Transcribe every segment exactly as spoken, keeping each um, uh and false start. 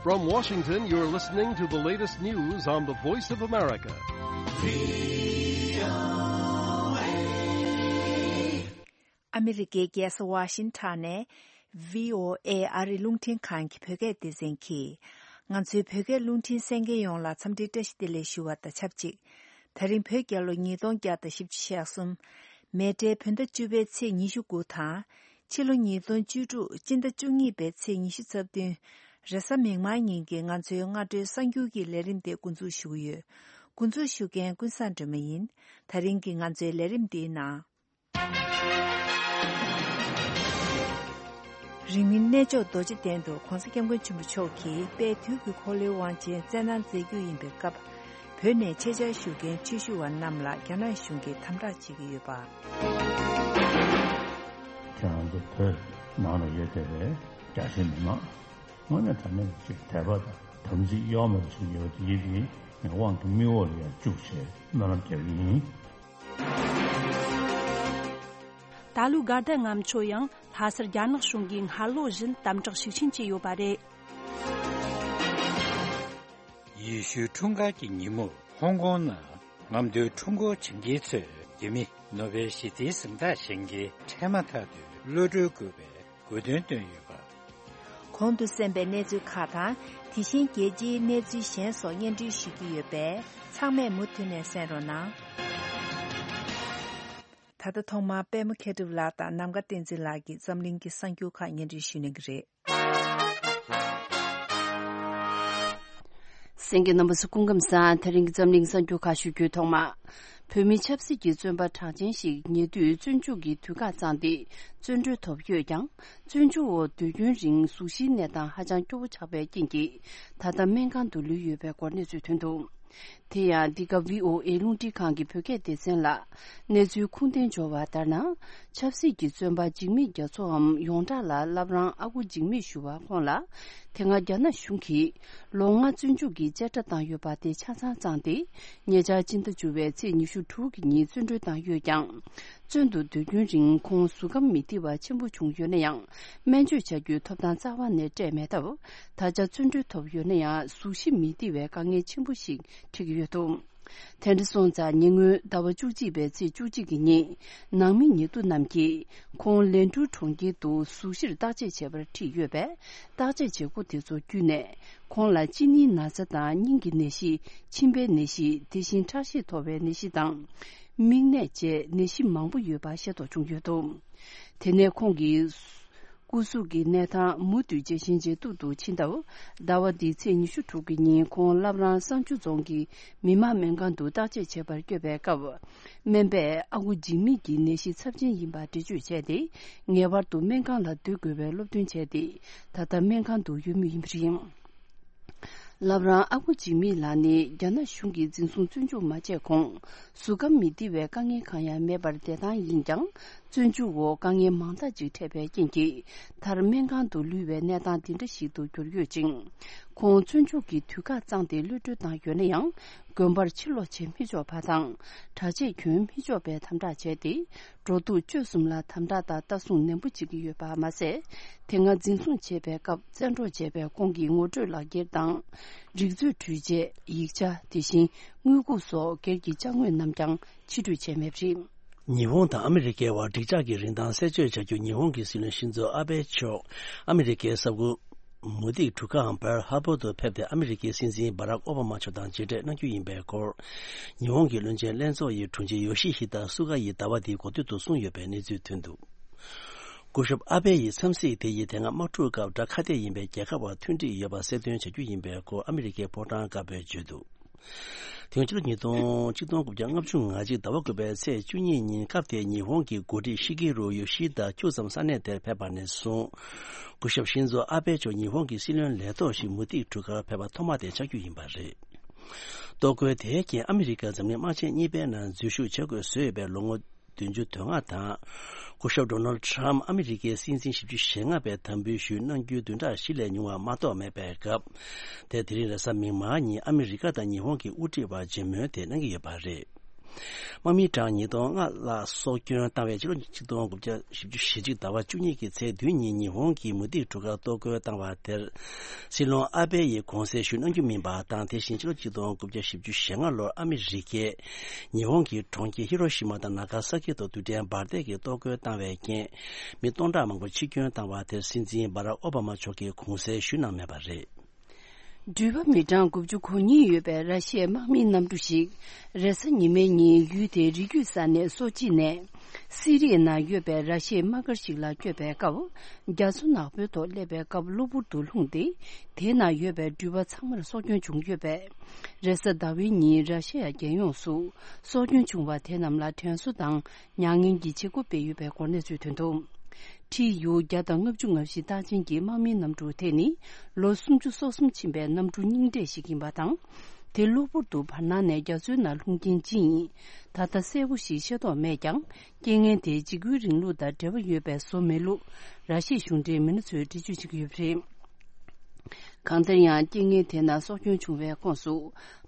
From Washington, you're listening to the latest news on the Voice of America. ཨ་མི་རི་ཀའི་རྒྱལ་ས་ཝ་ཤིང་ཊོན་ནས་བྷི་ཨོ་ཨེ་ཨ་རིའི་རླུང་འཕྲིན་ཁང་གི་བོད་སྐད་སྡེ་ཚན་གྱིས། ང་ཚོའི་བོད་སྐད་རླུང་འཕྲིན་གསན་མཁན་ཡོངས་ལ་འཚམས་འདྲིའི་བཀྲ་ཤིས་བདེ་ལེགས་ཞུ་བ་དང་ཆབས་ཅིག་ད་རིང་བོད་རྒྱལ་ལོ་ཉིས་སྟོང་བརྒྱ་དང་བཞི་བཅུ་ཞེ་གསུམ། མེ་སྤྲེལ་བོད་ཟླ་བཅུ་པའི་ཚེས་ཉི་ཤུ་དགུ་དང་། ཕྱི་ལོ་ཉིས་སྟོང་བཅུ་དྲུག་སྤྱི་ཟླ་བཅུ་གཉིས་པའི་ཚེས་ཉི་ཤུ་རྩ་བདུན། རེས་གཟའ་མིག་དམར་ཉིན་གྱི་ང་ཚོའི་སྔ་དྲོའི་གསར་འགྱུར་གྱི་ལས་རིམ་དེ་འགོ་འཛུགས་ཞུ་གི་ཡོད། འགོ་འཛུགས་ཞུ་མཁན་ཀུན་བཟང་སྒྲོལ་མ་ཡིན། ད་རིང་གི་ང་ཚོའི་ལས་རིམ་འདིའི་ནང་། རིང་མིན་གནས་མཆོག་རྡོ་རྗེ་གདན་དུ་༧གོང་ས་༧སྐྱབས་མགོན་ཆེན་པོ་མཆོག་གིས་དཔལ་དུས་ཀྱི་འཁོར་ལོའི་དབང་ཆེན་བསྩལ་གནང་མཛད་རྒྱུ་ཡིན་པའི་སྐབས། བོད་ནས་ཆེད་བཅར་ཞུ་མཁན་ཆོས་ཞུ་བ་རྣམས་ལ་རྒྱ་ནག་གཞུང་གིས་དམ་དྲག་བྱེད་ཀྱི་ཡོད་པ། ཁྱེད་རང་ཚོ་བོད་ནང་ལ་ཡོད་བསྡད་པའི་རྒྱ་ཆེའི་མི་མང་། དངོས་གནས་དྲང་གནས་ཅིག་དད་པ་དང་དམ་ཚིག་གཡོ་མེད་པ་ཞིག་ཡོད་པ་དེ་ཡིན་དེ་ངས་དབང་དུ་མི་འོག་ལ་ཡང་བཅུག་བྱས་སྨོན་ལམ་རྒྱག་གི་ཡིན། ད་ལོའི་དགའ་ལྡན་ལྔ་མཆོད་ཡང་ལྷ་སར་རྒྱ་ནག་གཞུང་གིས་སྔ་ལོ་བཞིན་དམ་དྲག་ཤུགས་ཆེན་བྱས་ཡོད་པ་རེད། ཡེ་ཤུའི་འཁྲུངས་སྐར་གྱི་ཉིན་མོར་ཧོང་ཀོང་ནང་རྔམ་སྟོན་ཁྲོམ་སྐོར་བྱེད་མཁན་ཚོས་རྒྱ་མི་ནོ་བེལ་ཞི་བདེའི་གཟེངས་རྟགས་བཞེས་མཁན་འཕྲལ་མ་ཐག་ཏུ་གློད་གྲོལ་དགོས་པའི་དགོས་འདུན་བཏོན་ཡོད་པ། གོང་དུ་གསན་པའི་གནས་ཚུལ་ཁག་དང་། དེ་བཞིན་རྒྱལ་སྤྱིའི་གནས་ཚུལ་གཞན་སོགས་སྙན་སྒྲོན་ཞུ་རྒྱུ་ཡོད་པས། ཚང་མས་མུ་མཐུད་ནས་གསན་རོགས་གནང་། ད་ལྟ་ཐོག་མར་པད་མ་མཁས་གྲུབ་ལགས་དང་ནམ་མཁའ་བསྟན་འཛིན་ལགས་ཀྱིས་འཛམ་གླིང་གི་གསར་འགྱུར་ཁག་སྙན་སྒྲོན་ཞུ་གནང་གི་རེད། གསན་མཁན་རྣམ་པ་ཚོ་སྐུ་ཁམས་བཟང་། དེ་རིང་གི་འཛམ་གླིང་གསར་འགྱུར་ཁག་ཞུ་རྒྱུའི་ཐོག་མ། བོད་མི་ཆབ་སྲིད་ཀྱི་བཙོན་པ་གྲགས་ཅན་ཞིག་ཉེ་དུས་བཙོན་འཇུག་གི་དུས་བཀག་བརྩམས་ཏེ་བཙོན་གྲོལ་ཐོབ་ཡོད་ཀྱང་། བཙོན་འཇུག་འོག་སྡོད་རྒྱུན་རིང་གཟུགས་གཞིའི་གནས་སྟངས་ཧ་ཅང་སྐྱོ་བོ་ཆགས་པའི་རྐྱེན་གྱིས། ད་ལྟ་སྨན་ཁང་དུ་ལུས་ཡོད་པའི་སྐོར་གནས་ཚུལ་ཐོན་འདུག་དེ་ཡང་འདི་ག་བྷི་ཨོ་ཨེ་རླུང་འཕྲིན་ཁང་གི་བོད་སྐད་སྡེ་ཚན་ལ་གནས་ཚུལ་ཁུངས་ལྡན་འབྱོར་བ་ལྟར་ན། ཆབ་སྲིད་ཀྱི་བཙོན་པ་འཇིགས་མེད་རྒྱ་མཚོའམ་ཡོངས་གྲགས་ལ་བླ་བྲང་ཨ་ཁུ་འཇིགས་མེད་ཞུ་བ་ཁོང་ལ། དེ་སྔ་རྒྱ་ནག་གཞུང་གིས་ལོ་ལྔ་བཙོན་འཇུག་གི་བཅད་ཁྲ་བཏང་ཡོད་པ་དེ་ཆ་ཚང་བརྩམས་ཏེ། ཉེ་ཆར་སྤྱི་ཟླ་བཅུ་པའི་ཚེས་ཉི་ཤུ་དྲུག་གི་ཉིན་བཙོན་གྲོལ་བཏང་ཡོད་ཀྱང་། བཙོན་དུ་སྡོད་རྒྱུན་རིང་ཁོང་གཟུགས་ཁམས་མི་བདེ་བ་ཆེན་པོ་བྱུང་ཡོད་ན་ཡང་། སྨན་བཅོས་བྱ་རྒྱུའི་ཐོབ་ཐང་རྩ་བ་ནས་སྤྲད་མེད་སྟབས། ད་ཆ་བཙོན་གྲོལ་ཐོབ་ཡོད་ན་ཡང་། གཟུགས་གཞི་མི་བདེ་བའི་དཀའ་ངལ་ཆེན་པོ་ཞིག་འཕྲད་ཀྱི་ཡོད་འདུག་དེ་འདྲ་སོང་ཙང་ཉེ་སྔོན་ཟླ་བ་བཅུ་གཅིག་པའི་ཚེས་བཅུ་གཅིག་གི་ཉིན། ནང་མི་ཉེ་དུ་རྣམས་ཀྱིས་ཁོང་ལན་ཀྲུའུ་གྲོང་ཁྱེར་དུ་གཟུགས་གཞིར་བརྟག་དཔྱད་བྱེད་པར་ཁྲིད་ཡོད་པས། བརྟག་དཔྱད་བྱེད་སྒོ་དེ་ཚོ་བརྒྱུད་ནས། ཁོང་ལ་གཅིན་སྙིའི་ན་ཚ་དང་སྙིང་གི་ནད་གཞི། མཆིན་པའི་ནད་གཞི། དེ་བཞིན་ཁྲག་ཤེད་མཐོ་བའི་ནད་གཞི་དང་། མིག་ནད་བཅས་ནད་གཞི་མང་པོ་ཡོད་པ་ཤེས་རྟོགས་བྱུང་ཡོད་འདུག་དེ་ནས་ཁོང་གི་སྐུ་གཟུགས་ཀྱི་གནས་སྟངས་མུ་མཐུད་ཇེ་ཞན་ཇེ་སྡུག་ཏུ་ཕྱིན་སྟབས། ཟླ་བ་འདིའི་ཚེས་ཉི་ཤུ་དྲུག་གི་ཉིན་ཁོང་བླ་བྲང་བསང་ཆུ་རྫོང་གི་མི་དམངས་སྨན་ཁང་དུ་བརྟག་དཔྱད་བྱེད་པར་བསྐྱོད་པའི་སྐབས། སྨན་པས་ཨ་ཁུ་འཇིགས་མེད་ཀྱི་ནད་གཞི་ཚབས་ཆེན་ཡིན་པ་འགྲེལ་བརྗོད་བྱས་ཏེ། ངེས་པར་དུ་སྨན་ཁང་ལ་སྡོད་དགོས་པའི་སློབ་སྟོན་བྱས་ཏེ། ད་ལྟ་སྨན་ཁང་དུ་ཡོད་མུས་ཡིན་པ་རེད། བླ་བྲང་ཨ་ཁུ་འཇིགས་མེད་ལགས་ནི་རྒྱ་ནག་གཞུང་གིས་འཛིན་བཟུང་བཙོན་འཇུག་མ་བྱས་གོང་། གཟུགས་ཁམས་མི་བདེ་བའི་དཀའ་ངལ་གང་ཡང་མེད་པར་བསྡད་སྟངས་ཡིན་ཀྱང་། བཙོན་འཇུག་འོག་དཀའ་ངལ་མང་དག་ཅིག་འཕྲད་པའི་རྐྱེན་གྱིས། མཐར་སྨན་ཁང་དུ་ལུས་པའི་གནས་སྟངས་འདི་འདྲ་ཞིག་ཏུ་གྱུར་ཡོད་ཅིང་། ཁོང་བཙོན་འཇུག་གི་དུས་བཀག་བརྩམས་ཏེ་གློད་གྲོལ་བཏང་ཡོད་ན་ཡང་། དགོན་པར་ཕྱིར་ལོག་བྱེད་མི་ཆོག་པ་དང་། གྲྭ་ཆས་གྱོན་མི་ཆོག་པའི་དམ་དྲག་བྱས་ཏེ། འགྲོ་འདུག་སྤྱོད་གསུམ་ལ་དམ་དྲག་དང་ལྟ་སྲུང་ནན་པོ་བྱེད་ཀྱི་ཡོད་པ་མ་ཟད། དེ་སྔ་འཛིན་བཟུང་བྱས་པའི་སྐབས་བཙན་འཕྲོག་བྱས་པའི་ཁོང་གི་ངོ་སྤྲོད་ལག་འཁྱེར་དང་། རིག་མཛོད་འཕྲུལ་ཆས། ཡིག་ཆ། དེ་བཞིན་དངུལ་ཁུག་སོགས་སྒེར་གྱི་ཅ་དངོས་རྣམས་ཀྱང་ཕྱིར་སྤྲོད་བྱས་མེད་པ་རེད། ཉི་ཧོང་དང་ཨ་མི་རི་ཀའི་བར་འགྲིག་འཇགས་ཀྱི་རིན་ཐང་གསལ་བརྗོད་བྱ་རྒྱུ། ཉི་ཧོང་གི་སྲིད་བློན་ཤིན་ཛོ་ཨ་བྷེ་མཆོག་ཨ་མི་རི་ཀའི་ས་ཁུལ་མུ་ཏིག་གྲུ་ཁའམ་པརལ་ཧར་བར་དུ་ཕེབས་ཏེ། ཨ་མི་རི་ཀའི་སྲིད་འཛིན་སྦ་རག་ཨོ་བྷ་མ་མཆོག་དང་མཇལ་འཕྲད་གནང་རྒྱུ་ཡིན་པའི་སྐོར། ཉི་ཧོང་གི་བློན་ཆེན་ལྷན་ཚོགས་ཡི་དྲུང་ཆེ་ཡོ་ཤི་ཧི་ད་སུ་ག་ཡིས་ཟླ་བ་འདིའི་འགོ་སྟོད་དུ་གསུངས་ཡོད་པའི་གནས་ཚུལ་ཐོན་འདུག་སྐུ་ཞབས་ཨ་བྷེ་ཡི་འཚམས་གཟིགས་དེ་ཡིས་དེ་སྔ་དམག་འཁྲུག་སྐབས་དགྲ་ཁ་གཏད་ཡིན་པའི་རྒྱལ་ཁབ་བར་མཐུན་སྒྲིལ་ཡོད་པ་གསལ་སྟོན་བྱ་རྒྱུ་ཡིན་པའི་སྐོར་ཨ་མི་རི་ཀའི་ཕོ་བྲང་དཀར་པོས་བརྗོད་འདུག་དེ་སྔ་ཕྱི་ལོ་ཉིས་སྟོང་ཆིག་སྟོང་དགུ་བརྒྱ་ལྔ་བཅུ་ང་གཅིག་ཟླ་བ་དགུ་པའི་ཚེས་བཅུ་གཉིས་ཉིན་སྐབས་དེའི་ཉི་ཧོང་གི་འགོ་ཁྲིད་ཤི་གི་རུ་ཡོ་ཤི་དཱ་ཁྱུག་ཙམ་ས་གནས་དེར་ཕེབས་པ་ནས་བཟུང་། སྐུ་ཞབས་ཤིན་ཛོ་ཨ་བྷེ་མཆོག་ཉི་ཧོང་གི་སྲིད་བློན་ལས་ཐོག་ཞིག་མུ་ཏིག་གྲུ་ཁར་ཕེབས་པ་ཐོག་མ་དེ་ཆགས་རྒྱུ་ཡིན་པ་རེད། གཏོར་རྒོལ་དེའི་རྐྱེན་ཨ་མི་རི་ཀ་འཛམ་གླིང་དམག་ཆེན་གཉིས་པའི་ནང་འཛུལ་ཞུགས་བྱེད་དགོས་བཟོས་ཡོད་པའི་ལོ་ངོ་བདུན་ཅུ་དོན་ལྔ་དང་། སྐུ་ཞབས་ཌོ་ནལ་ཁྲམ་ཨ་མི་རི་ཀའི་སྲིད་འཛིན་བཞི་བཅུ་ཞེ་ལྔ་པའི་དམ་འབུལ་ཞུས་གནང་རྒྱུའི་བདུན་ཕྲག་བཞི་ལས་ཉུང་བ་མ་གཏོགས་མེད་པའི་སྐབས། དེ་དེ་རིང་རེས་གཟའ་མིག་དམར་ཉིན་ཨ་མི་རི་ཀ་དང་ཉི་ཧོང་གི་དབུ་ཁྲིད་བར་མཇལ་མོལ་དེ་གནང་གི་ཡོད་པ་རེད། དམག་མི་གྲངས་ཉིས་སྟོང་ལྔ་ལྷག་སྲོག་སྐྱོན་བཏང་བའི་ཕྱི་ལོ་ཆིག་སྟོང་དགུ་བརྒྱ་བཞི་བཅུ་ཞེ་གཅིག་ཟླ་བ་བཅུ་གཉིས་ཀྱི་ཚེས་བདུན་ཉིན་ཉི་ཧོང་གི་མུ་ཏིག་གྲུ་ཁར་གཏོར་རྒོལ་བཏང་བ་དེར། སྲིད་བློན་ཨ་བྷེ་ཡིས་དགོངས་སེལ་ཞུ་གནང་རྒྱུ་མིན་པ་དང་། དེ་བཞིན་ཕྱི་ལོ་ཆིག་སྟོང་དགུ་བརྒྱ་བཞི་བཅུ་ཞེ་ལྔ་ལོར་ཨ་མི་རི་ཀས་ཉི་ཧོང་གི་གྲོང་ཁྱེར་ཧི་རོ་ཤི་མ་དང་ན་ག་ས་ཀི་ཐོག་རྡུལ་ཕྲན་འབར་མདེལ་གྱིས་གཏོར་རྒོལ་བཏང་བའི་རྐྱེན། མི་སྟོང་ཕྲག་མང་པོ་འཆི་སྐྱོན་བཏང་བ་དེར། སྲིད་འཛིན་སྦ་རག་ཨོ་བྷ་མ་མཆོག་གིས་དགོངས་སེལ་ཞུ་གནང་མེད་པ་རེད། འགྲུལ་པ་མི་གྲངས་དགུ་བཅུ་གོ་གཉིས་ཡོད་པའི་ར་ཤི་ཡའི་དམག་མིའི་གནམ་གྲུ་ཞིག་རེས་གཟའ་ཉི་མའི་ཉིན་ཡུལ་དེའི་རི་རྒྱུད་ས་གནས་སོ་ཅི་ནས་སི་རི་ཡའི་ནང་ཡོད་པའི་ར་ཤི་ཡའི་དམག་སྒར་ཞིག་ལ་བསྐྱོད་པའི་སྐབས། རྒྱ་མཚོ་ནག་པོའི་ཐོག་སླེབས་པའི་སྐབས་གློ་བུར་དུ་ལྷུང་སྟེ། དེའི་ནང་ཡོད་པའི་འགྲུལ་པ་ཚང་མར་སྲོག་སྐྱོན་བྱུང་ཡོད་པས། རེས་གཟའ་ཟླ་བའི་ཉིན་ར་ཤི་ཡ་རྒྱལ་ཡོངས་སུ་སྲོག་སྐྱོན་བྱུང་བ་དེ་རྣམས་ལ་དྲན་གསོ་དང་མྱ་ངན་གྱི་བྱེད་སྒོ་སྤེལ་ཡོད་པའི་སྐོར་གནས་ཚུལ་ཐོན་འདུག། ཁྲི་ཡུ་བརྒྱ་དང་ལྔ་བཅུ་ང་བཞི་རྟགས་ཅན་གྱི་དམག་མིའི་གནམ་གྲུ་དེ་ནི་ལོ་སུམ་ཅུ་སོ་གསུམ་ཕྱིན་པའི་གནམ་གྲུ་རྙིང་གྲས་ཤིག་ཡིན་པ་དང་། དེ་གློ་བུར་དུ་བར་སྣང་ནས་རྒྱ་མཚོའི་ནང་ལྷུང་རྐྱེན་ཅི་ཡིན་ད་ལྟ་གསལ་པོ་ཞིག་ཤེས་རྟོགས་མེད་ཀྱང་། རྐྱེན་ངན་དེ་འཇིགས་སྐུལ་རིང་ལུགས་དང་འབྲེལ་བ་ཡོད་པའི་བཟོ་མེད་ལུགས་ར་ཤི་ཡའི་གཞུང་འབྲེལ་མི་སྣ་ཚོས་འགྲེལ་བརྗོད་བྱེད་ཀྱི་ཡོད་པ་རེད། གང་ལྟར་ཡང་རྐྱེན་ངན་དེ་ནང་སྲོག་སྐྱོན་བྱུང་བའི་ཁོངས་སུ།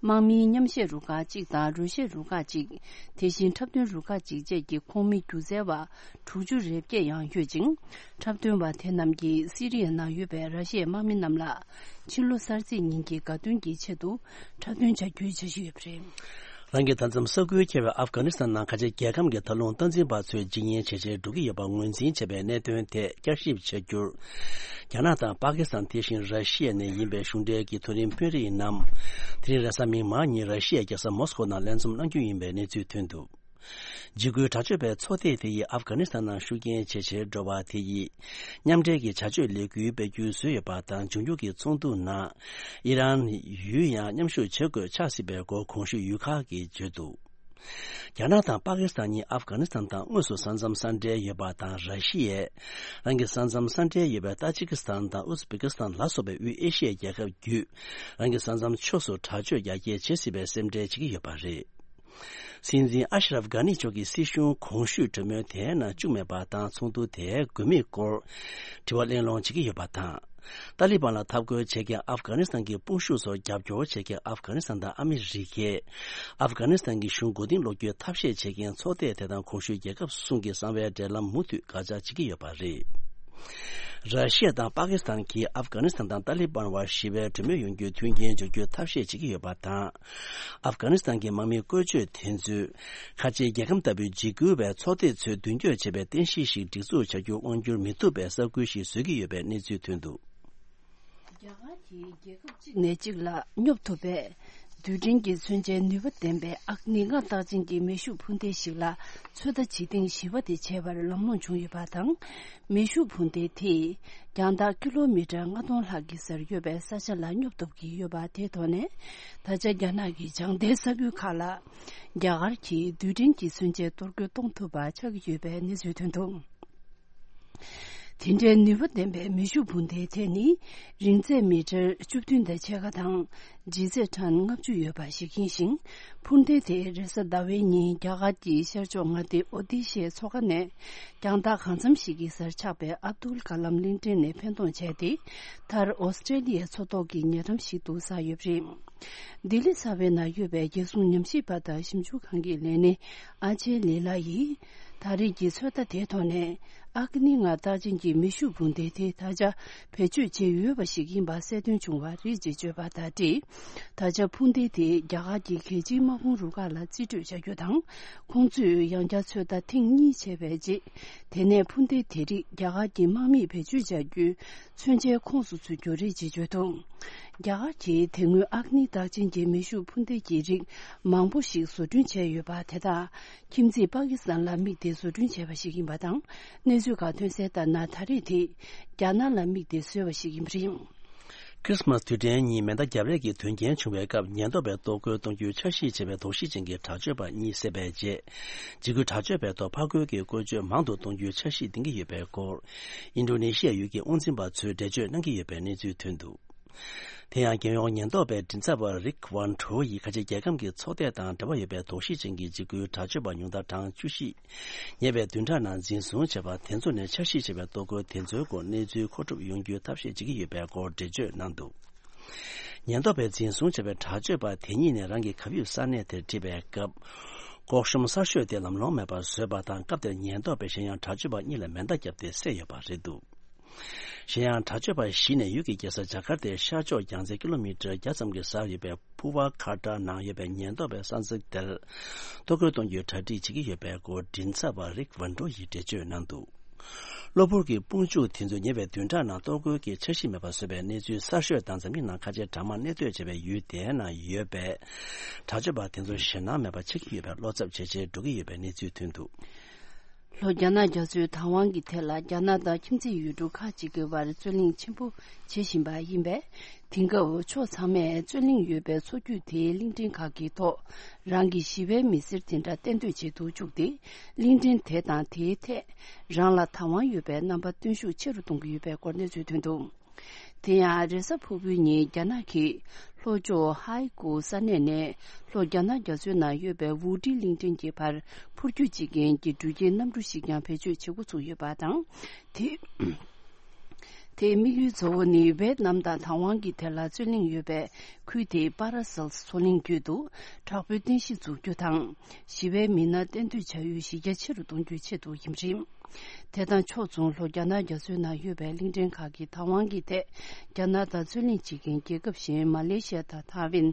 དམག་མིའི་མཉམ་བཞད་རུ་ཁག་གཅིག་དང་རོལ་བཤད་རུ་ཁག་གཅིག་དེ་བཞིན་འཁྲབ་སྟོན་རུ་ཁག་གཅིག་བཅས་ཀྱི་ཁོངས་མི་སྒྱུ་རྩལ་བ་དྲུག་ཅུ་རེ་བརྒྱད་ཡང་ཡོད་ཅིང་། འཁྲབ་སྟོན་པ་དེ་རྣམས་ཀྱིས་སི་རི་ཡའི་ནང་ཡོད་པའི་ར་ཤི་ཡའི་དམག་མི་རྣམས་ལ་ཕྱི་ལོ་གསར་ཚེས་ཉིན་གྱི་དགའ་སྟོན་གྱི་ཆེད་དུ་འཁྲབ་སྟོན་བྱ་རྒྱུའི་འཆར་གཞི་ཡོད་པ་རེད། རང་གི་མཐའ་མཚམས་ས་ཁུལ་ཁེལ་བའི་ཨབ་གྷ་ནི་སི་ཐན་ནང་ཁ་ཆེ་རྒྱལ་ཁམས་ཀྱི་མཐའ་ལྷུང་སྟངས་འཛིན་པ་ཚོས་འཇིགས་ཉེན་ཇེ་ཆེར་འགྲོ་གི་ཡོད་པ་ངོས་འཛིན་བྱས་པའི་གནད་དོན་ཐད་བསྐྱར་ཞིབ་བྱ་རྒྱུར། རྒྱ་ནག་དང་པ་ཀི་སི་ཐན་དེ་བཞིན་ར་ཤི་ཡ་ནས་ཡིན་པའི་གཞུང་འབྲེལ་གྱི་མཐོ་རིམ་དཔོན་རིགས་རྣམས། དེ་རིང་རེས་གཟའ་མིག་དམར་ཉིན་ར་ཤི་ཡའི་རྒྱལ་ས་མོ་སི་ཁོ་ནང་ལྷན་འཛོམས་གནང་རྒྱུ་ཡིན་པའི་གནས་ཚུལ་ཐོན་འདུག། འཇིགས་སྐུལ་དྲག་སྤྱོད་པའི་ཚོགས་སྡེ་དེ་ཡིས་ཨབ་གྷ་ནི་སི་ཐན་ནང་ཤུགས་རྐྱེན་ཇེ་ཆེར་འགྲོ་བ་དེ་ཡིས། མཉམ་འབྲེལ་གྱི་བྱ་སྤྱོད་ལས་འགུལ་སྤེལ་རྒྱུའི་བཟོས་ཡོད་པ་དང་། འབྱུང་འགྱུར་གྱི་ཚོགས་འདུ་ནང་། ཨི་རན་ཡུལ་ཡང་མཉམ་ཞུགས་བྱེད་དགོས་ཆགས་སྲིད་པའི་སྐོར་གོང་ཞུས་ཡུལ་ཁག་གིས་བརྗོད་འདུག། རྒྱ་ནག་དང་པ་ཀི་སི་ཐན་གཉིས་ཨབ་གྷ་ནི་སི་ཐན་དང་དངོས་སུ་ས་མཚམས་ས་འབྲེལ་ཡོད་པ་དང་། ར་ཤི་ཡས་རང་གི་ས་མཚམས་ས་འབྲེལ་ཡོད་པའི་ཏཱ་ཇི་ཀི་སི་ཐན་དང་ཨུ་ཛི་བེ་ཀི་སི་ཐན་ལ་སོགས་པའི་དབུས་ཨེ་ཤི་ཡའི་རྒྱལ་ཁབ་བརྒྱུད། རང་གི་ས་མཚམས་ཕྱོགས་སུ་དྲག་སྤྱོད་རྒྱ་སྐྱེད་བྱེད་སྲིད་པའི་སེམས་ཁྲལ་བྱེད་ཀྱི་ཡོད་པ་རེད། སྲིད་འཛིན་ཨ་ཤ་རབ་གྷ་ནི་མཆོག་གི་སྲིད་གཞུང་གོང་ཞུས་གྲོས་མོལ་དེའི་ནང་བཅུག་མེད་པ་དང་། ཚོགས་འདུ་དེའི་དགོས་དམིགས་སྐོར་དྲི་བ་གླེང་སློང་བྱེད་ཀྱི་ཡོད་པ་དང་། ཏཱ་ལི་བན་ལ་འཐབ་རྒོལ་བྱེད་མཁན་ཨབ་གྷ་ནི་སི་ཐན་གྱི་དཔུང་ཤུགས་ཚོར་རྒྱབ་སྐྱོར་བྱེད་མཁན་ཨབ་གྷ་ནི་སི་ཐན་དང་ཨ་མི་རི་ཀས། ཨབ་གྷ་ནི་སི་ཐན་གྱི་གཞུང་མགོ་རྟིང་སློག་རྒྱུའི་ཐབས་ཤེས་བྱེད་མཁན་ཚོགས་སྡེ་དེ་དང་གོང་ཞུས་རྒྱལ་ཁབ་གསུམ་གྱི་གསང་བའི་འབྲེལ་ལམ་མུ་མཐུད་དགག་བྱ་བྱེད་ཀྱི་ཡོད་པ་རེད། ར་ཤི་ཡ་དང་པ་ཀི་སི་ཐན་གྱིས་ཨབ་གྷ་ནི་སི་ཐན་དང་ཏཱ་ལི་བན་བར་ཞི་བའི་གྲོས་མོལ་ཡོང་རྒྱུའི་མཐུན་རྐྱེན་སྦྱོར་རྒྱུའི་ཐབས་ཤེས་བྱེད་ཀྱི་ཡོད་པ་དང་། ཨབ་གྷ་ནི་སི་ཐན་གྱི་དམག་མི་བཀོལ་སྤྱོད་དེ་ཚོས། ཁ་ཆེའི་རྒྱལ་ཁམས་ལྟ་བུའི་འཇིགས་སྐུལ་བའི་ཚོགས་སྡེ་ཚོས་མདུན་སྐྱོད་བྱས་པའི་རྟེན་གཞི་ཞིག་སྒྲིག་འཛུགས་བྱ་རྒྱུ་དབང་བསྒྱུར་མི་ཐུབ་པའི་ས་ཁུལ་ཞིག་བཟོ་གི་ཡོད་པའི་གནས་ཚུལ་ཐོན་འདུག། རྒྱ་གར་གྱིས་རྒྱལ་ཁབ་གཅིག་ནས་གཅིག་ལ་སྙོབ་ཐུབ་པའི་རྡུལ་ཕྲན་གྱི་མཚོན་ཆའི་ནུས་པ་ལྡན་པའི་ཨག་ནི་ལྔ་རྟགས་ཅན་གྱི་མེ་ཤུགས་འཕུར་མདེལ་ཞིག་ལ་ཚོད་ལྟ་བྱེད་ཐེངས་བཞི་པ་དེ་བྱས་པར་ལམ་ལྷོང་བྱུང་ཡོད་པ་དང་། མེ་ཤུགས་འཕུར་མདེལ་དེས་རྒྱང་ཐག་ཀི་ལོ་མི་ཊར་ལྔ་སྟོང་ལྷག་གི་སར་ཡོད་པའི་ས་ཆ་ལ་སྙོབ་ཐུབ་ཀྱི་ཡོད་པ་དེའི་ཐོག་ནས། ད་ཆ་རྒྱ་ནག་གི་བྱང་མཐའི་ས་ཁུལ་ཁག་ལ་རྒྱ་གར་གྱིས་རྡུལ་ཕྲན་གྱི་མཚོན་ཆས་གཏོར་རྒོལ་གཏོང་ཐུབ་པ་ཆགས་ཀྱི་ཡོད་པའི་གནས་ཚུལ་ཐོན་འདུག། དེ་འདྲའི་ནུས་པ་ལྡན་པའི་མེ་ཤུགས་འཕུར་མདེལ་དེ་ནི་རིང་ཚད་མི་ཊར་བཅུ་བདུན་དང་ཕྱེད་ཀ་དང་ལྗིད་ཚད་ཊོན་ལྔ་བཅུ་ཡོད་པ་ཞིག་ཡིན་ཞིང་། འཕུར་མདེལ་དེ་རེས་གཟའ་ཟླ་བའི་ཉིན་རྒྱ་གར་གྱི་ཤར་ཕྱོགས་མངའ་སྡེ་ཨོ་ཏི་ཤའི་མཚོ་ཁ་ནས་རྒྱང་ཐག་གང་འཚམ་ཞིག་གི་སར་ཆགས་པའི་ཨབ་དུལ་ཀ་ལམ་གླིང་ཕྲན་ནས་འཕེན་གཏོང་བྱས་ཏེ། མཐར་ཨོ་སི་ཀྲེ་ལི་ཡའི་མཚོ་ཐོག་གི་ཉེ་འགྲམ་ཞིག་ཏུ་བསགས་ཡོད་པ་རེད། ལྡི་ལི་གསར་པའི་ནང་ཡོད་པའི་རྒྱལ་སྲུང་ཉམས་ཞིབ་པ་དང་ཞིབ་འཇུག་ཁང་གི་ལས་སྣེ་ཨ་ཆེ་ལི་ལ་ཡིས། ད་རེས་ཀྱི་ཚོད་ལྟ་དེའི་ཐོག་ནས། ཨག་ནི་ལྔ་རྟགས་ཅན་གྱི་མེ་ཤུགས་འཕུར་མདེལ་དེ་ད་ཆ་བེད་སྤྱོད་བྱས་ཡོད་པ་ཞིག་ཡིན་པ་གསལ་སྟོན་བྱུང་བ་རེད་ཅེས་བརྗོད་པ་དང་འབྲེལ། ད་ཆ་འཕུར་མདེལ་དེ་རྒྱ་གར་གྱི་གལ་ཆེའི་དམག་དཔུང་རུ་ཁག་ལ་རྩིས་སྤྲོད་བྱ་རྒྱུ་དང་། ཁོང་ཚོས་ཡང་བསྐྱར་ཚོད་ལྟ་ཐེངས་གཉིས་བྱས་པའི་རྗེས། དེ་ནས་འཕུར་མདེལ་དེ་རིགས་རྒྱ་གར་གྱི་དམག་མིས་བེད་སྤྱོད་བྱ་རྒྱུའི་མཚོན་ཆའི་ཁོངས་སུ་ཚུད་རྒྱུ་རེད་ཅེས་བརྗོད་འདུག། རྒྱ་གར་གྱིས་དེ་སྔོན་ཨག་ནི་རྟགས་ཅན་གྱི་མེ་ཤུགས་འཕུར་མདེལ་གྱི་རིགས་མང་པོ་ཞིག་བཟོ་སྐྲུན་བྱས་ཡོད་པ་དེ་དག་ཁྱིམ་མཚེས་པ་ཀི་སི་ཐན་ལ་དམིགས་ཏེ་བཟོ་སྐྲུན་བྱས་པ་ཞིག་ཡིན་པ་དང་། གནས་ཚུལ་ཁག་ཐོན་གསལ་ལྟར་ན། ད་རེས་དེ་རྒྱ་ནག་ལ་དམིགས་ཏེ་བཟོས་པ་ཞིག་ཡིན་པ་རེད། ཁྲི་སི་མཱ་སི་དུས་དྲན་ཉིན་མེ་མདའ་བརྒྱབ་རེས་ཀྱི་དོན་རྐྱེན་བྱུང་བའི་སྐབས། ཉེན་རྟོག་པས་གཏོར་རྒོལ་གཏོང་རྒྱུའི་འཆར་གཞི་བྱས་པའི་དོགས་གཞི་ཅན་གྱི་དྲག་སྤྱོད་པ་གཉིས་བསད་པའི་རྗེས། འཇིགས་སྐུལ་དྲག་སྤྱོད་པའི་ཐོག་ཕར་རྒོལ་གྱི་བཀོལ་སྤྱོད་མང་དུ་གཏོང་རྒྱུའི་འཆར་གཞི་འདིང་གི་ཡོད་པའི་སྐོར། ཨིན་ཌོ་ནེ་ཤི་ཡའི་ཡུལ་གྱི་དབང་འཛིན་པ་ཚོས་འགྲེལ་བརྗོད་གནང་གི་ཡོད་པའི་གནས་ཚུལ་ཐོན་འདུག། དེ་ཡང་རྒྱལ་ཡོངས་ཉེན་རྟོག་པའི་མགྲིན་ཚབ་པ་རིག་ཝན་ཁྲོ་ཡིས་ཁ་ཆེ་རྒྱལ་ཁམས་ཀྱི་ཚོགས་སྡེ་དང་འབྲེལ་བ་ཡོད་པའི་དོགས་གཞི་ཅན་གྱི་འཇིགས་སྐུལ་དྲག་སྤྱོད་པ་ཉུང་མཐར་གྲངས་བཅུ་བཞི། ཉེ་བའི་བདུན་ཕྲག་ནང་འཛིན་བཟུང་བྱས་པ་དེ་ཚོ་ནས་འཆར་གཞི་བྱས་པའི་གཏོར་རྒོལ་དེ་ཚོའི་སྐོར་གནས་ཚུལ་མཁོ་སྒྲུབ་ཡོང་རྒྱུའི་ཐབས་ཤེས་བྱེད་ཀྱི་ཡོད་པའི་སྐོར་འགྲེལ་བརྗོད་གནང་འདུག། ཉེན་རྟོག་པས་འཛིན་བཟུང་བྱས་པའི་དྲག་སྤྱོད་པ་དེ་ཉིད་ནས་རང་གི་གབ་ཡིབ་ས་གནས་དེར་ཁྲིད་པའི་སྐབས། སྐོག་གཤོམ་གསར་ཤོས་དེ་ལམ་ལྷོང་མེད་པར་བཟོས་པ་དང་། སྐབས་དེར་ཉེན་རྟོག་པས་གཞན་ཡང་དྲག་སྤྱོད་པ་གཉིས་ལ་མེ་མདའ་བརྒྱབ་སྟེ་བསད་ཡོད་པ་རེད་འདུག་གཞན་ཡང་དྲག་སྤྱོད་པ་བཞི་ནས་ཡུལ་གྱི་རྒྱལ་ས་ཇ་ཀར་ཏའི་ཤར་ཕྱོགས་རྒྱང་ཚད་ཀི་ལོ་མི་ཊར་བརྒྱ་ཙམ་གྱི་སར་ཡོད་པའི་ཕུ་ཝ་ཁ་ཏྲ་ནང་ཡོད་པའི་ཉེན་རྟོག་པའི་ས་ཚིགས་དེར་གཏོར་རྒོལ་གཏོང་རྒྱུའི་གྲ་སྒྲིག་བྱེད་ཀྱི་ཡོད་པའི་སྐོར་མགྲིན་ཚབ་པ་རིག་ཝན་ཀྲོ་ཡིས་འགྲེལ་བརྗོད་གནང་འདུག་གློ་བུར་གྱི་དཔུང་འཇུག་དེ་ཚོས་ཉེ་བའི་བདུན་ཕྲག་ནང་གཏོར་རྒོལ་གྱི་འཆར་གཞི་མེད་པར་བཟོས་པའི་གནས་ཚུལ་གསར་ཤོས་དང་། འཛམ་གླིང་ནང་ཁ་ཆེ་གྲངས་མང་གནས་སྡོད་བྱེད་པའི་ཡུལ་དེའི་ནང་ཡོད་པའི་དྲག་སྤྱོད་པ་དེ་ཚོ་ཞེད་སྣང་མེད་པར་ཆགས་ཀྱི་ཡོད་པའི་བློ་འཚབ་ཇེ་ཆེར་འགྲོ་གི་ཡོད་པའི་གནས་ཚུལ་ཐོན་འདུག་ལྷོ་རྒྱ་ནག་རྒྱ་མཚོའི་བདག་དབང་གི་ཐད་ལ་རྒྱ་ནག་དང་ཁྱིམ་མཚེས་ཡུལ་གྲུ་ཁག་ཅིག་གི་བར་རྩོད་གླེང་ཆེན་པོ་བྱེད་བཞིན་པ་ཡིན་པས། དེང་སྐབས་ཕྱོགས་ཚང་མས་རྩོད་གླེང་ཡོད་པའི་མཚོ་རྒྱུད་དེའི་གླིང་ཕྲན་ཁག་གི་ཐོག་རང་གི་ཞི་བའི་མི་སེར་དེ་འདྲ་གཏན་སྡོད་བྱེད་དུ་བཅུག་སྟེ། གླིང་ཕྲན་དེ་དང་དེའི་ཐད་རང་ལ་བདག་དབང་ཡོད་པའི་རྣམ་པ་སྟོན་ཤུགས་ཆེ་རུ་གཏོང་གི་ཡོད་པའི་སྐོར་གནས་ཚུལ་ཐོན་འདུག་དེ་ཡང་རེས་གཟའ་ཕུར་བུའི་ཉིན་རྒྱ་ནག་གི་ལྷོ་ཕྱོགས་ཧའེ་ཀུ་ས་གནས་ནས་ལྷོ་རྒྱ་ནག་རྒྱ་མཚོའི་ནང་ཡོད་པའི་ཝུ་ཀྲི་གླིང་ཕྲན་གྱི་བར་འཕུར་སྐྱོད་བྱེད་མཁན་གྱི་འགྲུལ་སྐྱེལ་གནམ་གྲུ་ཞིག་ཀྱང་བེད་སྤྱོད་བྱེད་འགོ་ཚུགས་ཡོད་པ་དང་། དེ། དེའི་དམིགས་ཡུལ་གཙོ་བོ་ནི་ཝེད་ནམ་དང་བདག་དབང་གི་ཐད་ལ་རྩོད་གླེང་ཡོད་པའི་ཁུལ་དེའི་པ་ར་སེལ་མཚོ་གླིང་བརྒྱུད་དུ་དྲག་པོའི་རྟེན་གཞི་འཛུགས་རྒྱུ་དང་། ཞི་བའི་མི་སྣ་གཏན་སྡོད་བྱ་ཡུལ་གཞི་རྒྱ་ཆེ་རུ་གཏོང་རྒྱུའི་ཆེད་དུ་ཡིན་པ་རེད། དེ་དང་ཕྱོགས་མཚུངས་ལྷོ་རྒྱ་ནག་རྒྱ་མཚོའི་ནང་ཡོད་པའི་གླིང་ཕྲན་ཁག་གི་བདག་དབང་གི་ཐད་རྒྱ་ནག་དང་རྩོད་གླེང་བྱེད་མཁན་རྒྱལ་ཁབ་གཞན་མ་ལེ་ཤི་ཡ་དང་ཐའེ་ཝན།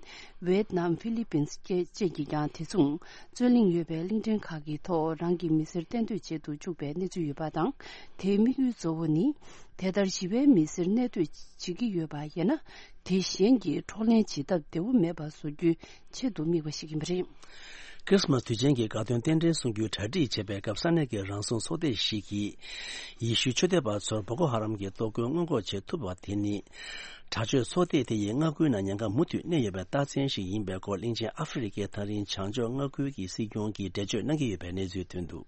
ཝེད་ནམ། ཧྥི་ལི་པིན་སི་བཅས་ཀྱིས་ཀྱང་དེ་མཚུངས་རྩོད་གླེང་ཡོད་པའི་གླིང་ཕྲན་ཁག་གི་ཐོག་རང་གི་མི་སེར་གཏན་སྡོད་བྱེད་དུ་བཅུག་པའི་གནས་ཚུལ་ཡོད་པ་དང་། དེའི་དམིགས་ཡུལ་གཙོ་བོ་ནི། དེ་ལྟར་ཞི་བའི་མི་སེར་གནས་སྡོད་བྱེད་ཀྱི་ཡོད་པ་ཡིན་ན། དེ་གཞན་གྱིས་འཕྲོག་ལེན་བྱེད་ཐབས་བདེ་བོ་མེད་པ་བཟོ་རྒྱུའི་ཆེད་དུ་དམིགས་པ་ཞིག་ཡིན་པ་རེད། ཁྲི་སི་མཱ་སི་དུས་ཆེན་གྱི་དགའ་སྟོན་རྟེན་འབྲེལ་གསུང་རྒྱུའི་གྲ་སྒྲིག་བྱེད་པའི་སྐབས། ས་གནས་ཀྱི་རང་སྲུང་ཚོགས་སྡེ་ཞིག་གིས་ཡེ་ཤུའི་ཆོས་དད་པ་ཚོར་བོ་ཀོ་ཧ་རམ་གྱི་གཏོར་རྒོལ་སྔོན་འགོག་བྱེད་ཐུབ་པ་དེ་ནི། དྲག་སྤྱོད་ཚོགས་སྡེ་དེ་ཡི་མངའ་ཁུལ་ནང་ཉེན་ཁ་མུ་མཐུད་གནས་ཡོད་པའི་རྟགས་མཚན་ཞིག་ཡིན་པའི་སྐོར། གླིང་ཆེན་ཨ་ཧྥེ་རི་ཁའི་ཐག་རིང་བྱང་ཕྱོགས་མངའ་ཁུལ་གྱི་སྲིད་སྐྱོང་གིས་འགྲེལ་བརྗོད་གནང་གི་ཡོད་པའི་གནས་ཚུལ་ཐོན་འདུག་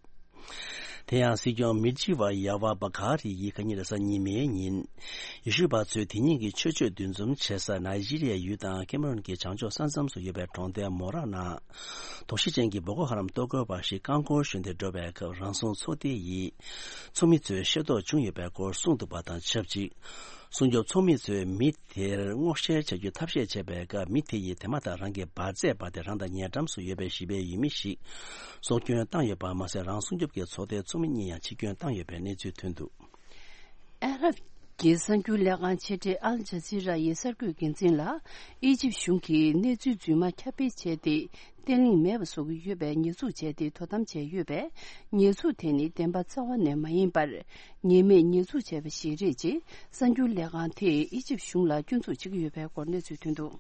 དེ་ཡང་སྲིད་སྐྱོང་མི་ཇི་ཝ་ཡ་ཝ་བ་གྷ་རི་ཡིས་ཁ་ཉིན་རེས་གཟའ་ཉི་མའི་ཉིན། ཡེ་ཤུ་པ་ཚོས་དེ་ཉིན་གྱི་ཆོས་སྤྱོད་འདུ་འཛོམས་བྱེད་ས་ནཱི་ཇི་རི་ཡའི་ཡུལ་དང་ཀེ་མ་རོན་གྱི་བྱང་ཕྱོགས་ས་མཚམས་སུ་ཡོད་པའི་གྲོང་རྡལ་མོ་ར་ནང་། དོགས་གཞི་ཅན་གྱི་བོ་ཀོ་ཧ་རམ་གཏོར་རྒོལ་བ་ཞིག་རྐང་འཁོར་ཞོན་ཏེ་འགྲོ་བའི་སྐབས། རང་སྲུང་ཚོགས་སྡེ་ཡི་ཚོགས་མི་ཚོས་ཤེས་རྟོགས་བྱུང་ཡོད་པའི་སྐོར་གསུངས་འདུག་པ་དང་ཆབས་ཅིག་སྲུང་སྐྱོབ་ཚོགས་མི་ཚོས་མི་དེར་སྔོག་བཤེར་བྱ་རྒྱུའི་ཐབས་ཤེས་བྱས་པའི་སྐབས། མི་དེ་ཡིས་དེ་མ་ཐག་རང་གི་འབར་རྫས་སྤར་ཏེ་རང་དང་ཉེ་འགྲམ་སུ་ཡོད་པའི་ཞི་བའི་ཡུལ་མི་ཞིག་སྲོག་སྐྱོན་བཏང་ཡོད་པ་མ་ཟད། རང་སྲུང་སྐྱོབ་ཀྱི་ཚོགས་སྡེའི་ཚོགས་མི་གཉིས་ཡང་འཆི་སྐྱོན་བཏང་ཡོད་པའི་གནས་ཚུལ་ཐོན་འདུག་ཨ་རབ་ཀྱི་གསར་འགྱུར་ལས་ཁང་ཆེ་གྲས་ཨལ་ཇ་ཛི་ར་ཡི་གསར་འགོད་འགན་འཛིན་ལ། ཨི་ཇིབ་གཞུང་གིས་གནས་ཚུལ་རྫུན་མ་ཁྱབ་སྤེལ་བྱས་ཏེ། བརྟན་ལྷིང་མེད་པ་བཟོ་གི་ཡོད་པའི་ཉེས་འཛུགས་བྱས་ཏེ་དོ་དམ་བྱས་ཡོད་པས། ཉེས་འཛུགས་དེ་ནི་བདེན་པ་རྩ་བ་ནས་མ་ཡིན་པར། ཉེས་མེད་ཉེས་འཛུགས་བྱས་པ་ཞིག་རེད་ཅེས་གསར་འགྱུར་ལས་ཁང་དེས་ཨི་ཇིབ་གཞུང་ལ་སྐྱོན་འཛུགས་བྱེད་ཀྱི་ཡོད་པའི་སྐོར་གནས་ཚུལ་ཐོན་འདུག་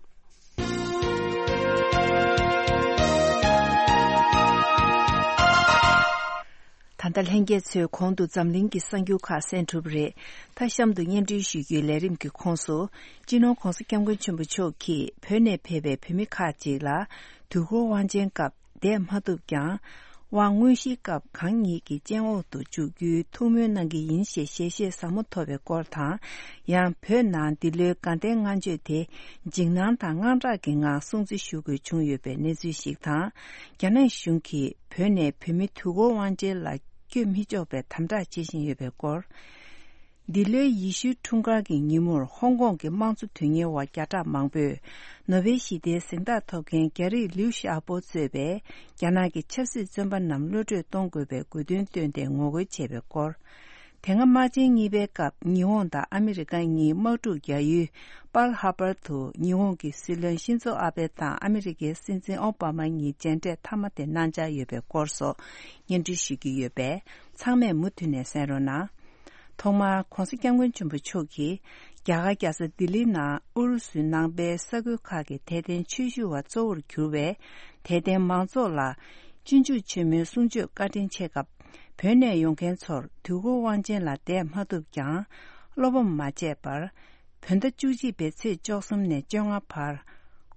ད་ལྟ་ལྷན་རྒྱས་ཚོས་གོང་དུ་འཛམ་གླིང་གི་གསར་འགྱུར་ཁག་གསན་གྲུབ་རེད། མཐའ་གཤམ་དུ་སྙན་སྒྲོན་ཞུ་རྒྱུའི་ལས་རིམ་གྱི་ཁོངས་སུ། སྤྱི་ནོར་༧གོང་ས་༧སྐྱབས་མགོན་ཆེན་པོ་མཆོག་གིས་བོད་ནས་ཕེབས་པའི་བོད་མི་ཁག་ཅིག་ལ། དུས་འཁོར་དབང་ཆེན་སྐབས་བསྡད་མ་ཐུབ་ཀྱང་། དབང་དངོས་གཞིའི་སྐབས་གང་ཉིད་ཀྱི་སྤྱན་འོག་ཏུ་བཅུག་རྒྱུའི་ཐུགས་སྨོན་གནང་གི་ཡིན་ཞེས་ཞལ་བཞེས་ཟབ་མོ་ཐོབ་པའི་སྐོར་དང་། ཡང་བོད་ནང་འདི་ལོའི་དགའ་ལྡན་ལྔ་མཆོད་དེ། འཇིགས་སྣང་དང་དངངས་སྐྲག་གི་ངང་སྲུང་བརྩི་ཞུ་དགོས་བྱུང་ཡོད་པའི་གནས་ཚུལ་ཞིག་དང་། རྒྱ་ནག་གཞུང་གིས་བོད་ནས་བོད་མི་དུས་འཁོར་དབང་ཆེན་ལ་བསྐྱོད་མི་ཆོག་པའི་དམ་དྲག་བྱེད་བཞིན་ཡོད་པའི་སྐོར། འདི་ལོའི་ཡེ་ཤུའི་འཁྲུངས་སྐར་གྱི་ཉིན་མོར་ཧོང་ཀོང་གི་དམངས་གཙོ་དོན་གཉེར་བ་བརྒྱ་ཕྲག་མང་པོས། ནོ་བེལ་ཞི་བདེའི་གཟེངས་རྟགས་ཐོབ་མཁན་རྒྱ་རིགས་ལིའུ་ཞའོ་པོ་གཙོས་པའི་རྒྱ་ནག་གི་ཆབ་སྲིད་བཙོན་པ་རྣམས་གློད་བཀྲོལ་གཏོང་དགོས་པའི་དགོས་འདུན་བཏོན་ཏེ་ངོ་རྒོལ་བྱས་པའི་སྐོར། དེ་སྔ་དམག་ཆེན་གཉིས་པའི་སྐབས་ཉི་ཧོང་དང་ཨ་མི་རི་ཀ་གཉིས་དམག་འཁྲུག་རྒྱག་ཡུལ་པཱལ་ཧར་པར་དུ་ཉི་ཧོང་གི་སྲིད་བློན་ཤིན་ཛོ་ཨ་བྷེ་དང་ཨ་མི་རི་ཀའི་སྲིད་འཛིན་ཨོ་བྷ་མ་གཉིས་མཇལ་འཕྲད་མཐའ་མ་དེ་གནང་འཆར་ཡོད་པའི་སྐོར་སོགས་སྙན་སྒྲོན་ཞུ་རྒྱུ་ཡོད་པས། ཚང་མས་མུ་མཐུད་ནས་གསན་རོགས་གནང་། ཐོག་མར་༧གོང་ས་༧སྐྱབས་མགོན་ཆེན་པོ་མཆོག་གིས་རྒྱ་གར་རྒྱལ་ས་ལྡི་ལིའི་ནང་ཨུ་རུ་སུའི་ནང་པའི་ས་ཁུལ་ཁག་གི་དད་ལྡན་ཆོས་ཞུ་བ་གཙོ་བོར་གྱུར་བའི་དད་ལྡན་མང་ཚོགས་ལ་སྤྱོད་འཇུག་ཆེན་མོའི་གསུང་ཆོས་བཀའ་དྲིན་ཆེ་སྐབས། བོད་ནས་ཡོང་མཁན་ཚོར་དུས་འཁོར་དབང་ཆེན་ལ་བསྡད་མ་ཐུབ་ཀྱང་། བློ་ཕམ་མ་བྱས་པར། བོད་ཟླ་བཅུ་གཅིག་པའི་ཚེས་བཅུ་གསུམ་ནས་བཅོ་ལྔ་བར།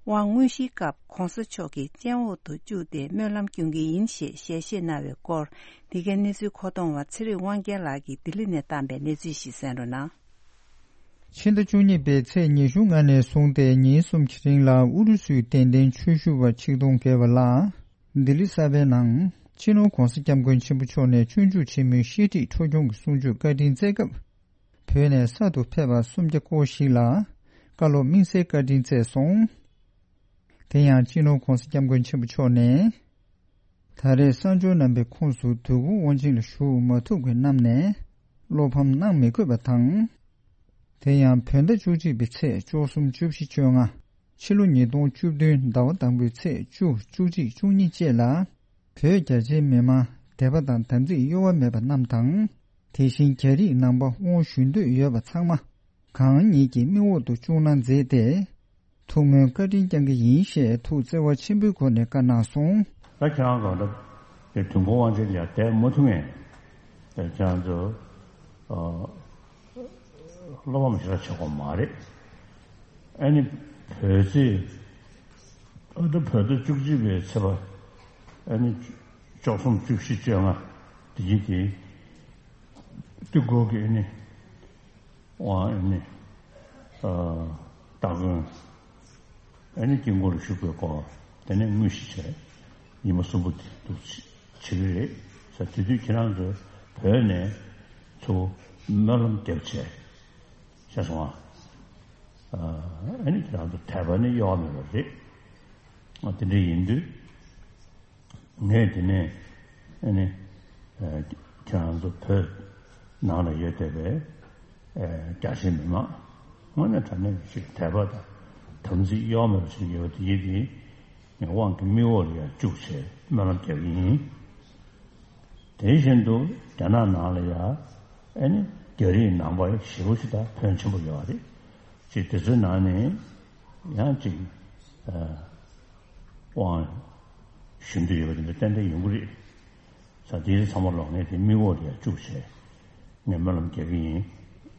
དབང་དངོས་གཞིའི་སྐབས་༧གོང་ས་མཆོག་གི་སྤྱན་འོག་ཏུ་བཅུག་སྟེ་སྨོན་ལམ་སྐྱོན་གྱི་ཡིན་ཞེས་ཞལ་བཞེས་གནང་བའི་སྐོར། འདི་གའི་གནས་ཚུལ་མཁོ་གཏོང་བ་ཚེ་རིང་དབང་རྒྱལ་ལགས་ཀྱིས་ལྡི་ལི་ནས་བཏང་པའི་གནས་ཚུལ་ཞིག་གསན་རོགས་གནང་། ཕྱི་ཟླ་བཅུ་གཉིས་པའི་ཚེས་ཉི་ཤུ་ལྔ་ནས་བཟུང་སྟེ་ཉིན་གསུམ་གྱི་རིང་ལ་ཨུ་རུ་སུའི་དད་ལྡན་ཆོས་ཞུ་བ་ཆིག་སྟོང་བརྒལ་བ་ལ། ལྡི་ལི་གསར་པའི་ནང་སྤྱི་ནོར་༧གོང་ས་༧སྐྱབས་མགོན་ཆེན་པོ་མཆོག་ནས་སྤྱོད་འཇུག་ཆེན་མོའི་བཤད་ཁྲིད་འཕྲོ་སྐྱོང་གི་གསུང་ཆོས་བཀའ་དྲིན་སྩལ་སྐབས། བོད་ནས་གསར་དུ་ཕེབས་པ་སུམ་བརྒྱ་སྐོར་ཞིག་ལ་བཀའ་སློབ་དམིགས་བསལ་བཀའ་དྲིན་སྩལ་སོང་། དེ་ཡང་སྤྱི་ནོར་༧གོང་ས་༧སྐྱབས་མགོན་ཆེན་པོ་མཆོག་ནས། ད་རེས་གསར་འབྱོར་རྣམ་པའི་ཁོངས་སུ་དོལ་པོ་དབང་ཆེན་ལ་ཞུགས་མ་ཐུབ་མཁན་རྣམས་ནས་བློ་ཕམ་གནང་མི་དགོས་པ་དང་། དེ་ཡང་བོད་ཟླ་བཅུ་གཅིག་པའི་ཚེས་བཅུ་གསུམ་བཅུ་བཞི་བཅོ་ལྔ། ཕྱི་ལོ་ཉིས་སྟོང་བཅུ་བདུན་ཟླ་བ་དང་པོའི་ཚེས་བཅུ། བཅུ་གཅིག་བཅུ་གཉིས་བཅས་ལ། བོད་རྒྱ་ཆེའི་མི་མང་དད་པ་དང་དམ་ཚིག་གཡོ་བ་མེད་པ་རྣམས་དང་། དེ་བཞིན་རྒྱ་རིགས་ནང་པ་དབང་ཞུ་འདོད་ཡོད་པ་ཚང་མ་གང་ཉིད་ཀྱི་མིག་འོག་ཏུ་བཅུག་གནང་མཛད་དེ། ཐུགས་སྨོན་བཀའ་དྲིན་བསྐྱང་གི་ཡིན་ཞེས་ཐུགས་བརྩེ་བ་ཆེན་པོའི་སྒོ་ནས་བཀའ་གནང་སོང་། ད་ཁྱེད་རང་གང་འདྲ་དེ་དུས་འཁོར་དབང་ཆེན་ལ་དད་མ་ཐུབ་མཁན་དེ་ཁྱེད་རང་ཚོ་བློ་ཕམ་ཞེ་དྲག་བྱེད་དགོས་མ་རེད། ཨ་ནི་བོད་ཚེས་ཨ་ད་བོད་ཟླ་བཅུ་གཅིག་པའི་ཚེས་པ་ཨ་ནི་བཅུ་གསུམ་བཅུ་བཞི་བཅོ་ལྔ་དེ་ཡིན་དེ་དུས་འཁོར་གྱི་ཨ་ནི། དབང་ཨ་ནི། སྟ་གོན། ཨ་ནི་དཀྱིལ་འཁོར་ལ་བཞུགས་པའི་སྐོར་དེ་ནས་དངོས་གཞི་བྱས། ཉི་མ་གསུམ་པོ་དེ་འདུག་བྱེད་ཀྱི་རེད་ས། དེ་དུས་ཁྱེད་རང་ཚོ་བོད་ནས་ཚུར་སྨོན་ལམ་རྒྱབ་བྱས། ཤེས་སོང་ཨ། ཨ་ནི་ཁྱེད་རང་ཚོ་དད་པ་ནི་གཡོ་བ་མེད་པ་རེད། དེ་འདྲ་ཡིན་དུས། ངས་དེ་ནས་ཨ་ནི་ཁྱེད་རང་ཚོ་བོད་ནང་ལ་ཡོད་བསྡད་པའི་རྒྱ་ཆེའི་མི་མང་དངོས་གནས་དྲང་གནས་ཅིག་དད་པ་དང་དམ་ཚིག་གཡོ་མེད་པ་ཞིག་ཡོད་པ་དེ་ཡིན་དེ་ངས་དབང་གི་མིག་འོག་ལ་ཡར་བཅུག་བྱས་སྨོན་ལམ་རྒྱག་གི་ཡིན། དེ་བཞིན་དུ་རྒྱ་ནག་ནང་ལ་ཡང་ཨ་ནི་རྒྱ་རིགས་ནང་པ་ཞེ་པོ་ཞིག་དང་ཕོན་ཆེན་པོ་ཡོད་རེད། ཅིག་དེ་ཚོའི་ནང་ནས་ཡང་ཅིག་དབང་ཞུ་འདོད་ཡོད་པ་དེ་འདྲ་ཏན་ཏན་ཡོང་གི་རེད། ས་དེའི་ཚང་མ་ལོག་ངས་དེ་མིག་འོག་ལ་ཡང་བཅུག་བྱས་ངས་སྨོན་ལམ་རྒྱག་གི་ཡིན།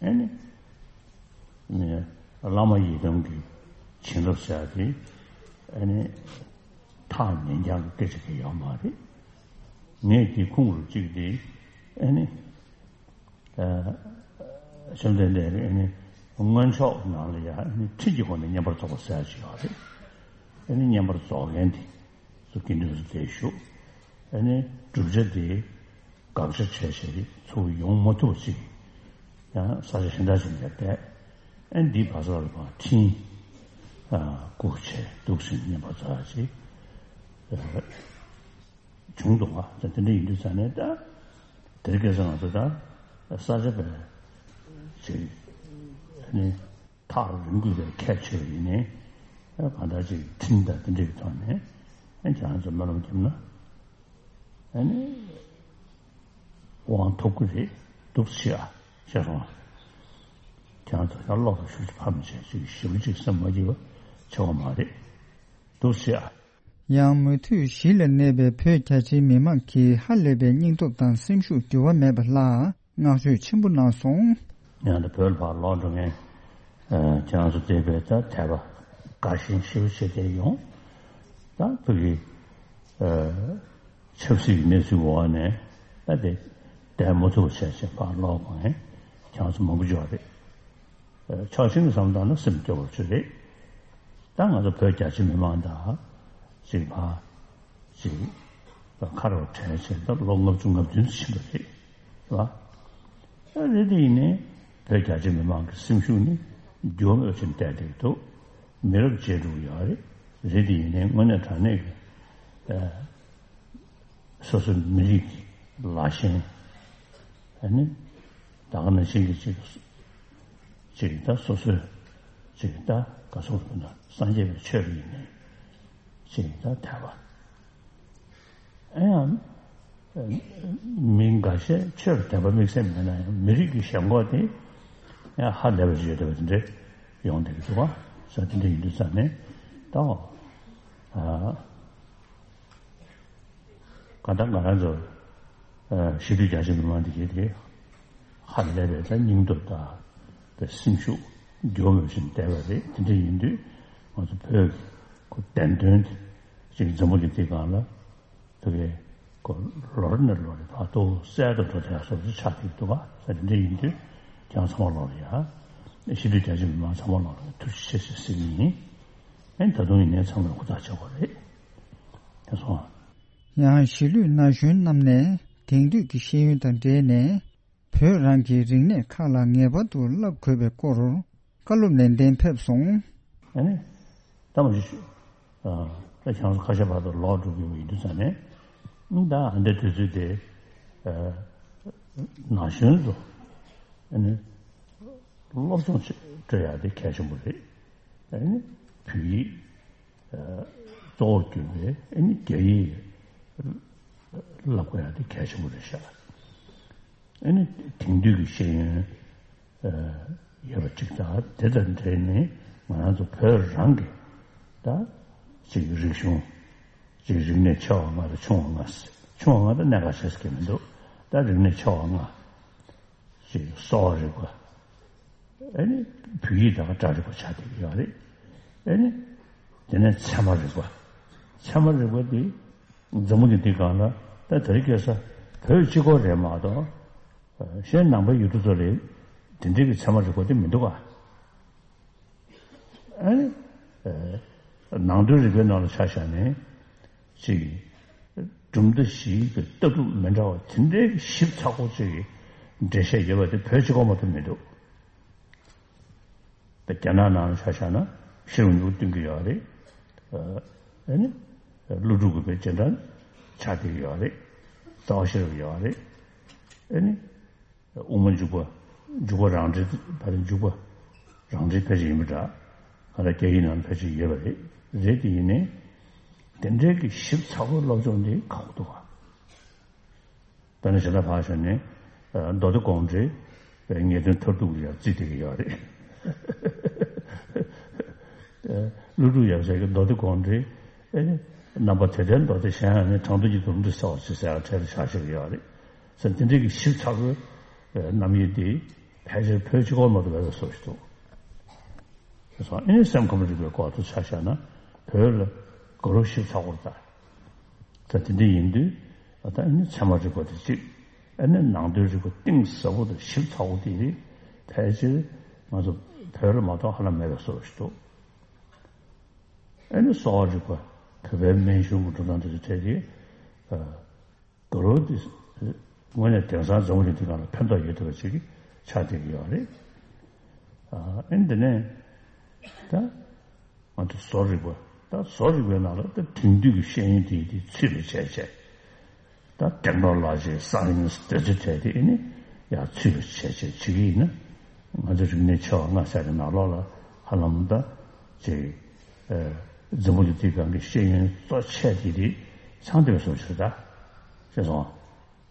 ཨ་ནི། ནས་བླ་མ་ཡི་དམ་གྱི་བྱིན་རླབས་ཟེར་ཡ་དེ་ཨ་ནི་ཐག་ཉེ་འགྱངས་ཀྱི་སྐད་ཆ་གི་ཡོད་མ་རེད། ངས་དེ་ཁུངས་རུ་གཅིག་དེ་ཨ་ནི་བཅོམ་ལྡན་འདས་ཀྱི་ཨ་ནི་མངོན་ཕྱོགས་ནང་ལ་ཡ་ཨ་ནི་ཁྲིད་ཀྱི་སྒོ་ནས་བསྙེན་པར་རྫོགས་པ་ཟེར་ཡ་ཅིག་ཡོད་རེད། ཨ་ནི་བསྙེན་པར་རྫོགས་མཁན་དེ། སུ་དགེ་འདུན་སུ་དེ་ཞུ། ཨ་ནི་བསྒྲུབ་བྱ་དེ་དགག་བྱ་བྱས་བྱས་ཚུར་ཡོང་མ་ཐུབ་པ་ཅིག་ཡང་ས་ཆ་གཞན་དག་ཅིག་ལ་བསྡད། ཨ་ནི་འདི་བར་སོགས་ལ་ཕར་ཁྲིད། ཨ་སྐུ་བྱས་འདུག་ཟིན་བསྙེན་པར་རྫོགས་ཡ་ཅིག་བྱུང་འདུག་བ། ད་དེ་འདྲ་ཡིན་དུས་ཙང་ནས་ད་དེར་སྐད་ཆ་ང་ཚོ་ད་ས་ཆ་བས་ཅིག་ཨ་ནི། ཐག་རིང་དགོས་པའི་ཁྱད་ཆོས་ཡིན་ནའི། གང་ལྟར་ཅིག་ཁྲིམས་དང་དེ་འདྲའི་ཐོག་ནས་ཁྱེད་རང་ཚོ་སྨོན་ལམ་བརྒྱབ་ན་ཨ་ནི་དབང་ཐོབ་ཀྱི་རེད་འདུག་ཟེར་ཨ་ཤེས་སོང་ཨ། ཁྱེད་རང་ཚོ་ཡང་ལོག་ཏུ་ཤུགས་ཀྱིས་ཕམ་བྱས་ཅིག་ཞེ་པོ་ཅིག་སེམས་མ་སྐྱིད་པ་བྱེད་དགོས་མ་རེད་འདུག་ཟེར་ཨ། ཡང་མུ་མཐུད་གཞིས་ལ་གནས་པའི་བོད་རྒྱ་ཆེའི་མི་མང་གིས་ཧ་ལས་པའི་སྙིང་སྟོབས་དང་སེམས་ཤུགས་འགྱུར་བ་མེད་པ་ལ་བསྔགས་བརྗོད་ཆེན་པོ་གནང་སོང་། ཡང་ད་བོད་ལ་ཕར་ལོག་འགྲོ་མཁན་ཁྱེད་རང་ཚོ་བསྡད་པའི་ད་དད་པ་དགའ་ཞེན་ཞེ་པོ་བྱས་བསྡད་ཡོང་། ད་བོད་ཀྱི་ཆབ་སྲིད་ཀྱི་གནས་ཚུལ་འོག་ནས་ད་དེ་བསྡད་མ་ཐུབ་བྱས་བྱས་ཕར་ལོག་པ་ངས་ཁྱེད་རང་ཚོ་མང་པོ་འབྱོར་བ་རེད། ཕྱོགས་གཅིག་ནས་བསམ་བཏང་ན་སེམས་སྐྱོ་བོ་ཅིག་རེད། ད་ང་ཚོ་བོད་རྒྱ་ཆེ་མི་མང་དང་ཅིག་ཕ་ཅིག་ཁ་རོག་བྲལ་བྱས་ད་ལོ་ལྔ་བཅུ་ང་བདུན་ཕྱིན་པ་རེད། རེད་བ། ད་རེད་དེ་ཡིན་ནའི་བོད་རྒྱ་ཆེ་མི་མང་གི་སེམས་ཤུགས་ནི་འགྱུར་བ་མེད་པ་ཅིག་བསྡད་བསྡད་འདུག་མི་རབས་བརྗེ་འགྲོ་གི་ཡོད་རེད། རེད་དེ་ཡིན་ནའི་དངོས་གནས་དྲང་གནས་ཀྱི་སོ་སོའི་མི་རིགས་ཀྱི་ལ་ཞེན། ཨ་ནི་ད་ག་ནང་བཞིན་གྱི་ཅིག་ཅིག་ད་སོ་སོའི་ཅིག་ད་ག་སོགས་ཀྱི་ན་སངས་རྒྱས་པའི་ཆོས་ཀྱི་ཡིན་ནའི་ཅིག་ད་དད་པ། ཨ་ཡང་མི་འགའ་ཤས་ཆོས་ལ་དད་པ་དམིགས་བསལ་མེད་ན་ཡང་མི་རིགས་ཀྱི་ཞེན་ཁོག་དེ་ཡང་ཧ་ལས་པ་ཞིག་ཡོད་བསྡད་པ་དེ་འདྲ་ཡོང་བསྡད་ཀྱི་འདུག་བ། ས་དེ་འདྲ་ཡིན་དུས་ཙང་ནས་ད་ཨ། གང་ལྟར་ང་རང་ཚོ་གཞིས་ལུས་རྒྱ་ཆེ་མི་མང་འདི་གས་དེ་ཧ་ལས་པའི་ད་སྙིང་སྟོབས་དང་དེ་སེམས་ཤུགས་འགྱུར་བ་མེད་བཞིན་བསྡད་པ་རེད། དེ་འདྲ་ཡིན་དུས་ང་ཚོ་བོད་ཀྱི་ཁོ་བདེན་དོན་དེ་ཅིག་འཛམ་བུ་གླིང་འདིའི་སྒང་ལ་དེ་གས་ཁོ་ལོ་རེ་ནས་ལོ་རེ་བར་དུ་གསལ་དུ་འགྲོ་བསྡད་ཡ་བཟོ་འདྲ་ཆགས་ཀྱི་འདུག་ག་ས་དེ་འདྲ་ཡིན་དུས་ཁྱེད་རང་ཚང་མ་ལོག་ལ་ཡ་གཞིས་ལུས་རྒྱ་ཆེ་མི་མང་ཚང་མ་ལོག་ལ་ཐུགས་རྗེ་ཆེ་ཞེས་ཟེར་གྱི་ཡིན། ཨེ་ད་དུང་ཡིན་ནའི་ཚང་མས་ཧུར་ཐག་བྱེད་དགོས་རེད། ཡང་གཞིས་ལུས་ན་གཞོན་རྣམས་ནས་དེང་དུས་ཀྱི་ཤེས་ཡོན་དང་འབྲེལ་ནས་བོད་རང་གི་རིག་གནས་ཁག་ལ་ངེས་པར་དུ་བསླབ་དགོས་པའི་སྐོར་བཀའ་སློབ་ནན་ཏན་ཕེབས་སོང་། ཨ་ནི། ད་མ་གཞི་ད་ཁྱེད་རང་ཚོ་ཁ་ཤས་བར་དུ་ལོག་འགྲོ་གི་ཡོད་པ་ཡིན་དུས་ཙང་ནས་ ད་ཨ་འདྲ་དུས་ཚོད་དེ་ཨ་ན་གཞོན་ཚོ་ཨ་ནི་སློབ་སྦྱོང་བྱེད་སྤྲོད་ཡག་དེ་གལ་ཆེན་པོ་རེད། ཨ་ནི་བོད་ཡིག་ཨ་གཙོ་བོར་གྱུར་པའི་ཨ་ནི་རྒྱ་ཡིག་བསླབ་དགོས་ཡག་དེ་གལ་ཆེན་པོ་རེད་ཤག་ཨ་ནི་དེང་དུས་ཀྱི་ཤེས་ཡོན་ཡོད་པ་གཅིག་དང་། དེ་དང་འབྲེལ་ནས་ང་རང་ཚོ་བོད་རང་གི་ད་ཅིག་རིག་གཞུང་། ཅིག་རིག་གནས་ཆེ་བ་ལྔ་དང་ཆུང་བ་ལྔ། ཆུང་བ་ལྔ་ད་གནད་འགག་ཆེ་ས་གི་མི་འདུག་ད་རིག་གནས་ཆེ་བ་ལྔ། ཅིག་གསོ་བ་རིག་པ། ཨ་ནི་བོད་ཡིག་དང་སྒྲ་རིག་པ་ཆགས་བསྡད་ཀྱི་ཡོད་རེད། ཨ་ནི་དེ་ནས་ཚད་མ་རིག་པ། ཚད་མ་རིག་པ་འདི་འཛམ་བུ་གླིང་འདི་སྒང་ལ་ད་དེ་རིང་ཁ་སང་བོད་གཅིག་པོ་རེད་མ་གཏོགས། གཞན་ནང་པའི་ཡུལ་གྲུ་ཚོ་ལ་དེ་འདྲའི་གི་ཚད་མ་རིག་པ་དེ་མི་འདུག་ག་ཨ་ནི་ནང་དོན་རིག་པའི་ནང་ལ་ཆ་བཞག་ནས་ཅིག་གྲུབ་མཐའ་བཞིའི་གི་ལྟ་གྲུབ་མི་འདྲ་བ་དེ་འདྲའི་གི་ཞིབ་ཚགས་པོ་ཅིག་གི་འགྲེལ་བཤད་ཡོད་པ་དེ་བོད་གཅིག་པོ་མ་གཏོགས་མི་འདུག་ད་རྒྱ་ནག་ནང་ལ་ཆ་བཞག་ན་ཤེར་རབ་སྨྱུ་གུ་སྟོན་གྱི་ཡོད་རེད། ཨ་ནི་ཀླུ་སྒྲུབ་ཀྱི་བོད་སྤྱི་འགྲན་ཆགས་བསྡད་ཀྱི་ཡོད་རེད། རྩ་བ་ཤེས་རབ་ཡོད་རེད། ཨ་ནི་དབུ་མ་འཇུག་པ། འཇུག་པ་རང་འགྲེལ། ཕ་རི་འཇུག་པ་རང་འགྲེལ་ཕལ་ཆེར་ཡིན་པ་འདྲ། ང་རང་རྒྱ་ཡིག་ནང་ཕལ་ཆེར་ཡོད་པ་རེད། རེད་དེ་ཡིན་ནའི་དེ་འདྲའི་གི་ཞིབ་ཚགས་པོའི་སློབ་སྦྱོང་འདི་ཁག་པོ་འདུག་ག་དཔེར་ན་གཞན་དག་ཕར་བཞག་ནས་མདོ་སྡེ་དགོངས་འགྲེལ་ངེས་དོན་མཐར་ཐུག་ལ་ཡང་བརྩིས་བསྡད་ཀྱི་ཡོད་རེད། ཀླུ་སྒྲུབ་ཡབ་སྲས་ཀྱི་མདོ་སྡེ་དགོངས་འགྲེལ། ཨེ་ནི་རྣམ་པ་དེ་ལྟར་མདོ་སྡེ་གཞན་ཡང་ནི། དྲང་དོན་གྱི་སྡོམ་ཁྲིད་གསལ་བར་བྱེད་ཟེར་ཡག་གྲས་ལ་ཆ་བཞག་གི་ཡོད་རེད། ཟེར་དེ་འདྲའི་གི་ཞིབ་ཚགས་པོའི་རྣམ་དབྱེ་འདི་ཕལ་ཆེར་བོད་གཅིག་པོ་མ་གཏོགས་མེད་པའི་བཟོ་ཞིག་འདུག་ཨེ་ནི་སེམས་ཁམས་རིག་པའི་སྐོར་དུ་ཆ་བཞག་ན་བོད་ལ་དགའ་རབ་ཞིབ་ཚགས་པོར་ལྟ། ད་དེ་འདྲ་ཡིན་དུས་ད་ཨ་ནི་ཚད་མ་རིག་པ་དེ་གཅིག་ཨ་ནི་ནང་དོན་རིག་པ་གཏིང་ཟབ་པོ་དང་ཞིབ་ཚགས་པོ་དེ་ཕལ་ཆེར་ང་ཚོ་བོད་ལ་མ་གཏོགས་ཧ་ལམ་མེད་པའི་བཟོ་ཞིག་འདུག་ཨ་ནི་གསོ་བ་རིག་པ། བོད་པའི་སྨན་གཞུང་གི་འགྲོ་སྟངས་དེ་ཚོ་ཐད་དེ་དགའ་རབ་དེ་དངོས་གནས་དེང་སང་འཛམ་བུ་གླིང་འདི་སྒང་ལ་ཕན་ཐོགས་ཡོད་བསྡད་པ་ཅིག་ཆགས་བསྡད་ཀྱི་ཡོད་རེད། ཨ་ནི་དེ་ནས་ད། ང་ཚོ་བཟོ་རིག་པ། ད་བཟོ་རིག་པའི་ནང་ལ་ད་དེང་དུས་ཀྱི་ཤེས་ཡོན་དེ་དེ་ཚུད་པའི་བྱས་བྱས། ད་ཊེག་ནོ་ལོ་ཇི། སའེན་སི། དེ་ཚོའི་གྲས་དེ་ཨེ་ནི་ཡར་ཚུད་པའི་བྱས་བྱས་བྱེད་ཀྱི་ཡིན་ན། ང་ཚོ་རིག་གནས་ཆེ་བ་ལྔ་ཟེར་གྱི་ནང་ལོགས་ལ་ཧ་ལམ་ད་ཅིག་ཨེ་འཛམ་བུ་གླིང་འདིའི་སྒང་གི་ཤེས་ཡོན་གཙོ་ཆེ་དེ་དེ་ཚང་བསྡད་པའི་བཟོ་ཞིག་རེད་ད། ཤེས་སོང་།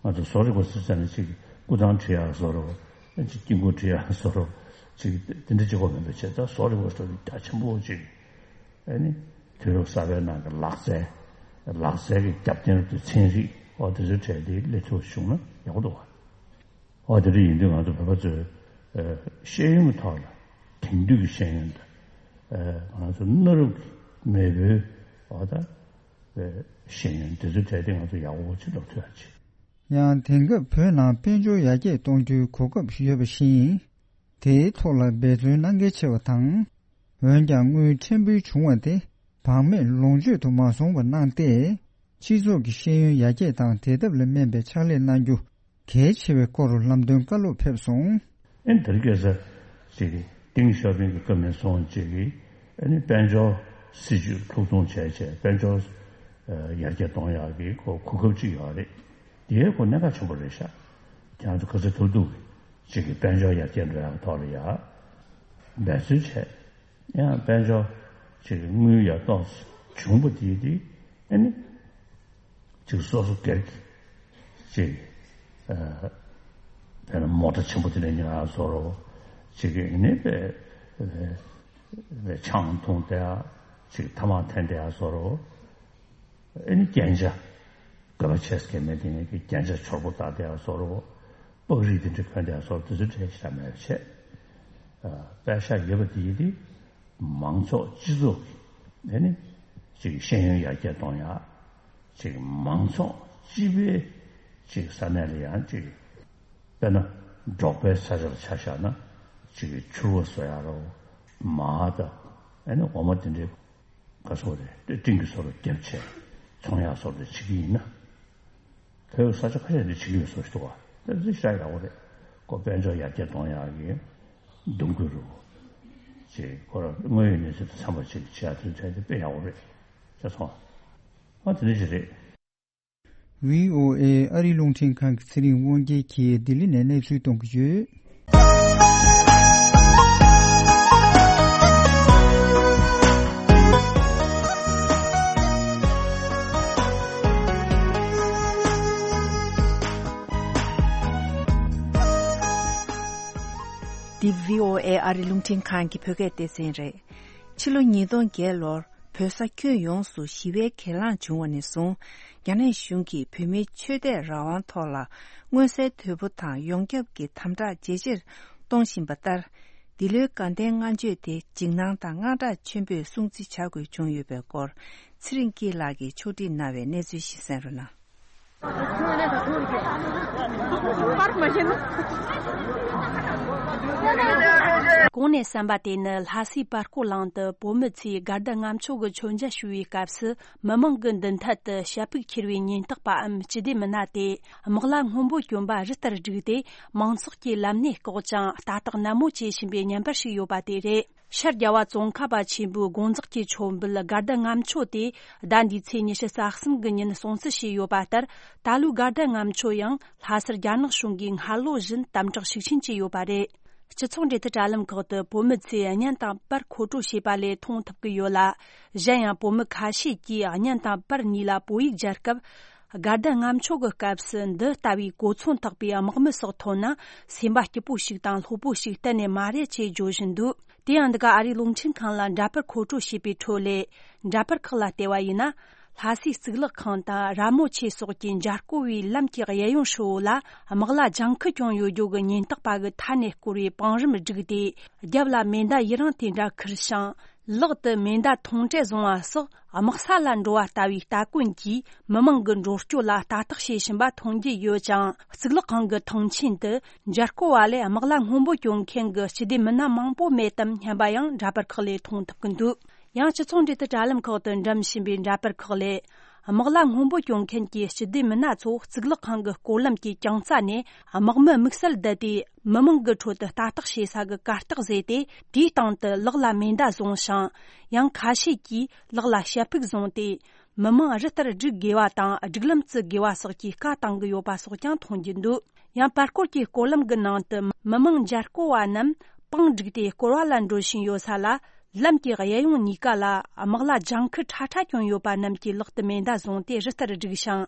ང་ཚོ་བཟོ་རིག་པ་ཟེར་ཙམ་ནས་ཅིག་སྐུ་ཐང་བྲི་ཡག་བཟོ་རོགས། ཅིག་དཀྱིལ་འཁོར་བྲི་ཡག་བཟོ་རོགས། ཅིག་དེ་འདྲ་གཅིག་པོ་མིན་པ་བྱས། ད་བཟོ་རིག་པ་ཟེར་དུས་རྒྱ་ཆེན་པོ་ཅིག་ཨ་ནི་དུས་རབས་གསར་པའི་ནང་གི་ལག་རྩལ། ལག་རྩལ་གྱི་རྒྱབ་རྟེན་རུ་དུ་ཚན་རིག་འོ་དེ་ཚོའི་གྲས་དེ་སླེབས་ཐུབ་བྱུང་ན་ཡག་པོ་འདུག་བ། འོ་དེ་འདྲ་ཡིན་དུས་ང་ཚོ་བོད་པ་ཚོས་ཨ་ཤེས་ཡོན་གྱི་ཐོག་ལ་དེང་དུས་ཀྱི་ཤེས་ཡོན་དང་། ཨ་ང་ཚོ་གནའ་རབས་ཀྱི་མེས་པོའི་འོ་ད་ཨ་ཤེས་ཡོན་དེ་ཚོའི་གྲས་དེ་ང་ཚོ་ཡག་པོ་ཅིག་ལབ་ཐུབ་ཡག་ཅིག་ཡང་དེང་སྐབས་བོད་ནང་དཔལ་འབྱོར་ཡར་རྒྱས་གཏོང་རྒྱུའི་གོ་སྐབས་ཡོད་པ་བཞིན། དེའི་ཐོག་ལ་འབད་བརྩོན་གནང་གལ་ཆེ་བ་དང་། འོན་ཀྱང་དངུལ་ཕྲན་བུ་བྱུང་བ་དེ་བག་མེད་ལོངས་སྤྱོད་དུ་མ་སོང་བ་གནང་སྟེ། སྤྱི་ཚོགས་ཀྱི་ཤེས་ཡོན་ཡར་རྒྱས་དང་དེ་ཐབས་ལ་སྨན་པའི་ཕྱག་ལས་གནང་རྒྱུ་གལ་ཆེ་བའི་སྐོར་ལམ་སྟོན་བཀའ་སློབ་ཕེབས་སོང་། ཨེ་ནི་དེ་རིང་ཁ་སང་ཅིག་ཏེང་ཞའོ་ཕིང་གི་བཀའ་མོལ་སོང་ཅིག་གིས་ཨེ་ནི་དཔལ་འབྱོར་སྲིད་ཇུས་ལྷུག་གཏོང་བྱས་བྱས་དཔལ་འབྱོར་ཡར་རྒྱས་གཏོང་ཡག་གི་ཁོ་གོ་སྐབས་ཅིག་ཡོད་རེད། དེའི་ཁོ་གནད་འགག་ཆེན་པོ་རེད་ཤག་ཁྱེད་རང་ཚོ་ག་ཚོད་ཐུབ་ཐུབ་ཅིག་གིས་དཔལ་འབྱོར་ཡར་རྒྱས་འགྲོ་ཡག་ཐོག་ལ་ཡ་འབད་བརྩོན་བྱས། ཡང་དཔལ་འབྱོར་ཅིག་དངུལ་ཡར་ཏོག་ཙམ་བྱུང་པ་དེ་དེ་ཨེ་ནི་ཅིག་སོ་སོ་སྒེར་གྱི་ཅིག་ཨ་དཔེར་ན་མོ་ཊ་ཆེན་པོ་དེ་འདྲ་ཉོ་ཡག་བཟོ་རོགས། ཅིག་ཨེ་ནི་དཔེ་དཔེ་ཆང་འཐུང་བསྡད་ཡག་ཅིག་ཐ་མག་འཐེན་བསྡད་ཡག་བཟོ་རོགས། ཨེ་ནི་རྒྱན་ཆ་དགོས་པ་ཆེ་ས་གལ་མེད་དེ་ནས་རྒྱན་ཆ་ཕྱུར་པོ་བཏགས་བསྡད་ཡག་བཟོ་རོགས། པགས་རིགས་དེ་འདྲ་གོན་བསྡད་ཡག་བཟོ་རོགས། དེ་ཚོ་འདྲ་ཞིག་མེད་པ་བྱས། ཨ་པད་ཤག་ཡོད་པ་དེ་ཡིན་དེ། མང་ཚོགས་སྤྱི་ཚོགས་ཀྱི་ཨེ་ནི་ཅིག་ཤེས་ཡོན་ཡར་རྒྱས་གཏོང་ཡག་ཅིག་མང་ཚོགས་སྤྱི་པའི་ཅིག་ས་གནས་ལ་ཡང་ཅིག་དཔེར་ན་འབྲོག་པའི་ས་ཆ་ལ་ཆ་བཞག་ན་ཅིག་ཕྱུར་བ་བཟོ་ཡག་རོགས། མར་དང་ཨེ་ནི་འོ་མ་དེ་འདྲའི་ག་སོགས་རེད་སྤྲིན་གྱི་བཟོ་རོགས་རྒྱབ་བྱས་ཚོང་ཡག་བཟོ་རོགས་བྱེད་ཀྱི་ཡིན་ན། བོད་ས་ཆ་ཁ་ཤས་འདི་བྱེད་ཀྱི་ཡོད་བཟོ་ཞིག་འདུག་བ། དེ་ཚོ་ཤ་ཡག་པོ་རེད། ཁོ་དཔལ་འབྱོར་ཡར་རྒྱས་གཏོང་ཡག་གི་འདུམ་འགོད་རུ་ཅེས་ཁོ་ར་དངོས་ཡོད་གནས་ཚུལ་དང་འཚམས་པ་ཅིག་བྱེད་ཡག་དེ་ཚོ་དེ་དཔེ་ཡག་པོ་རེད། ཤེས་སོང་། ཨ་དེ་འདྲ་ཞིག་རེད། བྷི་ཨོ་ཨེ་ཨ་རི་རླུང་འཕྲིན་ཁང་གི་ཚེ་རིང་དབང་རྒྱལ་གྱིས་ལྡི་ལི་ནས་གནས་ཚུལ་གཏོང་གི་ཡོད། འདི་བྷི་ཨོ་ཨེ་ཨ་རི་རླུང་འཕྲིན་ཁང་གི་བོད་སྐད་སྡེ་ཚན་རེད། ཕྱི་ལོ་ཉིས་སྟོང་བརྒྱད་ལོར་བོད་ས་ཁྱོན་ཡོངས་སུ་ཞི་བའི་གྱེན་ལངས་བྱུང་བ་ནས་བཟུང་། རྒྱ་ནག་གཞུང་གིས་བོད་མིའི་ཆོས་དད་རང་དབང་ཐོག་ལ་མངོན་གསལ་དོད་པོ་དང་ཡོངས་ཁྱབ་ཀྱི་དམ་དྲག་ཇེ་ཆེར་གཏོང་བཞིན་པ་ལྟར། འདི་ལོའི་དགའ་ལྡན་ལྔ་མཆོད་དེ་འཇིགས་སྣང་དང་དངངས་སྐྲག་ཆེན་པོས་སྲུང་བརྩི་བྱ་དགོས་བྱུང་ཡོད་པའི་སྐོར། ཚེ་རིང་སྐྱིད་ལགས་ཀྱིས་ཕྱོགས་སྒྲིག་གནང་བའི་གནས་ཚུལ་ཞིག་གསན་རོགས་གནང་། གོང་ནས་གསན་པ་དེ་ནི་ལྷ་སའི་པར་སྐོར་གླིང་དུ་བོད་མི་ཚོས་དགའ་ལྡན་ལྔ་མཆོད་ཀྱི་མཆོད་མཇལ་ཞུ་བའི་སྐབས་སུ། མི་མང་གི་མདུན་ཐད་དུ་ཞྭ་ཕུག་འཁྱེར་བའི་ཉེན་རྟོག་པའམ་སྤྱི་བདེ་མི་སྣ་དེ་དམག་ལྭ་སྔོན་པོ་གྱོན་པ་རི་ལྟར་བསྒྲིགས་ཏེ། མང་ཚོགས་ཀྱི་ལམ་སྣེ་བཀག་ཅིང་ལྟ་རྟོག་ནན་མོ་བྱེད་བཞིན་པའི་བརྙན་པར་ཞིག་ཡོད་པ་དེ་རེད། ཤར་རྒྱལ་བ་ཙོང་ཁ་པ་ཆེན་པོའི་དགོངས་རྫོགས་ཀྱི་མཆོད་འབུལ་དགའ་ལྡན་ལྔ་མཆོད་དེ་ཟླ་འདིའི་ཚེས་ཉི་ཤུ་རྩ་གསུམ་གྱི་ཉིན་སྲུང་བརྩི་བྱས་ཡོད་པ་ལྟར། ད་ལོའི་དགའ་ལྡན་ལྔ་མཆོད་ཡང་ལྷ་སར་རྒྱ་ནག་གཞུང་གིས་སྔ་ལོ་བཞིན་དམ་དྲག་ཤུགས་ཆེན་བྱས་ཡོད་པ་རེད། སྤྱི་ཚོགས་འབྲེལ་མཐུད་དྲ་ལམ་ཁག་ཏུ་བོད་མི་ཚོས་བརྙན་དང་པར་མཁོ་སྤྲོད་བྱས་པ་ལས་མཐོང་ཐུབ་ཀྱི་ཡོད་ལ། གཞན་ཡང་བོད་མི་ཁ་ཤས་ཀྱིས་བརྙན་དང་པར་གཉིས་ལ་བོད་ཡིག་སྦྱར་སྐབས། དགའ་ལྡན་ལྔ་མཆོད་ཀྱི་སྐབས་སུ་འདི་ལྟ་བུའི་གོ་མཚོན་ཐེག་པའི་དམག་མི་སོགས་ཐོན་ན། སེམས་པ་སྐྱིད་པོ་ཞིག་དང་ལྷོད་པོ་ཞིག་གཏན་ནས་མ་རེད་ཅེས་བརྗོད་བཞིན་འདུག་དེ་ཡང་འདི་ག་ཨ་རིའི་རླུང་འཕྲིན་ཁང་ལ་འདྲ་པར་མཁོ་སྤྲོད་བྱས་པའི་ཁྲོད་ལས། འདྲ་པར་ཁག་ལ་བལྟས་པ་ཡིན་ན། ལྷ་སའི་གཙུག་ལག་ཁང་དང་ར་མོ་ཆེ་སོགས་ཀྱི་མཇལ་སྐོར་བའི་ལམ་གྱི་གཡས་གཡོན་ཧྲིལ་བོ་ལ་དམག་ལྭ་ལྗང་ཁུ་གྱོན་ཡོད་རྒྱུ་གི་ཉེན་རྟོག་པ་གི་མཐའ་ནས་བསྐོར་བའི་བང་རིམ་བསྒྲིགས་ཏེ། རྒྱབ་ལ་མེ་མདའ་ཡི་རངས་དེ་འདྲ་ཁུར་ཞིང་། ལག་ཏུ་མེ་མདའ་ཐོངས་གྲལ་བཟུང་བ་སོགས་དམག་ས་ལ་འགྲོ་བ་ལྟ་བུའི་ལྟ་གོན་གྱིས་མི་མང་གི་འགྲོ་སྐྱོད་ལ་ལྟ་རྟོག་བྱེད་བཞིན་པ་མཐོང་རྒྱུ་ཡོད་ཅིང་། གཙུག་ལག་ཁང་གི་ཐང་ཆེན་དུ་མཇལ་སྐོར་བ་ལས་དམག་ལྭ་སྔོན་པོ་གྱོན་མཁན་གྱི་སྤྱི་བདེ་མི་སྣ་མང་པོ་མེད་དམ་སྙམ་པ་ཡང་འདྲ་པར་ཁག་ལས་མཐོང་ཐུབ་ཀྱི་འདུག་ཡང་སྤྱི་ཚོགས་འབྲེལ་མཐུད་དྲ་ལམ་ཁག་ཏུ་འགྲེམས་བཞིན་པའི་འདྲ་པར་ཁག་ལས། དམག་ལྭ་སྔོན་པོ་གྱོན་མཁན་གྱི་སྤྱི་བདེ་མི་སྣ་ཚོ་གཙུག་ལག་ཁང་གི་སྐོར་ལམ་གྱི་རྐྱང་རྩ་ནས་དམག་མི་དམིགས་བསལ་བསྡུས་ཏེ། མི་མང་གི་ཁྲོད་དུ་ལྟ་རྟོག་བྱེད་ས་གི་གར་སྟེགས་བཟོས་ཏེ། དེའི་སྟེང་དུ་ལག་ལ་མེ་མདའ་བཟུང་ཞིང་། ཡང་ཁ་ཤས་ཀྱིས་ལག་ལ་ཞྭ་ཕུག་བཟུང་སྟེ། མི་མང་རི་ལྟར་བསྒྲིགས་དགོས་པ་དང་སྒྲིག་ལམ་བརྩི་དགོས་པ་སོགས་ཀྱི་བཀའ་གཏང་གི་ཡོད་པ་སོགས་ཀྱང་མཐོང་རྒྱུ་འདུག་ཡང་པར་སྐོར་གྱི་སྐོར་ལམ་གྱི་ནང་དུ་མི་མང་མཇལ་སྐོར་བ་རྣམས་པང་བསྒྲིགས་ཏེ་སྐོར་བ་ལ་འགྲོ་བཞིན་ཡོད་ས་ལ། ལམ་གྱི་གཡས་གཡོན་གཉིས་ཀ་ལ་དམག་ལྭ་ལྗང་ཁུ་ཁྲ་ཁྲ་གྱོན་ཡོད་པ་རྣམས་ཀྱིས་ལག་ཏུ་མེ་མདའ་བཟུང་སྟེ་རི་ལྟར་བསྒྲིགས་ཤིང་།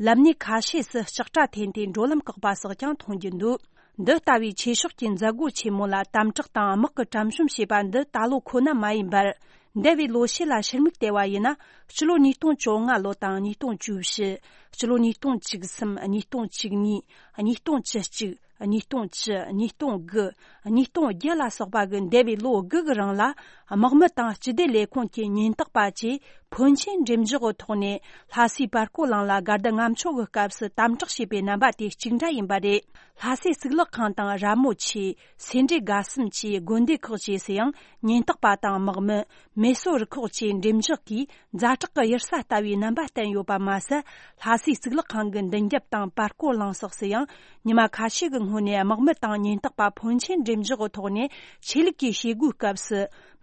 ལམ་སྣེ་ཁ་ཤས་སུ་ལྕགས་དྲ་འཐེན་ཏེ་འགྲོ་ལམ་བཀག་པ་སོགས་ཀྱང་མཐོང་རྒྱུ་འདུག་འདི་ལྟ་བུའི་ཆོས་ཕྱོགས་ཀྱི་མཛད་སྒོ་ཆེན་མོ་ལ་དམ་དྲག་དང་དམག་གི་གྲམ་གཤོམ་བྱས་པ་འདི་ད་ལོ་ཁོ་ན་མ་ཡིན་པར། འདས་པའི་ལོ་ཤས་ལ་ཕྱིར་མིག་བལྟས་པ་ཡིན་ན། སྤྱི་ལོ་ཉིས་སྟོང་བཅོ་ལྔ་ལོ་དང་ཉིས་སྟོང་བཅུ་བཞི། སྤྱི་ལོ་ཉིས་སྟོང་བཅུ་གསུམ། ཉིས་སྟོང་བཅུ་གཉིས། ཉིས་སྟོང་བཅུ་གཅིག། ཉིས་སྟོང་བཅུ། ཉིས་སྟོང་དགུ། ཉིས་སྟོང་བརྒྱད་ལ་སོགས་པ་གི་འདས་པའི་ལོ་དགུ་གི་རིང་ལ། དམག་མི་དང་སྤྱི་བདེ་ལས་ཁུངས་ཀྱི་ཉེན་རྟོག་པ་བཅས་ཕོན་ཆེན་འགྲེམས་འཇོག་གི་ཐོག་ནས་ལྷ་སའི་པར་སྐོར་གླིང་ལ་དགའ་ལྡན་ལྔ་མཆོད་ཀྱི་སྐབས་སུ་དམ་དྲག་བྱས་པའི་རྣམ་པ་དེ་གཅིག་འདྲ་ཡིན་པ་རེད། ལྷ་སའི་གཙུག་ལག་ཁང་དང་ར་མོ་ཆེ། སེ་འབྲས་དགའ་གསུམ་བཅས་དགོན་སྡེ་ཁག་བཅས་སུ་ཡང་ཉེན་རྟོག་པ་དང་དམག་མི། མེ་གསོད་རུ་ཁག་བཅས་འགྲེམས་འཇོག་གིས་ཛ་དྲག་གི་གཡུལ་ས་ལྟ་བུའི་རྣམ་པ་བསྟན་ཡོད་པ་མ་ཟད། ལྷ་སའི་གཙུག་ལག་ཁང་གི་མདུན་རྒྱབ་དང་པར་སྐོར་གླིང་སོགས་སུ་ཡང་ཉི་མ་ཁ་ཤས་ཀྱི་སྔོན་ནས་དམག་མི་དང་ཉེན་རྟོག་པ་ཕོན་ཆེན་འགྲེམས་འཇོག་གི་ཐོག་ནས་ཆོས་ལུགས་ཀྱི་བྱེད་སྒོའི་སྐབས་སུ་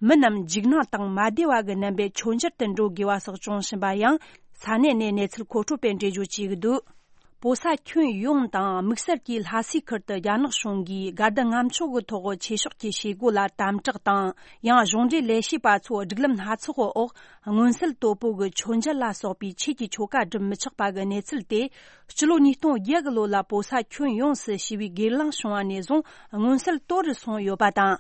མི་རྣམས་འཇིགས་སྣང་དང་མ་བདེ་བ་གི་རྣམ་པས་མཆོད་མཇལ་དུ་འགྲོ་དགོས་པ་སོགས་བྱུང་བཞིན་པ་ཡང་ས་གནས་ནས་གནས་ཚུལ་མཁོ་སྤྲོད་པས་འགྲེལ་བརྗོད་བྱེད་ཀྱི་འདུག་བོད་ས་ཁྱོན་ཡོངས་དང་དམིགས་བསལ་གྱིས་ལྷ་སའི་ཁུལ་དུ་རྒྱ་ནག་གཞུང་གིས་དགའ་ལྡན་ལྔ་མཆོད་ཀྱི་ཐོག་ཆོས་ཕྱོགས་ཀྱི་བྱེད་སྒོ་ལ་དམ་དྲག་དང་། ཡང་གཞུང་འབྲེལ་ལས་བྱེད་པ་ཚོ་སྒྲིག་ལམ་སྣ་ཚོགས་འོག་མངོན་གསལ་དོད་པོ་གི་མཆོད་མཇལ་ལ་སོགས་པའི་ཆོས་ཀྱི་ཆོ་ག་སྒྲུབ་མི་ཆོག་པ་གི་གནས་ཚུལ་དེ། སྤྱི་ལོ་ཉིས་སྟོང་བརྒྱད་གི་ལོ་ལ་བོད་ས་ཁྱོན་ཡོངས་སུ་ཞི་བའི་སྒེར་ལངས་བྱུང་བ་ནས་བཟུང་མངོན་གསལ་དོད་རུ་སོང་ཡོད་པ་དང་།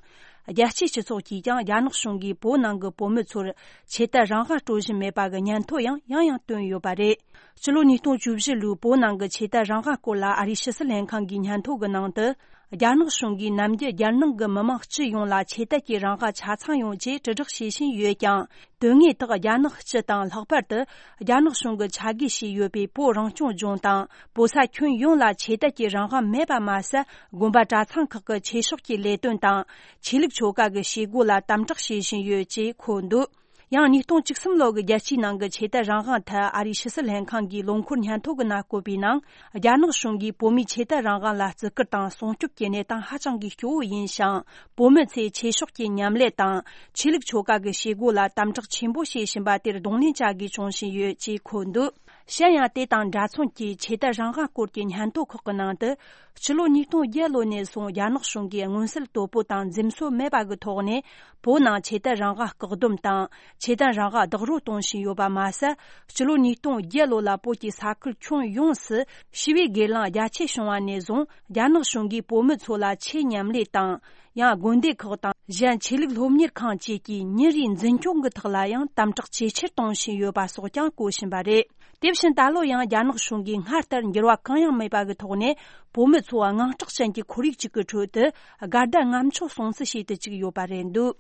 རྒྱལ་སྤྱིའི་སྤྱི་ཚོགས་ཀྱིས་ཀྱང་རྒྱ་ནག་གཞུང་གིས་བོད་ནང་གི་བོད་མི་ཚོར་ཆོས་དད་རང་དབང་སྤྲོད་བཞིན་མེད་པ་གི་སྙན་ཐོ་ཡང་ཡང་ཡང་བཏོན་ཡོད་པ་རེད། སྤྱི་ལོ་ཉིས་སྟོང་བཅུ་བཞི་ལོའི་བོད་ནང་གི་ཆོས་དད་རང་དབང་སྐོར་ལ་ཨ་རིའི་ཕྱི་སྲིད་ལྷན་ཁང་གི་སྙན་ཐོ་གི་ནང་དུ། རྒྱ་ནག་གཞུང་གིས་ནམ་རྒྱུན་རྒྱལ་ནང་གི་མི་མང་སྤྱི་ཡོངས་ལ་ཆོས་དད་ཀྱི་རང་དབང་ཆ་ཚང་ཡོང་ཆེད་དྲིལ་བསྒྲགས་བྱེད་བཞིན་ཡོད་ཀྱང་། དོན་དངོས་ཐོག་རྒྱ་ནག་སྤྱི་དང་ལྷག་པར་དུ་རྒྱ་ནག་གཞུང་གིས་ཆ་བགོས་བྱས་ཡོད་པའི་བོད་རང་སྐྱོང་ལྗོངས་དང་བོད་ས་ཁྱོན་ཡོངས་ལ་ཆོས་དད་ཀྱི་རང་དབང་མེད་པ་མ་ཟད། དགོན་པ་གྲྭ་ཚང་ཁག་གི་ཆོས་ཕྱོགས་ཀྱི་ལས་དོན་དང་ཆོས་ལུགས་ཆོ་ག་གི་བྱེད་སྒོ་ལ་དམ་དྲག་བྱེད་བཞིན་ཡོད་ཅེས་འཁོད་འདུག་ཡང་ཉིས་སྟོང་བཅུ་གསུམ་ལོ་གི་རྒྱལ་སྤྱིའི་ནང་གི་ཆོས་དད་རང་དབང་ཐད་ཨ་རིའི་ཕྱི་སྲིད་ལྷན་ཁང་གིས་ལོ་འཁོར་སྙན་ཐོ་གི་ནང་བཀོད་པའི་ནང་། རྒྱ་ནག་གཞུང་གིས་བོད་མིའི་ཆོས་དད་རང་དབང་ལ་བརྩི་བཀུར་དང་སྲུང་སྐྱོབ་ཀྱི་གནས་སྟངས་ཧ་ཅང་གི་སྐྱོ་བོ་ཡིན་ཞིང་། བོད་མི་ཚོས་ཆོས་ཕྱོགས་ཀྱི་མཉམ་ལས་དང་ཆོས་ལུགས་ཆོ་ག་གི་བྱེད་སྒོ་ལ་དམ་དྲག་ཆེན་པོ་བྱེད་བཞིན་པ་དེར་གདོང་ལེན་བྱ་དགོས་བྱུང་བཞིན་ཡོད་ཅེས་འཁོད་འདུག་གཞན་ཡང་དེ་དང་འདྲ་མཚུངས་ཀྱི་ཆོས་དད་རང་དབང་སྐོར་གྱི་སྙན་ཐོ་ཁག་གི་ནང་དུ། སྤྱི་ལོ་ཉིས་སྟོང་བརྒྱད་ལོ་ནས་བཟུང་རྒྱ་ནག་གཞུང་གིས་མངོན་གསལ་དོད་པོ་དང་འཛེམ་ཟོན་མེད་པ་གི་ཐོག་ནས། བོད་ནང་ཆོས་དད་རང་དབང་བཀག་སྡོམ་དང་། ཆོས་དད་རང་དབང་རྡོག་རོལ་གཏོང་བཞིན་ཡོད་པ་མ་ཟད། སྤྱི་ལོ་ཉིས་སྟོང་བརྒྱད་ལོ་ལ་བོད་ཀྱི་ས་ཁུལ་ཁྱོན་ཡོངས་སུ་ཞི་བའི་སྒེར་ལངས་རྒྱ་ཆེ་བྱུང་བ་ནས་བཟུང་། རྒྱ་ནག་གཞུང་གིས་བོད་མི་ཚོ་ལ་ཆེད་མཉམ་ལས་དང་། ཡང་དགོན་སྡེ་ཁག་དང་། གཞན་ཆོས་ལུགས་སློབ་གཉེར་ཁང་བཅས་ཀྱི་ཉིན་རེའི་འཛིན་སྐྱོང་གི་ཐོག་ལ་ཡང་དམ་དྲག་ཇེ་ཆེར་གཏོང་བཞིན་ཡོད་པ་སོགས་ཀྱང་གོ་བཞིན་པ་རེད། དེ་བཞིན་ད་ལོ་ཡང་རྒྱ་ནག་གཞུང་གིས་སྔར་ལྟར་འགྱུར་བ་གང་ཡང་མེད་པ་གི་ཐོག་ནས། བོད་མི་ཚོ་དངངས་སྐྲག་ཅན་གྱི་ཁོར་ཡུག་ཅིག་གི་ཁྲོད་དུ། དགའ་ཟླ་ལྔ་མཆོད་སྲུང་བརྩི་བྱེད་དུ་བཅུག་ཡོད་པ་རེད་འདུག་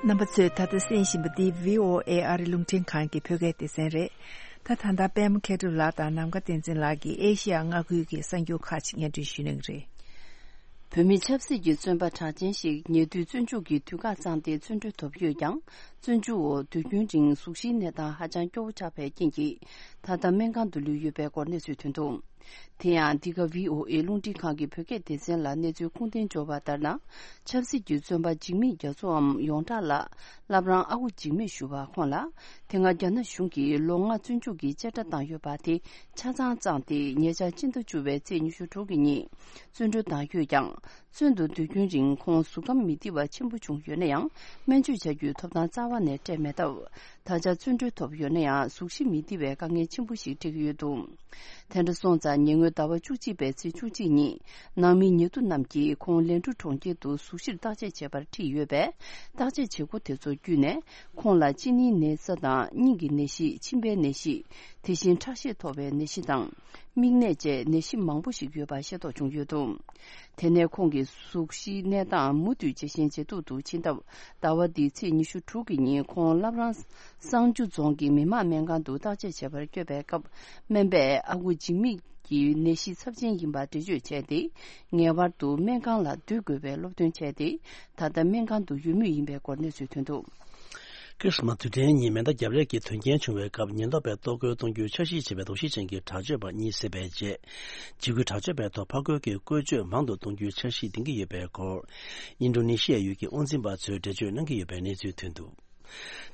རྣམ་པ་ཚོས་ད་ལྟ་གསན་བཞིན་པ་འདི་བྷི་ཨོ་ཨེ་ཨ་རི་རླུང་འཕྲིན་ཁང་གི་བོད་སྐད་སྡེ་ཚན་རེད། ད་ད་ལྟ་པད་མ་མཁས་གྲུབ་ལགས་དང་ནམ་མཁའ་བསྟན་འཛིན་ལགས་ཀྱིས་ཨེ་ཤི་ཡ་མངའ་ཁུལ་གྱི་གསར་འགྱུར་ཁག་ཅིག་སྙན་སྒྲོན་ཞུ་གནང་གི་རེད། བོད་མི་ཆབ་སྲིད་ཀྱི་བཙོན་པ་གྲགས་ཅན་ཞིག་ཉེ་དུས་བཙོན་འཇུག་གི་དུས་བཀག་བརྩམས་ཏེ་བཙོན་གྲོལ་ཐོབ་ཡོད་ཀྱང་། བཙོན་འཇུག་འོག་དུས་རྒྱུན་རིང་གཟུགས་གཞིའི་གནས་སྟངས་ཧ་ཅང་སྐྱོ་བོ་ཆགས་པའི་རྐྱེན་གྱིས། ད་ལྟ་སྨན་ཁང་དུ་ལུས་ཡོད་པའི་སྐོར་གནས་ཚུལ་ཐོན་འདུག་དེ་ཡང་འདི་ག་བྷི་ཨོ་ཨེ་རླུང་འཕྲིན་ཁང་གི་བོད་སྐད་སྡེ་ཚན་ལ་གནས་ཚུལ་ཁུངས་ལྡན་འབྱོར་བ་ལྟར་ན། ཆབ་སྲིད་ཀྱི་བཙོན་པ་འཇིགས་མེད་རྒྱ་མཚོའམ་ཡོངས་གྲགས་ལ་བླ་བྲང་ཨ་ཁུ་འཇིགས་མེད་ཞུ་བ་ཁོང་ལ། དེ་སྔ་རྒྱ་ནག་གཞུང་གིས་ལོ་ལྔ་བཙོན་འཇུག་གི་བཅད་ཁྲ་བཏང་ཡོད་པ་དེ་ཆ་ཚང་བཅངས་ཏེ་ཉེ་ཆར་སྤྱི་ཟླ་བཅུ་བའི་ཚེས་ཉི་ཤུ་དྲུག་གི་ཉིན་བཙོན་གྲོལ་བཏང་ཡོད་ཀྱང་། བཙོན་དུ་སྡོད་རྒྱུན་རིང་ཁོང་གཟུགས་ཁམས་མི་བདེ་བ་ཆེན་པོ་བྱུང་ཡོད་ན་ཡང་། སྨན་བཅོས་བྱ་རྒྱུའི་ཐོབ་ཐང་རྩ་བ་ནས་སྤྲད་མེད་སྟབས། ད་ཆ་བཙོན་གྲོལ་ཐོབ་ཡོད་ན་ཡང་། གཟུགས་གཞི་མི་བདེ་བའི་དཀའ་ངལ་ཆེན་པོ་ཞིག་འཕྲད་ཀྱི་ཡོད་འདུག་དེ་འདྲ་སོང་ཙང་ཉེ་སྔོན་ཟླ་བ་བཅུ་གཅིག་པའི་ཚེས་བཅུ་གཅིག་ཉིན་ནང་མི་ཉེ་དུ་རྣམས་ཀྱིས་ཁོང་ལན་གྲུ་གྲོང་ཁྱེར་དུ་གཟུགས་གཞིར་བརྟག་དཔྱད་བྱེད་པར་ཁྲིད་ཡོད་པས། བརྟག་དཔྱད་བྱེད་སྒོ་དེ་ཚོ་བརྒྱུད་ནས་ཁོང་ལ་གཅིན་སྙིའི་ན་ཚ་དང་སྙིང་གི་ནད་གཞི། མཆིན་པའི་ནད་གཞི། དེ་བཞིན་ཁྲག་ཤེད་མཐོ་བའི་ནད་གཞི་དང་། མིག་ནད་བཅས་ནད་གཞི་མང་པོ་ཞིག་ཡོད་པ་ཤེས་རྟོགས་བྱུང་ཡོད་འདུག་དེ་ནས་ཁོང་གི་གཟུགས་གཞིའི་གནས་སྟངས་མུ་མཐུད་ཇེ་ཞན་ཇེ་སྡུག་ཏུ་ཕྱིན་སྟབས། ཟླ་བ་འདིའི་ཚེས་ཉི་ཤུ་དྲུག་གི་ཉིན་ཁོང་བླ་བྲང་གསང་ཆུ་རྫོང་གི་མི་དམངས་སྨན་ཁང་དུ་བརྟག་དཔྱད་བྱེད་པར་བསྐྱོད་པའི་སྐབས། སྨན་པས་ཨ་ཁུ་འཇིགས་མེད་ཀྱི་ནད་གཞི་ཚབས་ཆེན་ཡིན་པ་འགྲེལ་བརྗོད་བྱས་ཏེ། ངེས་པར་དུ་སྨན་ཁང་ལ་སྡོད་དགོས་པའི་སློབ་སྟོན་བྱས་ཏེ། ད་ལྟ་སྨན་ཁང་དུ་ཡོད་མུས་ཡིན་པའི་སྐོར་གནས་ཚུལ་ཐོན་འདུག་ཁི་རི་སི་མ་སི་དུས་དྲན་ཉིན་མེ་མདའ་རྒྱབ་ལས་ཀྱི་དོན་རྐྱེན་བྱུང་བའི་སྐབས། ཉེན་རྟོག་པས་གཏོར་རྒོལ་གཏོང་རྒྱུའི་འཆར་གཞི་བྱས་པའི་དོགས་གཞི་ཅན་གྱི་དྲག་སྤྱོད་པ་གཉིས་བསད་པའི་རྗེས། འཇིགས་སྐུལ་དྲག་སྤྱོད་པའི་ཐོག་ཕར་རྒོལ་གྱི་བཀོལ་སྤྱོད་མང་དུ་གཏོང་རྒྱུའི་འཆར་གཞི་འདིང་གི་ཡོད་པའི་སྐོར། ཨིན་ཌོ་ནེ་ཤི་ཡའི་ཡུལ་གྱི་དབང་འཛིན་པ་ཚོས་འགྲེལ་བརྗོད་གནང་གི་ཡོད་པའི་གནས་ཚུལ་ཐོན་འདུག་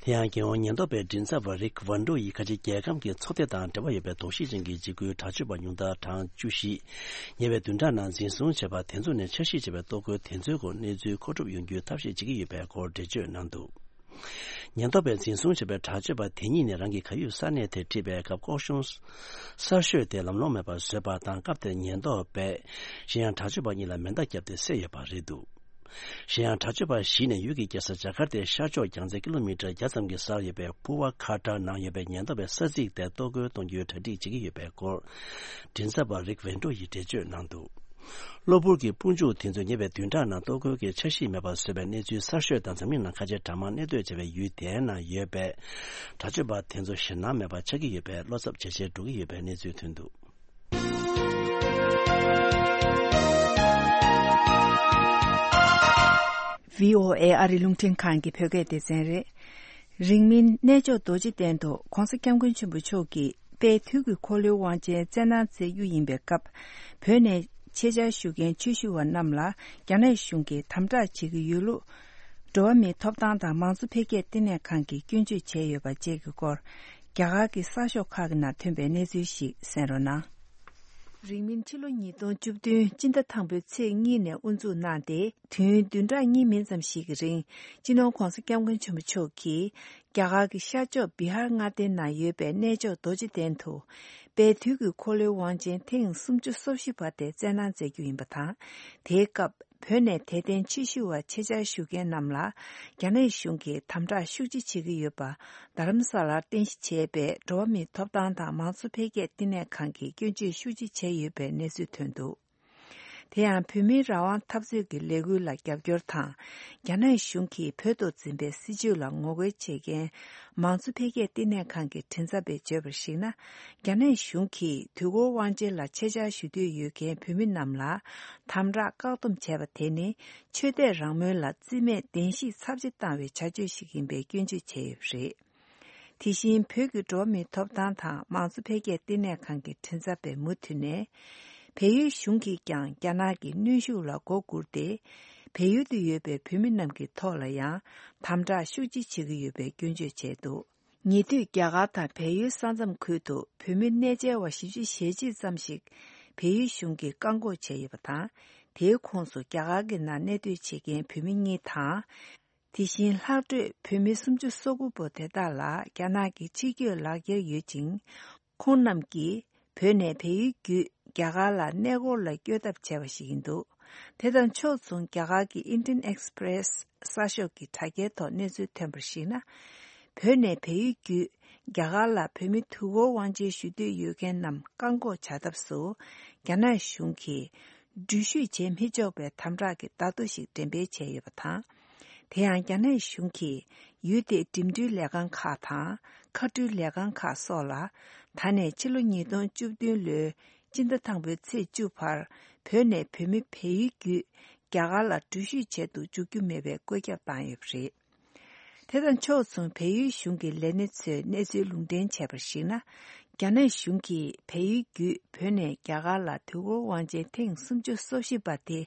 དེ་ཡང་རྒྱལ་ཡོངས་ཉེན་རྟོག་པའི་མགྲིན་ཚབ་པ་རིག་ཝན་ཌོ་ཡིས་ཁ་ཆེ་རྒྱལ་ཁམས་ཀྱི་ཚོགས་སྡེ་དང་འབྲེལ་བ་ཡོད་པའི་དོགས་གཞི་ཅན་གྱི་འཇིགས་སྐུལ་དྲག་སྤྱོད་པ་ཉུང་མཐར་གྲངས་བཅུ་བཞི། ཉེ་བའི་བདུན་ཕྲག་ནང་འཛིན་བཟུང་བྱས་པ་དེ་ཚོ་ནས་འཆར་གཞི་བྱས་པའི་གཏོར་རྒོལ་དེ་ཚོའི་སྐོར་གནས་ཚུལ་མཁོ་སྒྲུབ་ཡོང་རྒྱུའི་ཐབས་ཤེས་བྱེད་ཀྱི་ཡོད་པའི་སྐོར་འགྲེལ་བརྗོད་གནང་འདུག་ཉེན་རྟོག་པས་འཛིན་བཟུང་བྱས་པའི་དྲག་སྤྱོད་པ་དེ་གཉིས་ནས་རང་གི་གར་ཡོད་ས་གནས་དེར་ཁྲིད་པའི་སྐབས། སྐོར་གཞུང་གསར་ཤོས་དེ་ལམ་ལྷོང་མེད་པར་བཟོས་པ་དང་། སྐབས་དེར་ཉེན་རྟོག་པས་གཞན་ཡང་དྲག་སྤྱོད་པ་གཉིས་ལ་མེ་མདའ་བརྒྱབ་སྟེ་བསད་ཡོད་པ་རེད་འདུག་གཞན་ཡང་དྲག་སྤྱོད་པ་བཞི་ནས་ཡུལ་གྱི་རྒྱལ་ས་ཇ་ཀར་ཏའི་ཤར་ཕྱོགས་རྒྱང་ཚད་ཀི་ལོ་མི་ཊར་བརྒྱ་ཙམ་གྱི་སར་ཡོད་པའི་པུ་ཝ་ཁ་ཏར་ནང་ཡོད་པའི་ཉེན་རྟོག་པའི་ས་ཚིགས་དེར་གཏོར་རྒོལ་གཏོང་རྒྱུའི་གྲ་སྒྲིག་བྱེད་ཀྱི་ཡོད་པའི་སྐོར། མགྲིན་ཚབ་པ་རིག་ཝེན་ཀྲོ་ཡིས་འགྲེལ་བརྗོད་གནང་འདུག་གློ་བུར་གྱི་དཔུང་འཇུག་དེ་ཚོས་ཉེ་བའི་བདུན་ཕྲག་ནང་གཏོར་རྒོལ་གྱི་འཆར་གཞི་མེད་པར་བཟོས་པའི་གནས་ཚུལ་གསར་ཤོས་དང་། འཛམ་གླིང་ནང་ཁ་ཆེ་གྲངས་མང་གནས་སྡོད་བྱེད་པའི་ཡུལ་དེའི་ནང་ཡོད་པའི་དྲག་སྤྱོད་པ་དེ་ཚོ་ཞེད་སྣང་མེད་པར་ཆགས་ཀྱི་ཡོད་པའི་བློ་འཚབ་ཇེ་ཆེར་འགྲོ་གི་ཡོད་པའི་གནས་ཚུལ་ཐོན་འདུག་བྷི་ཨོ་ཨེ་ཨ་རི་རླུང་འཕྲིན་ཁང་གི་བོད་སྐད་སྡེ་ཚན་རེད། རིང་མིན་གནས་མཆོག་རྡོ་རྗེ་གདན་དུ་༸གོང་ས་༸སྐྱབས་མགོན་ཆེན་པོ་མཆོག་གིས་དཔལ་དུས་ཀྱི་འཁོར་ལོའི་དབང་ཆེན་བསྩལ་གནང་མཛད་རྒྱུ་ཡིན་པའི་སྐབས། བོད་ནས་ཆེད་བཅར་ཞུ་མཁན་ཆོས་ཞུ་བ་རྣམས་ལ་རྒྱ་ནག་གཞུང་གིས་དམ་དྲག་བྱེད་ཀྱི་ཡོད་ལུགས། འགྲོ་བ་མིའི་ཐོབ་ཐང་དང་མང་གཙོ་འཕེལ་རྒྱས་ལྟེ་གནས་ཁང་གིས་སྐྱོན་བརྗོད་བྱས་ཡོད་པ་བཅས་ཀྱི་སྐོར། རྒྱ་གར་གྱི་གསར་ཤོག་ཁག་གི་ནང་ཐོན་པའི་གནས་ཚུལ་ཞིག་གསན་རོགས་གནང་། རིང་མིན་ཕྱི་ལོ་ཉིས་སྟོང་བཅུ་བདུན་སྤྱི་ཟླ་དང་པོའི་ཚེས་གཉིས་ནས་དབུ་འཛུགས་གནང་སྟེ། དུས་ཡུན་བདུན་ཕྲག་གཉིས་མིན་ཙམ་ཞིག་གི་རིང་། སྤྱི་ནོར་༸གོང་ས་༸སྐྱབས་མགོན་ཆེན་པོ་མཆོག་གིས་རྒྱ་གར་གྱི་ཤར་ཕྱོགས་བི་ཧར་མངའ་སྡེའི་ནང་ཡོད་པའི་གནས་མཆོག་རྡོ་རྗེ་གདན་དུ། དཔལ་དུས་ཀྱི་འཁོར་ལོའི་དབང་ཆེན་ཐེངས་སུམ་ཅུ་སོ་བཞི་པ་དེ་བསྩལ་གནང་མཛད་རྒྱུ་ཡིན་པ་དང་། དེའི་སྐབས་བོད་ནས་དད་ལྡན་ཆོས་ཞུ་བ་ཆེད་བཅར་ཞུ་མཁན་རྣམས་ལ་རྒྱ་ནག་གཞུང་གིས་དམ་དྲག་ཤུགས་ཆེ་བྱེད་ཀྱི་ཡོད་པ། རྡ་རམ་ས་ལར་རྟེན་གཞི་བྱས་པའི་འགྲོ་བ་མིའི་ཐོབ་ཐང་དང་མང་གཙོ་འཕེལ་རྒྱས་ལྟེ་གནས་ཁང་གིས་སྐྱོན་བརྗོད་ཤུགས་ཆེ་བྱས་ཡོད་པའི་གནས་ཚུལ་ཐོན་འདུག་དེ་ཡང་བོད་མིའི་རང་དབང་འཐབ་རྩོད་ཀྱི་ལས་འགུལ་ལ་རྒྱབ་སྐྱོར་དང་། རྒྱ་ནག་གཞུང་གིས་བོད་དུ་འཛིན་པའི་སྲིད་བྱུས་ལ་ངོ་རྒོལ་བྱེད་མཁན་མང་གཙོ་འཕེལ་རྒྱས་ལྟེ་གནས་ཁང་གི་མགྲིན་ཚབ་པས་བརྗོད་པར་གཞིགས་ན། རྒྱ་ནག་གཞུང་གིས་དུས་འཁོར་དབང་ཆེན་ལ་ཆེད་བཅར་ཞུ་འདོད་ཡོད་མཁན་བོད་མི་རྣམས་ལ་དམ་དྲག་བཀག་སྡོམ་བྱས་པ་དེ་ནི་ཆོས་དད་རང་མོས་ལ་རྩིས་མེད་བདེན་བཞིའི་ཚབས་ཆེ་བཏང་བའི་བྱ་སྤྱོད་ཞིག་ཡིན་པའི་སྐྱོན་བརྗོད་བྱས་ཡོད་པ་རེད། དེ་བཞིན་བོད་ཀྱི་འགྲོ་བ་མིའི་ཐོབ་ཐང་དང་མང་གཙོ་འཕེལ་རྒྱས་ལྟེ་གནས་ཁང་གི་མགྲིན་ཚབ་པས་མུ་མཐུད་ནས། བལ་ཡུལ་གཞུང་གིས་ཀྱང་རྒྱ་ནག་གི་གནོན་ཤུགས་ལ་མགོ་སྒུར་ཏེ། བལ་ཡུལ་དུ་ཡོད་པའི་བོད་མི་རྣམས་ཀྱི་ཐོག་ལ་ཡང་དམ་དྲག་ཤུགས་ཆེ་བྱེད་ཀྱི་ཡོད་པའི་སྐྱོན་བརྗོད་བྱས་འདུག་ཉེ་དུས་རྒྱ་གར་དང་བལ་ཡུལ་ས་མཚམས་ཁུལ་དུ་བོད་མི་གནས་མཇལ་བ་བཞི་བཅུ་ཞེ་གཅིག་ཙམ་ཞིག་བལ་ཡུལ་གཞུང་གིས་བཀག་འགོག་བྱས་ཡོད་པ་དང་། དེའི་ཁོངས་སུ་རྒྱ་གར་གྱི་ནང་གནས་སྡོད་བྱེད་མཁན་བོད་མི་གཉིས་དང་། དེ་བཞིན་ལྷག་འཕྲོས་བོད་མི་སུམ་ཅུ་སོ་དགུ་པོ་དེ་དག་ལ་རྒྱ་ནག་གི་ཕྱིར་སྐྱོད་ལག་འཁྱེར་ཡོད་ཅིང་། ཁོང་རྣམས་ཀྱིས་བོད་ནས་བལ་ཡུལ་བརྒྱུད་རྒྱ་གར་ལ་གནས་སྐོར་ལ་བསྐྱོད་ཐབས་བྱས་པ་ཞིག་ཡིན་འདུག་དེ་དང་ཕྱོགས་མཚུངས་རྒྱ་གར་གྱི་Indian Express གསར་ཤོག་གི་དྲ་རྒྱའི་ཐོག་གནས་ཚུལ་ཐོན་པར་གཞིགས་ན། བོད་ནས་བལ་ཡུལ་བརྒྱུད་རྒྱ་གར་ལ་བོད་མི་དུས་འཁོར་དབང་ཆེན་ཞུ་འདོད་ཡོད་མཁན་རྣམས་བཀག་འགོག་བྱ་ཐབས་སུ་རྒྱ་ནག་གཞུང་གིས་འགྲུལ་བཞུད་བྱེད་མི་ཆོག་པའི་དམ་དྲག་གི་བརྡ་ཐོ་ཞིག་འགྲེམས་སྤེལ་བྱས་ཡོད་པ་དང་། དེ་ཡང་རྒྱ་ནག་གཞུང་གིས་ཡུལ་དེའི་འགྲིམ་འགྲུལ་ལས་ཁང་ཁག་དང་། མཁའ་འགྲུལ་ལས་ཁང་ཁག་སོགས་ལ། ད་ནས་ཕྱི་ལོ་ཉིས་སྟོང་བཅུ་བདུན་ལོའི་སྤྱི་ཟླ་དང་པོའི་ཚེས་བཅུ་བར། བོད་ནས་བོད་མི་བལ་ཡུལ་བརྒྱུད་རྒྱ་གར་ལ་འགྲུལ་བཞུད་བྱེད་དུ་འཇུག་རྒྱུ་མེད་པའི་བཀོད་ཁྱབ་བཏང་ཡོད་པ་རེད། དེ་དང་ཕྱོགས་མཚུངས་བལ་ཡུལ་གཞུང་གི་ལས་སྣེ་ཚོས་གནས་ཚུལ་ལུང་འདྲེན་བྱས་པར་གཞིགས་ན། རྒྱ་ནག་གཞུང་གིས་བལ་ཡུལ་བརྒྱུད་བོད་ནས་རྒྱ་གར་ལ་དུས་འཁོར་དབང་ཆེན་ཐེངས་སུམ་ཅུ་སོ་བཞི་པ་དེ་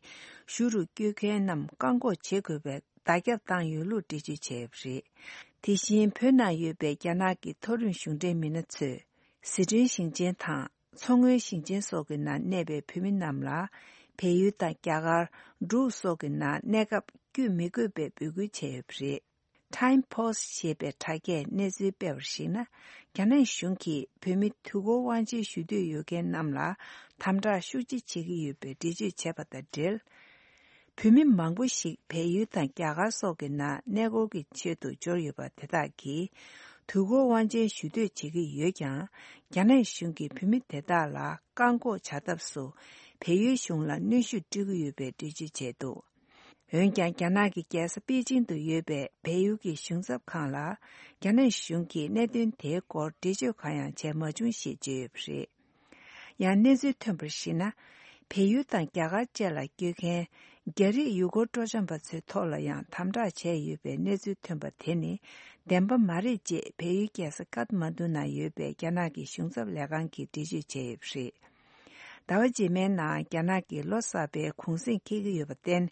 ཞུ་རུ་བསྐྱོད་མཁན་རྣམས་བཀག་འགོག་བྱེད་དགོས་པའི་བརྡ་ཁྱབ་བཏང་ཡོད་ལུགས་འགྲེལ་བརྗོད་བྱས་ཡོད་པ་རེད། དེ་བཞིན་བོད་ནང་ཡོད་པའི་རྒྱ་ནག་གི་མཐོ་རིམ་གཞུང་འབྲེལ་མི་སྣ་ཚོས་ཟི་ཁྲོན་ཞིང་ཆེན་དང་མཚོ་སྔོན་ཞིང་ཆེན་སོགས་ཀྱི་ནང་གནས་པའི་བོད་མི་རྣམས་ལ་བལ་ཡུལ་དང་རྒྱ་གར་འབྲུག་སོགས་ཀྱི་ནང་གནས་སྐབས་བསྐྱོད་མི་དགོས་པའི་འབོད་སྐུལ་བྱས་ཡོད་པ་རེད། Time Post ཞེས་པའི་དྲ་རྒྱས་གནས་ཚུལ་སྤེལ་བར་གཞིགས་ན། རྒྱ་ནག་གཞུང་གིས་བོད་མི་དུས་འཁོར་དབང་ཆེན་ཞུ་འདོད་ཡོད་མཁན་རྣམས་ལ་དམ་དྲག་ཤུགས་ཆེ་བྱེད་ཀྱི་ཡོད་པའི་འགྲེལ་བརྗོད་བྱས་པ་དང་འབྲེལ། བོད་མི་མང་པོ་ཞིག་བལ་ཡུལ་དང་རྒྱ་གར་སོགས་ཀྱི་ནང་གནས་སྐོར་གྱི་ཆེད་དུ་འབྱོར་ཡོད་པ་དེ་དག་གིས། དུས་འཁོར་དབང་ཆེན་ཞུ་འདོད་བྱེད་ཀྱི་ཡོད་ཀྱང་། རྒྱ་ནག་གཞུང་གིས་བོད་མི་དེ་དག་ལ་བཀག་འགོག་བྱ་ཐབས་སུ། བལ་ཡུལ་གཞུང་ལ་གནོན་ཤུགས་སྤྲོད་ཀྱི་ཡོད་པའི་འགྲེལ་བརྗོད་བྱས་འདུག་འོན་ཀྱང་། རྒྱ་ནག་གི་རྒྱལ་ས་པེ་ཅིང་དུ་ཡོད་པའི་བལ་ཡུལ་གྱི་གཞུང་ཚབ་ཁང་ལ། རྒྱ་ནག་གཞུང་གིས་གནད་དོན་དེའི་སྐོར་འགྲེལ་བརྗོད་གང་ཡང་བྱས་མ་བྱུང་ཞེས་བརྗོད་ཡོད་པ་རེད། ཡང་གནས་ཚུལ་ཐོན་པར་གཞིགས་ན། བལ་ཡུལ་དང་རྒྱ་གར་བཅས་ལ་བསྐྱོད་མཁན་རྒྱ་རིགས་ཡུལ་སྐོར་སྤྲོ་འཆམ་པ་ཚོའི་ཐོག་ལ་ཡང་དམ་དྲག་བྱས་ཡོད་པའི་གནས་ཚུལ་ཐོན་པ་དེ་ནི་བདེན་པ་མ་རེད་ཅེས་བལ་ཡུལ་རྒྱལ་ས་ཀཏ་མན་ཌུ་ནང་ཡོད་པའི་རྒྱ་ནག་གི་གཞུང་ཚབ་ལས་ཁང་གིས་འགྲེལ་བརྗོད་བྱས་ཡོད་པ་རེད། ཟླ་བ་རྗེས་མའི་ནང་རྒྱ་ནག་གིས་ལོ་གསར་པའི་གུང་གསེང་འཁེལ་གྱི་ཡོད་པར་བརྟེན།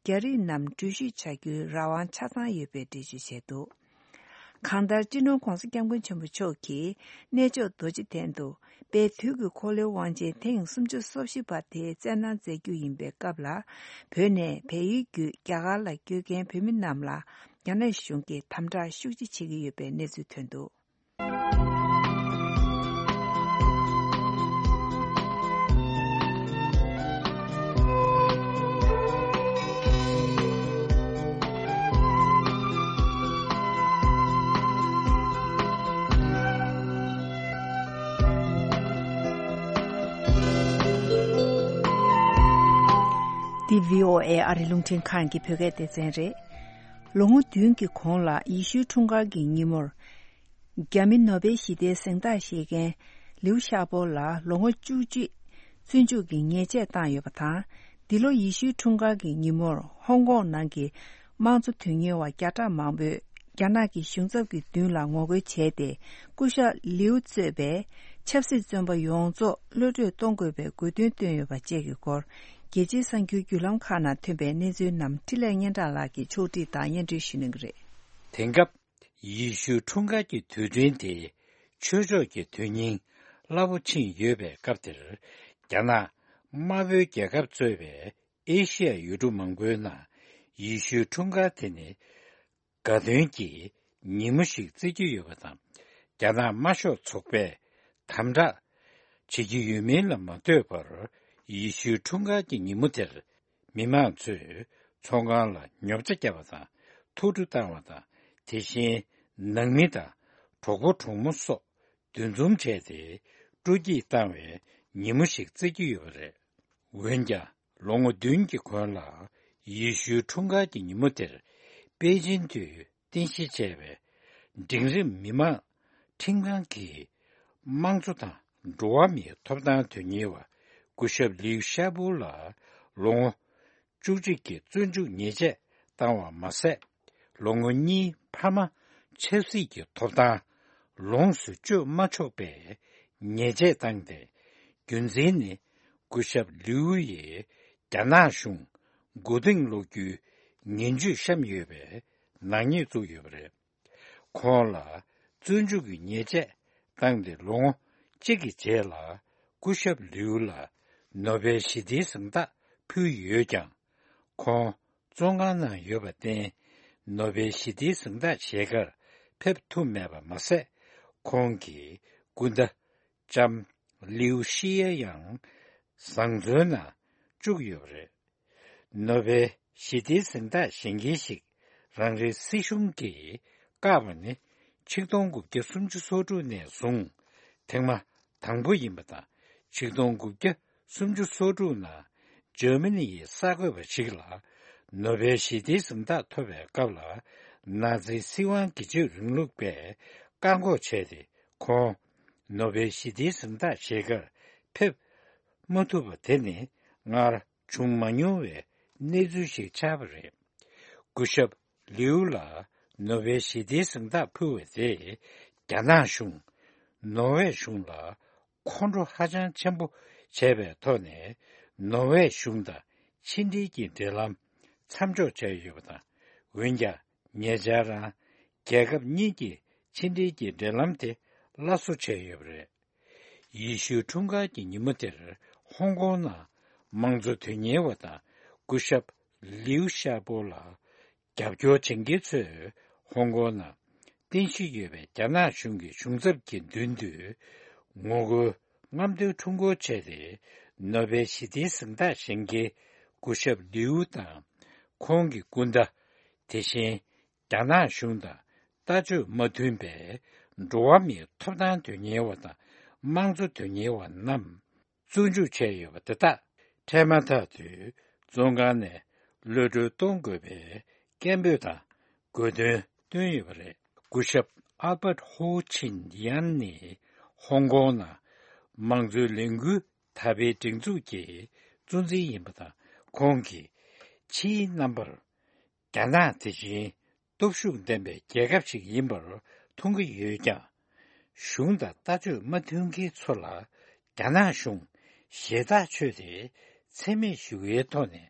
རྒྱ་རིགས་རྣམས་འགྲུལ་བཞུད་བྱ་རྒྱུའི་རང་དབང་ཆ་ཚང་ཡོད་པའི་འགྲེལ་བརྗོད་བྱས་འདུག་གང་ལྟར། སྤྱི་ནོར་༧གོང་ས་༧སྐྱབས་མགོན་ཆེན་པོ་མཆོག་གིས་གནས་མཆོག་རྡོ་རྗེ་གདན་དུ་དཔལ་དུས་ཀྱི་འཁོར་ལོའི་དབང་ཆེན་ཐེངས་སུམ་ཅུ་སོ་བཞི་པ་དེ་བསྩལ་གནང་མཛད་རྒྱུ་ཡིན་པའི་སྐབས་ལ། བོད་ནས་བལ་ཡུལ་བརྒྱུད་རྒྱ་གར་ལ་བསྐྱོད་མཁན་བོད་མི་རྣམས་ལ་རྒྱ་ནག་གཞུང་གིས་དམ་དྲག་ཤུགས་ཆེ་བྱེད་ཀྱི་ཡོད་པའི་གནས་ཚུལ་ཐོན་འདུག་འདི་བྷི་ཨོ་ཨེ་ཨ་རི་རླུང་འཕྲིན་ཁང་གི་བོད་སྐད་སྡེ་ཚན་རེད། ལོ་ངོ་བདུན་གྱི་གོང་ལ་ཡེ་ཤུའི་འཁྲུངས་སྐར་གྱི་ཉིན་མོར། རྒྱ་མི་ནོ་བེལ་ཞི་བདེའི་གཟེངས་རྟགས་བཞེས་མཁན་ལིའུ་ཤ་པོ་ལ་ལོ་ངོ་བཅུ་གཅིག་བཙོན་འཇུག་གི་ཉེས་ཆད་བཏང་ཡོད་པ་དང་། འདི་ལོ་ཡེ་ཤུའི་འཁྲུངས་སྐར་གྱི་ཉིན་མོར་ཧོང་ཀོང་ནང་གི་དམངས་གཙོ་དོན་གཉེར་བ་བརྒྱ་ཕྲག་མང་པོས་རྒྱ་ནག་གི་གཞུང་ཚབ་ཀྱི་མདུན་ལ་ངོ་རྒོལ་བྱས་ཏེ། སྐུ་ཞབས་ལིའུ་གཙོས་པའི་ཆབ་སྲིད་བཙོན་པ་ཡོངས་རྫོགས་གློད་གྲོལ་གཏོང་དགོས་པའི་དགོས་འདུན་བཏོན་ཡོད་པ་བཅས་ཀྱི་སྐོར། རྒྱལ་སྤྱིའི་གསར་འགྱུར་བརྒྱུད་ལམ་ཁག་ནང་ཐོན་པའི་གནས་ཚུལ་རྣམས་འཕྲིན་ལས་སྙན་གྲགས་ལགས་ཀྱིས་ཕྱོགས་སྒྲིག་དང་སྙན་སྒྲོན་ཞུ་གནང་གི་རེད། དེང་སྐབས། ཡེ་ཤུའི་འཁྲུངས་སྐར་གྱི་དུས་སྟོན་དེ་ཆོས་ཕྱོགས་ཀྱི་དོན་སྙིང་རླབས་པོ་ཆེ་ཡོད་པའི་སྐབས་དེར། རྒྱ་ནག་དམར་པོའི་རྒྱལ་ཁབ་གཙོས་པའི་ཨེ་ཤི་ཡ་ཡུལ་གྲུ་མང་པོའི་ནང་ཡེ་ཤུའི་འཁྲུངས་སྐར་དེ་ནི་དགའ་སྟོན་གྱི་ཉིན་མོ་ཞིག་བརྩི་རྒྱུ་ཡོད་པ་དང་། རྒྱ་ནག་དམར་ཤོག་ཚོགས་པས་དམ་དྲག་བྱེད་ཀྱི་ཡོད་མིན་ལ་མ་ལྟོས་པར། ཡེ་ཤུའི་འཁྲུངས་སྐར་གྱི་ཉིན་མོ་དེར། མི་མང་ཚོས་ཚོང་ཁང་ལ་ཉོ་ཆ་བརྒྱབ་པ་དང་ཐུགས་སྤྲོ་བཏང་བ་དང་། དེ་བཞིན་ནང་མི་དང་གྲོགས་པོ་གྲོགས་མོ་སོགས་འདུ་འཛོམས་བྱས་ཏེ་སྤྲོ་སྐྱིད་བཏང་བའི་ཉིན་མོ་ཞིག་བརྩི་རྒྱུ་ཡོད་པ་རེད། འོན་ཀྱང་། ལོ་ངོ་བདུན་གྱི་གོང་ལ་ཡེ་ཤུའི་འཁྲུངས་སྐར་གྱི་ཉིན་མོ་དེར་པེ་ཅིན་དུ་རྟེན་གཞི་བྱས་པའི་འབྲིང་རིམ་མི་མང་ཁྲིམས་ཁང་གིས་དམངས་གཙོ་དང་འགྲོ་བ་མིའི་ཐོབ་ཐང་དོན་གཉེར་བ་སྐུ་ཞབས་ལིའུ་ཤ་པོ་ལ་ལོ་ངོ་བཅུ་གཅིག་གི་བཙོན་འཇུག་ཉེས་ཆད་བཏང་བ་མ་ཟད། ལོ་ངོ་གཉིས་ཕ་མ་ཆབ་སྲིད་ཀྱི་ཐོབ་ཐང་ ལོངས་སུ་སྤྱོད་མ་ཆོག་པའི་ཉེས་ཆད་བཏང་སྟེ། རྒྱུ་མཚན་ནི། སྐུ་ཞབས་ལིའུ་ཡིས་རྒྱ་ནག་གཞུང་མགོ་རྟིང་སློག་རྒྱུའི་ངན་ཇུས་བཤམས་ཡོད་པའི་ནག་ཉེས་བཙུགས་ཡོད་པ་རེད། ཁོང་ལ་བཙོན་འཇུག་གི་ཉེས་ཆད་བཏང་སྟེ་ལོ་ངོ་གཅིག་གི་རྗེས་ལ། སྐུ་ཞབས་ལིའུ་ལ་ནོ་བེལ་ཞི་བདེའི་གཟེངས་རྟགས་ཕུལ་ཡོད་ཀྱང་། ཁོང་བཙོན་ཁང་ནང་ཡོད་པར་བརྟེན། ནོ་བེལ་ཞི་བདེའི་གཟེངས་རྟགས་བཞེས་ཁར་ཕེབས་ཐུབ་མེད་པ་མ་ཟད། ཁོང་གི་སྐུ་ཟླ་ལྕམ་ལིའུ་ཤི་ཡ་ཡང་བཟང་བཙོན་ནང་བཅུག་ཡོད་པ་རེད། ནོ་བེལ་ཞི་བདེའི་གཟེངས་རྟགས་བཞེས་མཁན་ཞིག་རང་རེའི་སྲིད་གཞུང་གིས་བཀག་པ་ནི། ཆིག་སྟོང་དགུ་བརྒྱ་སུམ་ཅུ་སོ་དྲུག་ནས་བཟུང་ཐེངས་མ་དང་པོ་ཡིན་པ་དང་། ཆིག་སྟོང་དགུ་བརྒྱ་སུམ་ཅུ་སོ་དྲུག་ནང་འཇར་མ་ནི་ཡི་གསར་འགོད་པ་ཞིག་ལ་ནོ་བེལ་ཞི་བདེའི་གཟེངས་རྟགས་ཐོབ་པའི་སྐབས་ལ། ནཱ་ཛི་སྲིད་དབང་སྒེར་གཅོད་རིང་ལུགས་པས་བཀག་འགོག་བྱས་ཏེ། ཁོང་ནོ་བེལ་ཞི་བདེའི་གཟེངས་རྟགས་བཞེས་ཁར་ཕེབས་མ་ཐུབ་པ་དེ་ནི། སྔར་བྱུང་མ་མྱོང་བའི་གནས་ཚུལ་ཞིག་ཆགས་པ་རེད། སྐུ་ཞབས་ལིའུ་ལ་ནོ་བེལ་ཞི་བདེའི་གཟེངས་རྟགས་ཕུལ་བ་དེས། རྒྱ་ནག་གཞུང་ནོར་ཝེ་གཞུང་ལ་ཁོང་ཁྲོ་ཧ་ཅང་ཆེན་པོ་བྱས་པའི་ཐོག་ནས། ནོར་ཝེ་གཞུང་དང་ཕྱི་འབྲེལ་གྱི་འབྲེལ་ལམ་མཚམས་འཇོག་བྱས་ཡོད་པ་དང་། འོན་ཀྱང་། ཉེ་ཆར་རང་རྒྱལ་ཁབ་གཉིས་ཀྱི་ཕྱི་འབྲེལ་གྱི་འབྲེལ་ལམ་དེ་སླར་གསོ་བྱས་ཡོད་པ་རེད། ཡེ་ཤུའི་འཁྲུངས་སྐར་གྱི་ཉིན་མོ་དེར། ཧོང་ཀོང་ནང་དམངས་གཙོ་དོན་གཉེར་བ་དང་སྐུ་ཞབས་ལིའུ་ཤ་པོ་ལ་རྒྱབ་སྐྱོར་བྱེད་མཁན་ཚོས། ཧོང་ཀོང་ནང་རྟེན་གཞི་ཡོད་པའི་རྒྱ་ནག་གཞུང་གི་གཞུང་ཚབ་ཀྱི་མདུན་དུ། ངོ་རྒོལ་རྔམ་སྟོན་ཁྲོམ་སྐོར་བྱས་ཏེ། ནོ་བེལ་ཞི་བདེའི་གཟེངས་རྟགས་བཞེས་མཁན་སྐུ་ཞབས་ལིའུ་དང་། ཁོང་གི་སྐུ་ཟླ། དེ་བཞིན། རྒྱ་ནག་གཞུང་དང་ལྟ་སྤྱོད་མ་མཐུན་པའི་འགྲོ་བ་མིའི་ཐོབ་ཐང་དོན་གཉེར་བ་དང་དམངས་གཙོ་དོན་གཉེར་བ་རྣམས་བཙོན་འཇུག་བྱས་ཡོད་པ་དེ་དག་འཕྲལ་མ་ཐག་ཏུ་བཙོན་ཁང་ནས་གློད་གྲོལ་གཏོང་དགོས་པའི་སྐད་འབོད་དང་དགོས་འདུན་བཏོན་ཡོད་པ་རེད། སྐུ་ཞབས་ཨལ་བརྟ་ཧོ་ཆིན་ཡན་ནི་ཧོང་ཀོང་ནང་དམངས་གཙོའི་ལས་འགུལ་དར་སྤེལ་སྒྲིག་འཛུགས་ཀྱི་གཙོ་འཛིན་ཡིན་པ་དང་། ཁོང་གིས་ཕྱིའི་རྣམ་པར། རྒྱ་ནག་དེ་བཞིན་སྟོབས་ཤུགས་ལྡན་པའི་རྒྱལ་ཁབ་ཅིག་ཡིན་པར་མཐོང་གི་ཡོད་ཀྱང་། གཞུང་དང་ལྟ་སྤྱོད་མ་མཐུན་མཁན་ཚོ་ལ་རྒྱ་ནག་གཞུང་ཞེ་ཐག་ཆོད་དེ་འཚེ་མེད་ཞི་བའི་ཐོག་ནས་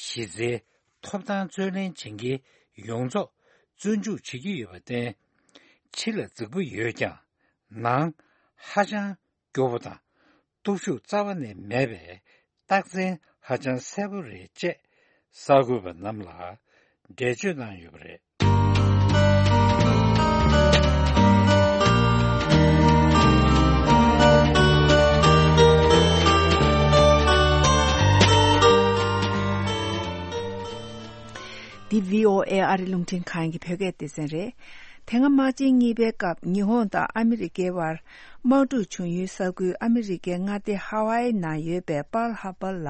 གཞི་རྩའི་ཐོབ་ཐང་རྩོད་ལེན་བྱེད་མཁན་ཡོངས་རྫོགས་བཙོན་འཇུག་བྱེད་ཀྱི་ཡོད་པར་བརྟེན། ཕྱི་ལ་རྫིག་པོ་ཡོད་ཀྱང་ནང་ཧ་ཅང་སྐྱོ་པོ་དང་། སྟོབས་ཤུགས་རྩ་བ་ནས་མེད་པའི་རྟགས་མཚན་ཧ་ཅང་གསལ་པོ་རེད་ཅེས་གསར་འགོད་པ་རྣམས་ལ་འགྲེལ་བརྗོད་གནང་ཡོད་པ་རེད། འདི་བྷི་ཨོ་ཨེ་ཨ་རི་རླུང་འཕྲིན་ཁང་གི་བོད་སྐད་སྡེ་ཚན་རེད། དེ་སྔ་དམག་ཆེན་གཉིས་པའི་སྐབས་ཉི་ཧོང་དང་ཨ་མི་རི་ཀའི་དབར་དམག་འཁྲུག་བྱུང་ཡུལ་ས་ཁུལ་ཨ་མི་རི་ཀའི་མངའ་སྡེ་ཧ་ཝའི་ནང་ཡོད་པའི་པཱལ་ཧར་པར་ལ་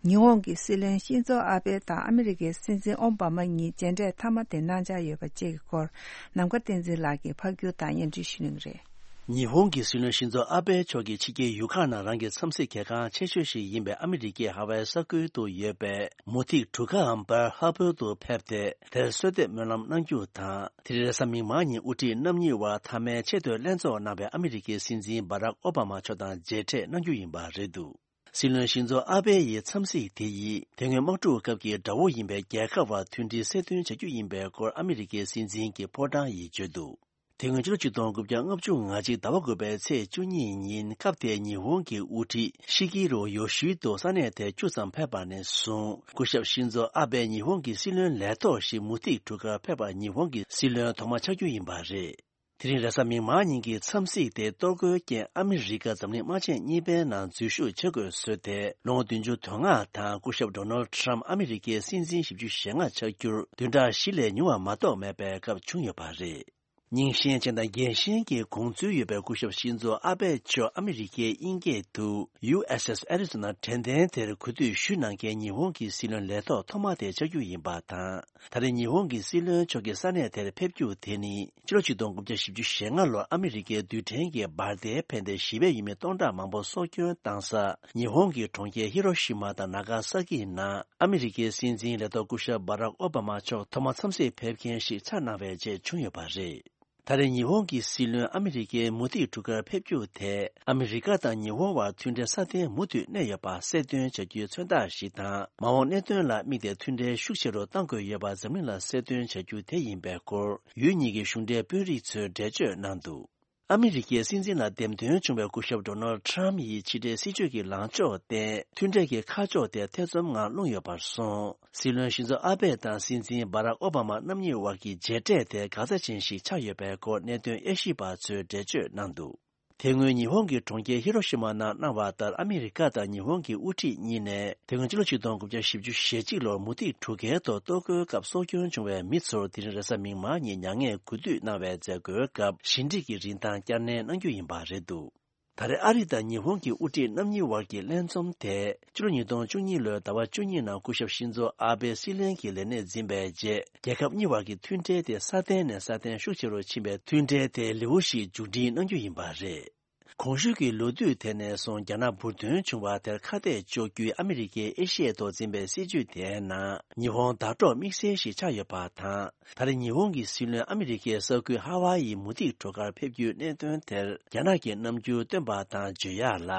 ཉི་ཧོང་གི་སྲིད་བློན་ཤིན་ཛོ་ཨ་བྷེ་དང་ཨ་མི་རི་ཀའི་སྲིད་འཛིན་ཨོ་བྷ་མ་གཉིས་མཇལ་འཕྲད་མཐའ་མ་དེ་གནང་འཆར་ཡོད་པ་བཅས་ཀྱི་སྐོར། ནམ་མཁའ་བསྟན་འཛིན་ལགས་ཀྱིས་ཕབ་སྒྱུར་དང་སྙན་སྒྲོན་ཞུ་གནང་གི་རེད། ཉི་ཧོང་གི་སྲིད་བློན་ཤིན་ཛོ་ཨ་བྷེ་མཆོག་གིས་ཕྱི་རྒྱལ་ཡུལ་ཁག་ནང་རང་གི་འཚམས་གཟིགས་གལ་འགངས་ཆེ་ཤོས་ཤིག་ཡིན་པའི་ཨ་མི་རི་ཀའི་ཧ་ཝའི་ས་ཁུལ་དུ་ཡོད་པའི་མུ་ཐིག་གྲུ་ཁའམ་པཱལ་ཧར་པར་དུ་ཕེབས་ཏེ། དེར་གསོལ་འདེབས་སྨོན་ལམ་གནང་རྒྱུ་དང་། དེ་རིང་རེས་གཟའ་མིག་དམར་ཉིན་དབུ་ཁྲིད་རྣམ་གཉིས་དབར་མཐའ་མའི་ཆེས་མཐོའི་ལྷན་ཚོགས་གནང་བའི་ཨ་མི་རི་ཀའི་སྲིད་འཛིན་སྦ་རག་ཨོ་བྷ་མ་མཆོག་དང་མཇལ་འཕྲད་གནང་རྒྱུ་ཡིན་པ་རེད་འདུག། སྲིད་བློན་ཤིན་ཛོ་ཨ་བྷེ་ཡི་འཚམས་གཟིགས་དེ་ཡིས་དེ་སྔོན་དམག་འཁྲུག་སྐབས་ཀྱི་དགྲ་བོ་ཡིན་པའི་རྒྱལ་ཁབ་བར་མཐུན་སྒྲིལ་གསལ་སྟོན་བྱ་རྒྱུ་ཡིན་པའི་སྐོར་ཨ་མི་རི་ཀའི་སྲིད་འཛིན་གྱི་ཕོ་བྲང་ཡིས་བརྗོད་འདུག། དེ་སྔོན་ཕྱི་ལོ་ཆིག་སྟོང་དགུ་བརྒྱ་ལྔ་བཅུ་ང་གཅིག་ཟླ་བ་དགུ་པའི་ཚེས་བཅུ་གཉིས་ཉིན་སྐབས་དེའི་ཉི་ཧོང་གི་དབུ་ཁྲིད་ཤི་ཀི་རུ་ཡོ་ཤི་དོ་ས་གནས་དེར་བཅུ་ཙམ་ཕེབས་པ་ནས་བཟུང་སྐུ་ཞབས་ཤིན་ཛོ་ཨ་བྷེ་ཉི་ཧོང་གི་སྲིད་བློན་ལས་ཐོག་ཞིག་མུ་ཐིག་གྲུ་ཁར་ཕེབས་པ་ཉི་ཧོང་གི་སྲིད་བློན་ཐོག་མ་ཆགས་རྒྱུ་ཡིན་པ་རེད། དེ་རིང་རེས་གཟའ་མིག་དམར་ཉིན་གྱི་འཚམས་གཟིགས་དེ་གཏོར་རྒོལ་རྐྱེན་ཨ་མི་རི་ཀ་འཛམ་གླིང་དམག་ཆེན་གཉིས་པའི་ནང་འཛུལ་ཞུགས་བྱེད་དགོས་བཟོས་ཏེ་ལོ་ངོ་བདུན་ཅུ་དོན་ལྔ་དང་སྐུ་ཞབས་ཌོ་ནལ་ཊམ་ཨ་མི་རི་ཀའི་སྲིད་འཛིན་བཞི་བཅུ་ཞེ་ལྔ་ཆགས་རྒྱུར་བདུན་ཕྲག་བཞི་ལས་ཉུང་བ་མ་གཏོགས་མེད་པའི་སྐབས་བྱུང་ཡོད་པ་རེད། རྙིང་ཞེན་ཅན་དང་རྒྱལ་ཞེན་གྱི་དགོངས་ཚུལ་ཡོད་པའི་སྐུ་ཞབས་ཤིན་ཛོ་ཨ་བྷེ་མཆོག་ཨ་མི་རི་ཀའི་དབྱིན་སྐད་དུ་ཡུ་ཨེས་ཨེས་ཨེ་རི་ཛོ་ན་དྲན་རྟེན་དེར་གུས་འདུད་ཞུ་གནང་མཁན་ཉི་ཧོང་གི་སྲིད་བློན་ལས་ཐོག་ཐོག་མ་དེ་ཆགས་རྒྱུ་ཡིན་པ་དང་། ད་རེས་ཉི་ཧོང་གི་སྲིད་བློན་མཆོག་གི་ས་གནས་དེར་ཕེབས་རྒྱུ་དེ་ནི་ཕྱི་ལོ་ཆིག་སྟོང་དགུ་བརྒྱ་བཞི་བཅུ་ཞེ་ལྔ་ལོར་ཨ་མི་རི་ཀའི་རྡུལ་ཕྲན་གྱི་འབར་མདེལ་ཕན་ཏེ་ཞི་བའི་ཡུལ་མི་སྟོང་ཕྲག་མང་པོ་སྲོག་སྐྱོན་བཏང་ས་ཉི་ཧོང་གི་གྲོང་ཁྱེར་ཧི་རོ་ཤི་མ་དང་ན་ག་ས་ཀི་ནང་ཨ་མི་རི་ཀའི་སྲིད་འཛིན་ལས་ཐོག་སྐུ་ཞབས་སྦ་རག་ཨོ་བྷ་མ་མཆོག་ཐོག་མ་འཚམས་གཟིགས་ཕེབས་མཁན་ཞིག་ཆགས་གནང་བའི་རྗེས་བྱུང་ཡོད་པ་རེད། ད་རེས་ཉི་ཧོང་གི་སྲིད་བློན་ཨ་མི་རི་ཀའི་མུ་ཏིག་གྲུ་ཁར་ཕེབས་རྒྱུ་དེ་ཨ་མི་རི་ཀ་དང་ཉི་ཧོང་བར་མཐུན་འབྲེལ་སྲ་བརྟན་མུ་མཐུད་གནས་ཡོད་པ་གསལ་སྟོན་བྱ་རྒྱུའི་མཚོན་རྟགས་ཤིག་དང་། མ་འོངས་གནད་དོན་ལ་དམིགས་ཏེ་མཐུན་འབྲེལ་ཤུགས་ཆེ་རུ་གཏང་དགོས་ཡོད་པ་འཛམ་གླིང་ལ་གསལ་སྟོན་བྱ་རྒྱུ་དེ་ཡིན་པའི་སྐོར་ཡུལ་གཉིས་ཀྱི་གཞུང་འབྲེལ་དཔོན་རིགས་ཚོས་འགྲེལ་བརྗོད་གནང་འདུག་ཨ་མི་རི་ཀའི་སྲིད་འཛིན་ལ་འདེམས་ཐོན་བྱུང་བའི་སྐུ་ཞབས་ཌོ་ནལ་ཌི་ཊམ་ཡིས་ཕྱི་འབྲེལ་སྲིད་ཇུས་ཀྱི་ལངས་ཕྱོགས་བརྟེན་མཐུན་འབྲེལ་གྱི་ཁ་ཕྱོགས་དེ་ཐེ་ཚོམ་ངང་ལྷུང་ཡོད་པར་སོང་། སྲིད་བློན་ཤིན་ཛོ་ཨ་བྷེ་དང་སྲིད་འཛིན་སྦ་རག་ཨོ་བྷ་མ་རྣམ་གཉིས་དབར་གྱི་མཇལ་འཕྲད་དེ་འགག་རྩ་ཅན་ཞིག་ཆགས་ཡོད་པའི་སྐོར་གནད་དོན་དབྱེ་ཞིབ་པ་ཚོས་འགྲེལ་བརྗོད་གནང་འདུག་དེ་སྔོན་ཉི་ཧོང་གི་གྲོང་ཁྱེར་ཧི་རོ་ཤི་མ་ནང་གནང་བ་ལྟར་ཨ་མི་རི་ཀ་དང་ཉི་ཧོང་གི་དབུ་ཁྲིད་གཉིས་ནས་དེ་སྔོན་ཕྱི་ལོ་ཆིག་སྟོང་དགུ་བརྒྱ་བཞི་བཅུ་ཞེ་གཅིག་ལོར་མུ་ཏིག་གྲུ་ཁའི་ཐོག་གཏོར་རྒོལ་སྐབས་སྲོག་སྐྱོན་བྱུང་བའི་མི་ཚོར་དེ་རིང་རེས་གཟའ་མིག་དམར་ཉིན་མྱ་ངན་གུས་འདུད་གནང་བའི་མཛད་སྒོའི་སྐབས་ཞི་འགྲིག་གི་རིན་ཐང་བསྐྱར་ནན་གནང་རྒྱུ་ཡིན་པ་རེད་འདུག་ད་རེས་ཨ་རི་དང་ཉི་ཧོང་གི་དབུ་ཁྲིད་རྣམ་གཉིས་དབར་གྱི་ལྷན་འཛོམས་དེ་ཕྱི་ལོ་ཉིས་སྟོང་བཅུ་གཉིས་ལོའི་ཟླ་བ་བཅུ་གཉིས་ནང་སྐུ་ཞབས་ཤིན་ཛོ་ཨ་བྷེ་སྲིད་བློན་གྱི་ལས་གནས་འཛིན་པའི་རྗེས་རྒྱལ་ཁབ་གཉིས་བར་གྱི་མཐུན་འབྲེལ་དེ་སྲ་བརྟན་ནས་སྲ་བརྟན་ཤུགས་ཆེ་རུ་ཕྱིན་པའི་མཐུན་འབྲེལ་དེ་ལེའུ་ཞིག་མཇུག་སྒྲིལ་གནང་རྒྱུ་ཡིན་པ་རེད། གོང་ཞུས་ཀྱི་ལོ་དུས་དེ་ནས་བཟུང་རྒྱ་ནག་འབུར་ཐོན་བྱུང་བ་དེར་ཁ་གཏད་གཅོག་རྒྱུའི་ཨ་མི་རི་ཀའི་ཨེ་ཤི་ཡའི་ཐོག་འཛིན་པའི་སྲིད་ཇུས་དེའི་ནང་ཉི་ཧོང་ཟླ་གྲོགས་དམིགས་བསལ་ཞིག་ཆགས་ཡོད་པ་དང་། ད་རེས་ཉི་ཧོང་གི་སྲིད་བློན་ཨ་མི་རི་ཀའི་ས་ཁུལ་ཧ་ཝཱ་ཡི་མུ་ཏིག་གྲུ་ཁར་ཕེབས་རྒྱུའི་གནད་དོན་དེར་རྒྱ་ནག་གི་རྣམ་འགྱུར་སྟོན་པ་དང་བརྗོད་ཡག་ལ།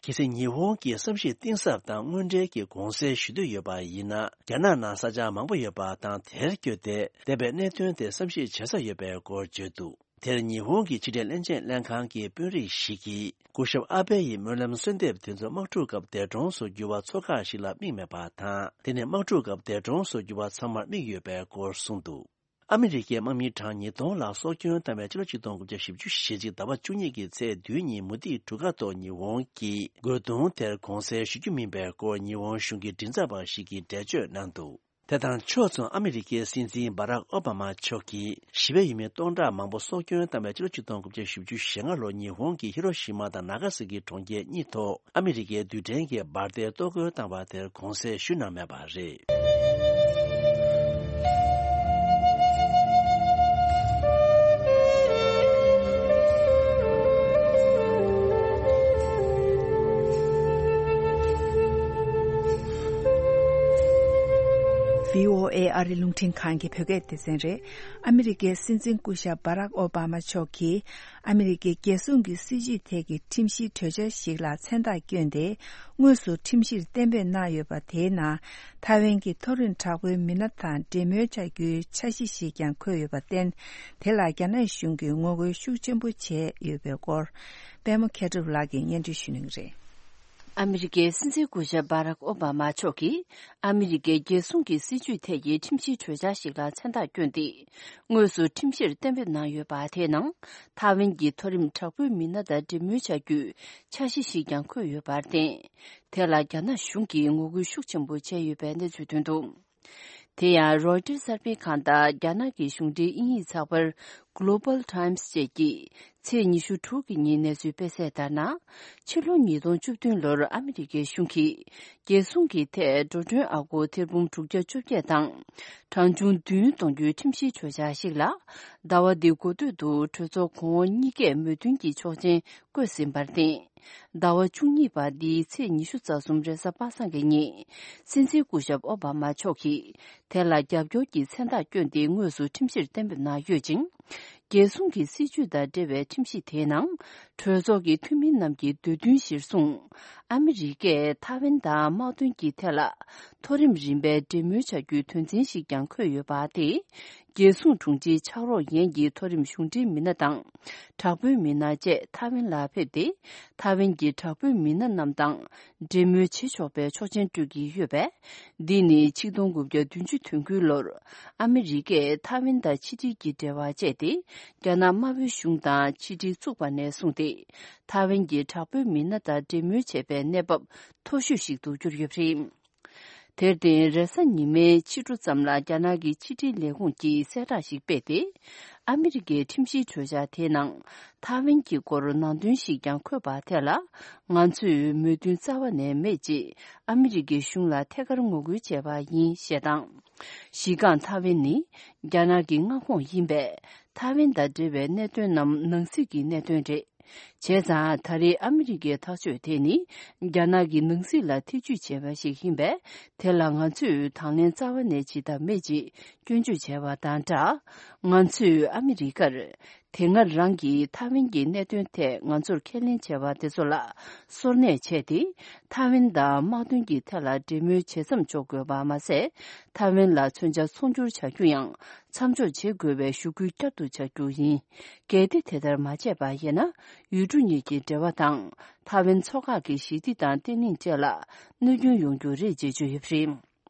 གལ་སྲིད་ཉི་ཧོང་གིས་བསམ་ཤེས་གཏིང་ཟབ་དང་དངོས་འབྲེལ་གྱི་དགོངས་སེལ་ཞུ་འདོད་ཡོད་པ་ཡིན་ན། རྒྱ་ནག་ནང་ས་ཆ་མང་པོ་ཡོད་པ་དང་། དེར་བསྐྱོད་དེ་འདས་པའི་གནད་དོན་དེ་བསམ་ཤེས་བྱེད་ས་ཡོད་པའི་སྐོར་བརྗོད་འདུག་དེར་ཉི་ཧོང་གི་ཕྱི་འབྲེལ་བློན་ཆེན་ལྷན་ཁང་གི་དཔོན་རིགས་ཤིག་གིས། སྐུ་ཞབས་ཨ་བྷེ་ཡི་སྨོན་ལམ་གསོལ་འདེབས་དེ་ཚོ་དམག་འཁྲུག་སྐབས་འདས་གྲོངས་སུ་གྱུར་བ་ཚོ་ཁག་ཞིག་ལ་དམིགས་མེད་པ་དང་། དེ་ནི་དམག་འཁྲུག་སྐབས་འདས་གྲོངས་སུ་གྱུར་བ་ཚང་མར་དམིགས་ཡོད་པའི་སྐོར་གསུངས་འདུག་ཨ་མི་རི་ཀའི་དམག་མི་གྲངས་ཉིས་སྟོང་ལྷག་སྲོག་སྐྱོན་བཏང་བའི་ཕྱི་ལོ་ཆིག་སྟོང་དགུ་བརྒྱ་བཞི་བཅུ་ཞེ་གཅིག་ཟླ་བ་བཅུ་གཉིས་ཀྱི་ཚེས་བདུན་ཉིན་མུ་ཏིག་གྲུ་ཁ་ཐོག་ཉི་ཧོང་གི་རྒོལ་རྡུང་དེར་དགོངས་སེལ་ཞུ་རྒྱུ་མིན་པའི་སྐོར་ཉི་ཧོང་གཞུང་གི་མགྲིན་ཚབ་པ་ཞིག་གིས་འགྲེལ་བརྗོད་གནང་འདུག་དེ་དང་ཕྱོགས་མཚུངས་ཨ་མི་རི་ཀའི་སྲིད་འཛིན་སྦ་རག་ཨོ་བྷ་མ་མཆོག་གིས་ཞི་བའི་ཡུལ་མི་སྟོང་ཕྲག་མང་པོ་སྲོག་སྐྱོན་བཏང་བའི་ཕྱི་ལོ་ཆིག་སྟོང་དགུ་བརྒྱ་བཞི་བཅུ་ཞེ་ལྔ་ལོར་ཉི་ཧོང་གི་ཧི་རོ་ཤི་མ་དང་ན་ག་ས་ཀི་གྲོང་ཁྱེར་གཉིས་ཐོག་ཨ་མི་རི་ཀའི་རྡུལ་ཕྲན་གྱི་འབར་མདེལ་གཏོར་རྒོལ་བཏང་བ་དེར་དགོངས་སེལ་ཞུས་གནང་མེད་པ་རེད། བྷི་ཨོ་ཨེ་ཨ་རི་རླུང་འཕྲིན་ཁང་གི་བོད་སྐད་སྡེ་ཚན་རེད། ཨ་མི་རི་ཀའི་སྲིད་འཛིན་སྐུ་ཞབས་སྦ་རག་ཨོ་བྷ་མ་མཆོག་གིས། ཨ་མི་རི་ཀའི་རྒྱལ་སྲུང་གི་སྲིད་ཇུས་ཐད་ཀྱི་ཁྲིམས་གཞིའི་གྲོས་འཆར་ཞིག་ལ་མཚན་རྟགས་བསྐྱོན་ཏེ། དངོས་སུ་ཁྲིམས་གཞིར་གཏན་འབེབས་གནང་ཡོད་པ་དེའི་ནང་། ཐའེ་ཝན་གྱི་མཐོ་རིམ་དྲག་པོའི་མི་སྣ་དང་འབྲེལ་མོལ་བྱ་རྒྱུའི་འཆར་གཞི་ཞིག་ཀྱང་འཁོད་ཡོད་པར་བརྟེན། དེ་ལ་རྒྱ་ནག་གཞུང་གིས་ངོ་རྒོལ་ཤུགས་ཆེན་པོ་བྱས་ཡོད་པའི་སྐོར། པད་མ་མཁས་གྲུབ་ལགས་ཀྱིས་སྙན་སྒྲོན་ཞུ་གནང་གི་རེད། ཨ་མི་རི་ཀའི་སྲིད་འཛིན་སྐུ་ཞབས་སྦ་རག་ཨོ་བྷ་མ་མཆོག་གིས། ཨ་མི་རི་ཀའི་རྒྱལ་སྲུང་གི་སྲིད་ཇུས་ཐད་ཀྱི་ཁྲིམས་གཞིའི་གྲོས་འཆར་ཞིག་ལ་མཚན་རྟགས་བསྐྱོན་ཏེ། དངོས་སུ་ཁྲིམས་གཞིར་གཏན་འབེབས་གནང་ཡོད་པ་དེའི་ནང་། ཐའེ་ཝན་གྱི་མཐོ་རིམ་དྲག་པོའི་མི་སྣ་དང་འབྲེལ་མོལ་བྱ་རྒྱུའི་འཆར་གཞི་ཞིག་ཀྱང་འཁོད་ཡོད་པར་བརྟེན། དེ་ལ་རྒྱ་ནག་གཞུང་གིས་ངོ་རྒོལ་ཤུགས་ཆེན་པོ་བྱས་ཡོད་པའི་གནས་ཚུལ་ཐོན་འདུག་དེ་ཡང་རོའི་ཊར་གསར་སྤེལ་ཁང་དང་རྒྱ་ནག་གི་གཞུང་འབྲེལ་དབྱིན་ཡིག་ཚགས་པར་Global Times་བཅས་ཀྱིས། ཚེས་ཉི་ཤུ་དྲུག་གི་ཉིན་གནས་ཚུལ་སྤེལ་གསལ་ལྟར་ན། ཕྱི་ལོ་ཉིས་སྟོང་བཅུ་བདུན་ལོར་ཨ་མི་རི་ཀའི་གཞུང་གིས། རྒྱལ་སྲུང་གི་ཐད་འགྲོ་གྲོན་ཨ་སྒོར་ཐེར་འབུམ་དྲུག་བརྒྱ་བཅོ་བརྒྱད་དང་། གྲངས་ཆུང་བདུན་གཏོང་རྒྱུའི་ཁྲིམས་གཞིའི་གྲོས་འཆར་ཞིག་ལ། ཟླ་བ་འདིའི་འགོ་སྟོད་དུ་གྲོས་ཚོགས་གོང་འོག་གཉིས་ཀས་མོས་མཐུན་གྱི་ཆོག་མཆན་བཀོད་ཟིན་པར་བརྟེན། ཟླ་བ་བཅུ་གཉིས་པ་འདིའི་ཚེས་ཉི་ཤུ་རྩ་གསུམ་རེས་གཟའ་པ་སངས་ཀྱི་ཉིན། སྲིད་འཛིན་སྐུ་ཞབས་ཨོ་བྷ་མ་མཆོག་གིས། དེ་ལ་རྒྱབ་སྐྱོར་གྱི་མཚན་རྟགས་བསྐྱོན་ཏེ་དངོས་སུ་ཁྲིམས་གཞིར་གཏན་འབེབས་གནང་ཡོད་ཅིང་། རྒྱལ་སྲུང་གི་སྲིད་ཇུས་དང་འབྲེལ་བའི་ཁྲིམས་གཞི་དེའི་ནང་། གྲོས་ཚོགས་ཀྱི་འཐུས་མི་རྣམས་ཀྱི་འདོད་འདུན་གཞིར་བཟུང་། ཨ་མི་རི་ཀས་ཐའེ་ཝན་དང་དམག་དོན་གྱི་ཐད་ལ། མཐོ་རིམ་རིམ་པའི་འབྲེལ་མོལ་བྱ་རྒྱུའི་དོན་ཚན་ཞིག་ཀྱང་འཁོད་ཡོད་པ་དེས། རྒྱལ་སྲུང་དྲུང་ཆེའི་ཕྱག་རོགས་ཡན་གྱི་མཐོ་རིམ་གཞུང་འབྲེལ་མི་སྣ་དང་། དྲག་པོའི་མི་སྣ་བཅས་ཐའེ་ཝན་ལ་ཕེབས་ཏེ། ཐའེ་ཝན་གྱི་དྲག་པོའི་མི་སྣ་རྣམས་དང་། འབྲེལ་མོལ་བྱེད་ཆོག་པའི་ཆོག་མཆན་སྤྲོད་ཀྱི་ཡོད་པས། འདི་ནི་ཆིག་སྟོང་དགུ་བརྒྱ་བདུན་ཅུ་དོན་དགུ་ལོར། ཨ་མི་རི་ཀས་ཐའེ་ཝན་དང་ཕྱི་འབྲེལ་གྱི་འབྲེལ་བ་བཅད་དེ། རྒྱ་ནག་དམར་པོའི་གཞུང་དང་ཕྱི་འབྲེལ་བཙུགས་པ་ནས་བཟུང་སྟེ། ཐའེ་ཝན་གྱི་དྲག་པོའི་མི་སྣ་དང་འབྲེལ་མོལ་བྱས་པའི་གནས་བབ་མཐོ་ཤོས་ཤིག་ཏུ་གྱུར་ཡོད་པ་རེད། དེར་བརྟེན། རེས་གཟའ་ཉི་མའི་ཕྱི་དྲོ་ཙམ་ལ་རྒྱ་ནག་གི་ཕྱི་འབྲེལ་ལས་ཁུངས་ཀྱིས་གསལ་བསྒྲགས་ཤིག་སྤེལ་ཏེ། ཨ་མི་རི་ཀའི་ཁྲིམས་གཞིའི་གྲོས་འཆར་དེའི་ནང་། ཐའེ་ཝན་གྱི་སྐོར་ནང་དོན་ཞིག་ཀྱང་འཁོད་པ་དེ་ལ། ང་ཚོས་མོས་མཐུན་རྩ་བ་ནས་མེད་ཅེས་ཨ་མི་རི་ཀའི་གཞུང་ལ་ཐད་ཀར་ངོ་རྒོལ་བྱས་པ་ཡིན་ཞེས་དང་། གཞི་རྐང་ཐའེ་ཝན་ནི་རྒྱ་ནག་གི་མངའ་ཁོངས་ཡིན་པས། ཐའེ་ཝན་དང་འབྲེལ་བའི་གནད་དོན་རྣམས་ནང་སྲིད་ཀྱི་གནད་དོན་རེད། བྱས་ཙང་ད་རེས་ཨ་མི་རི་ཀའི་ཐག་གཅོད་དེ་ནི་རྒྱ་ནག་གི་ནང་སྲིད་ལ་ཐེ་ཇུས་བྱས་པ་ཞིག་ཡིན་པས། དེ་ལ་ང་ཚོས་དང་ལེན་རྩ་བ་ནས་བྱེད་ཐབས་མེད་ཅེས་སྐྱོན་བརྗོད་བྱས་པ་དང་སྦྲགས། ང་ཚོས་ཨ་མི་རི་ཀར་དེ་སྔ་རང་གིས་ཐའེ་ཝན་གྱི་གནད་དོན་ཐད་ང་ཚོར་ཁས་ལེན་བྱས་པ་དེ་ཚོ་ལ་སོར་གནས་བྱས་ཏེ། ཐའེ་ཝན་དང་དམག་དོན་གྱི་ཐད་ལ་འབྲེལ་མོལ་ཇེ་མཚམས་འཇོག་དགོས་པ་མ་ཟད། ཐའེ་ཝན་ལ་མཚོན་ཆ་ཚོང་སྒྱུར་བྱ་རྒྱུ་ཡང་མཚམས་འཇོག་བྱེད་དགོས་པའི་ཞུ་སྐུལ་བསྐྱར་དུ་བྱ་རྒྱུ་ཡིན། གལ་ཏེ་དེ་ལྟར་མ་བྱས་པ་ཡིན་ན། ཡུལ་གྲུ་གཉིས་ཀྱི་འབྲེལ་བ་དང་། ཐའེ་ཝན་མཚོ་འགག་གི་ཞི་བདེ་དང་བརྟན་ལྷིང་བཅས་ལ་གནོད་སྐྱོན་ཡོང་རྒྱུ་རེད་ཅེས་བརྗོད་ཡོད་པ་རེད།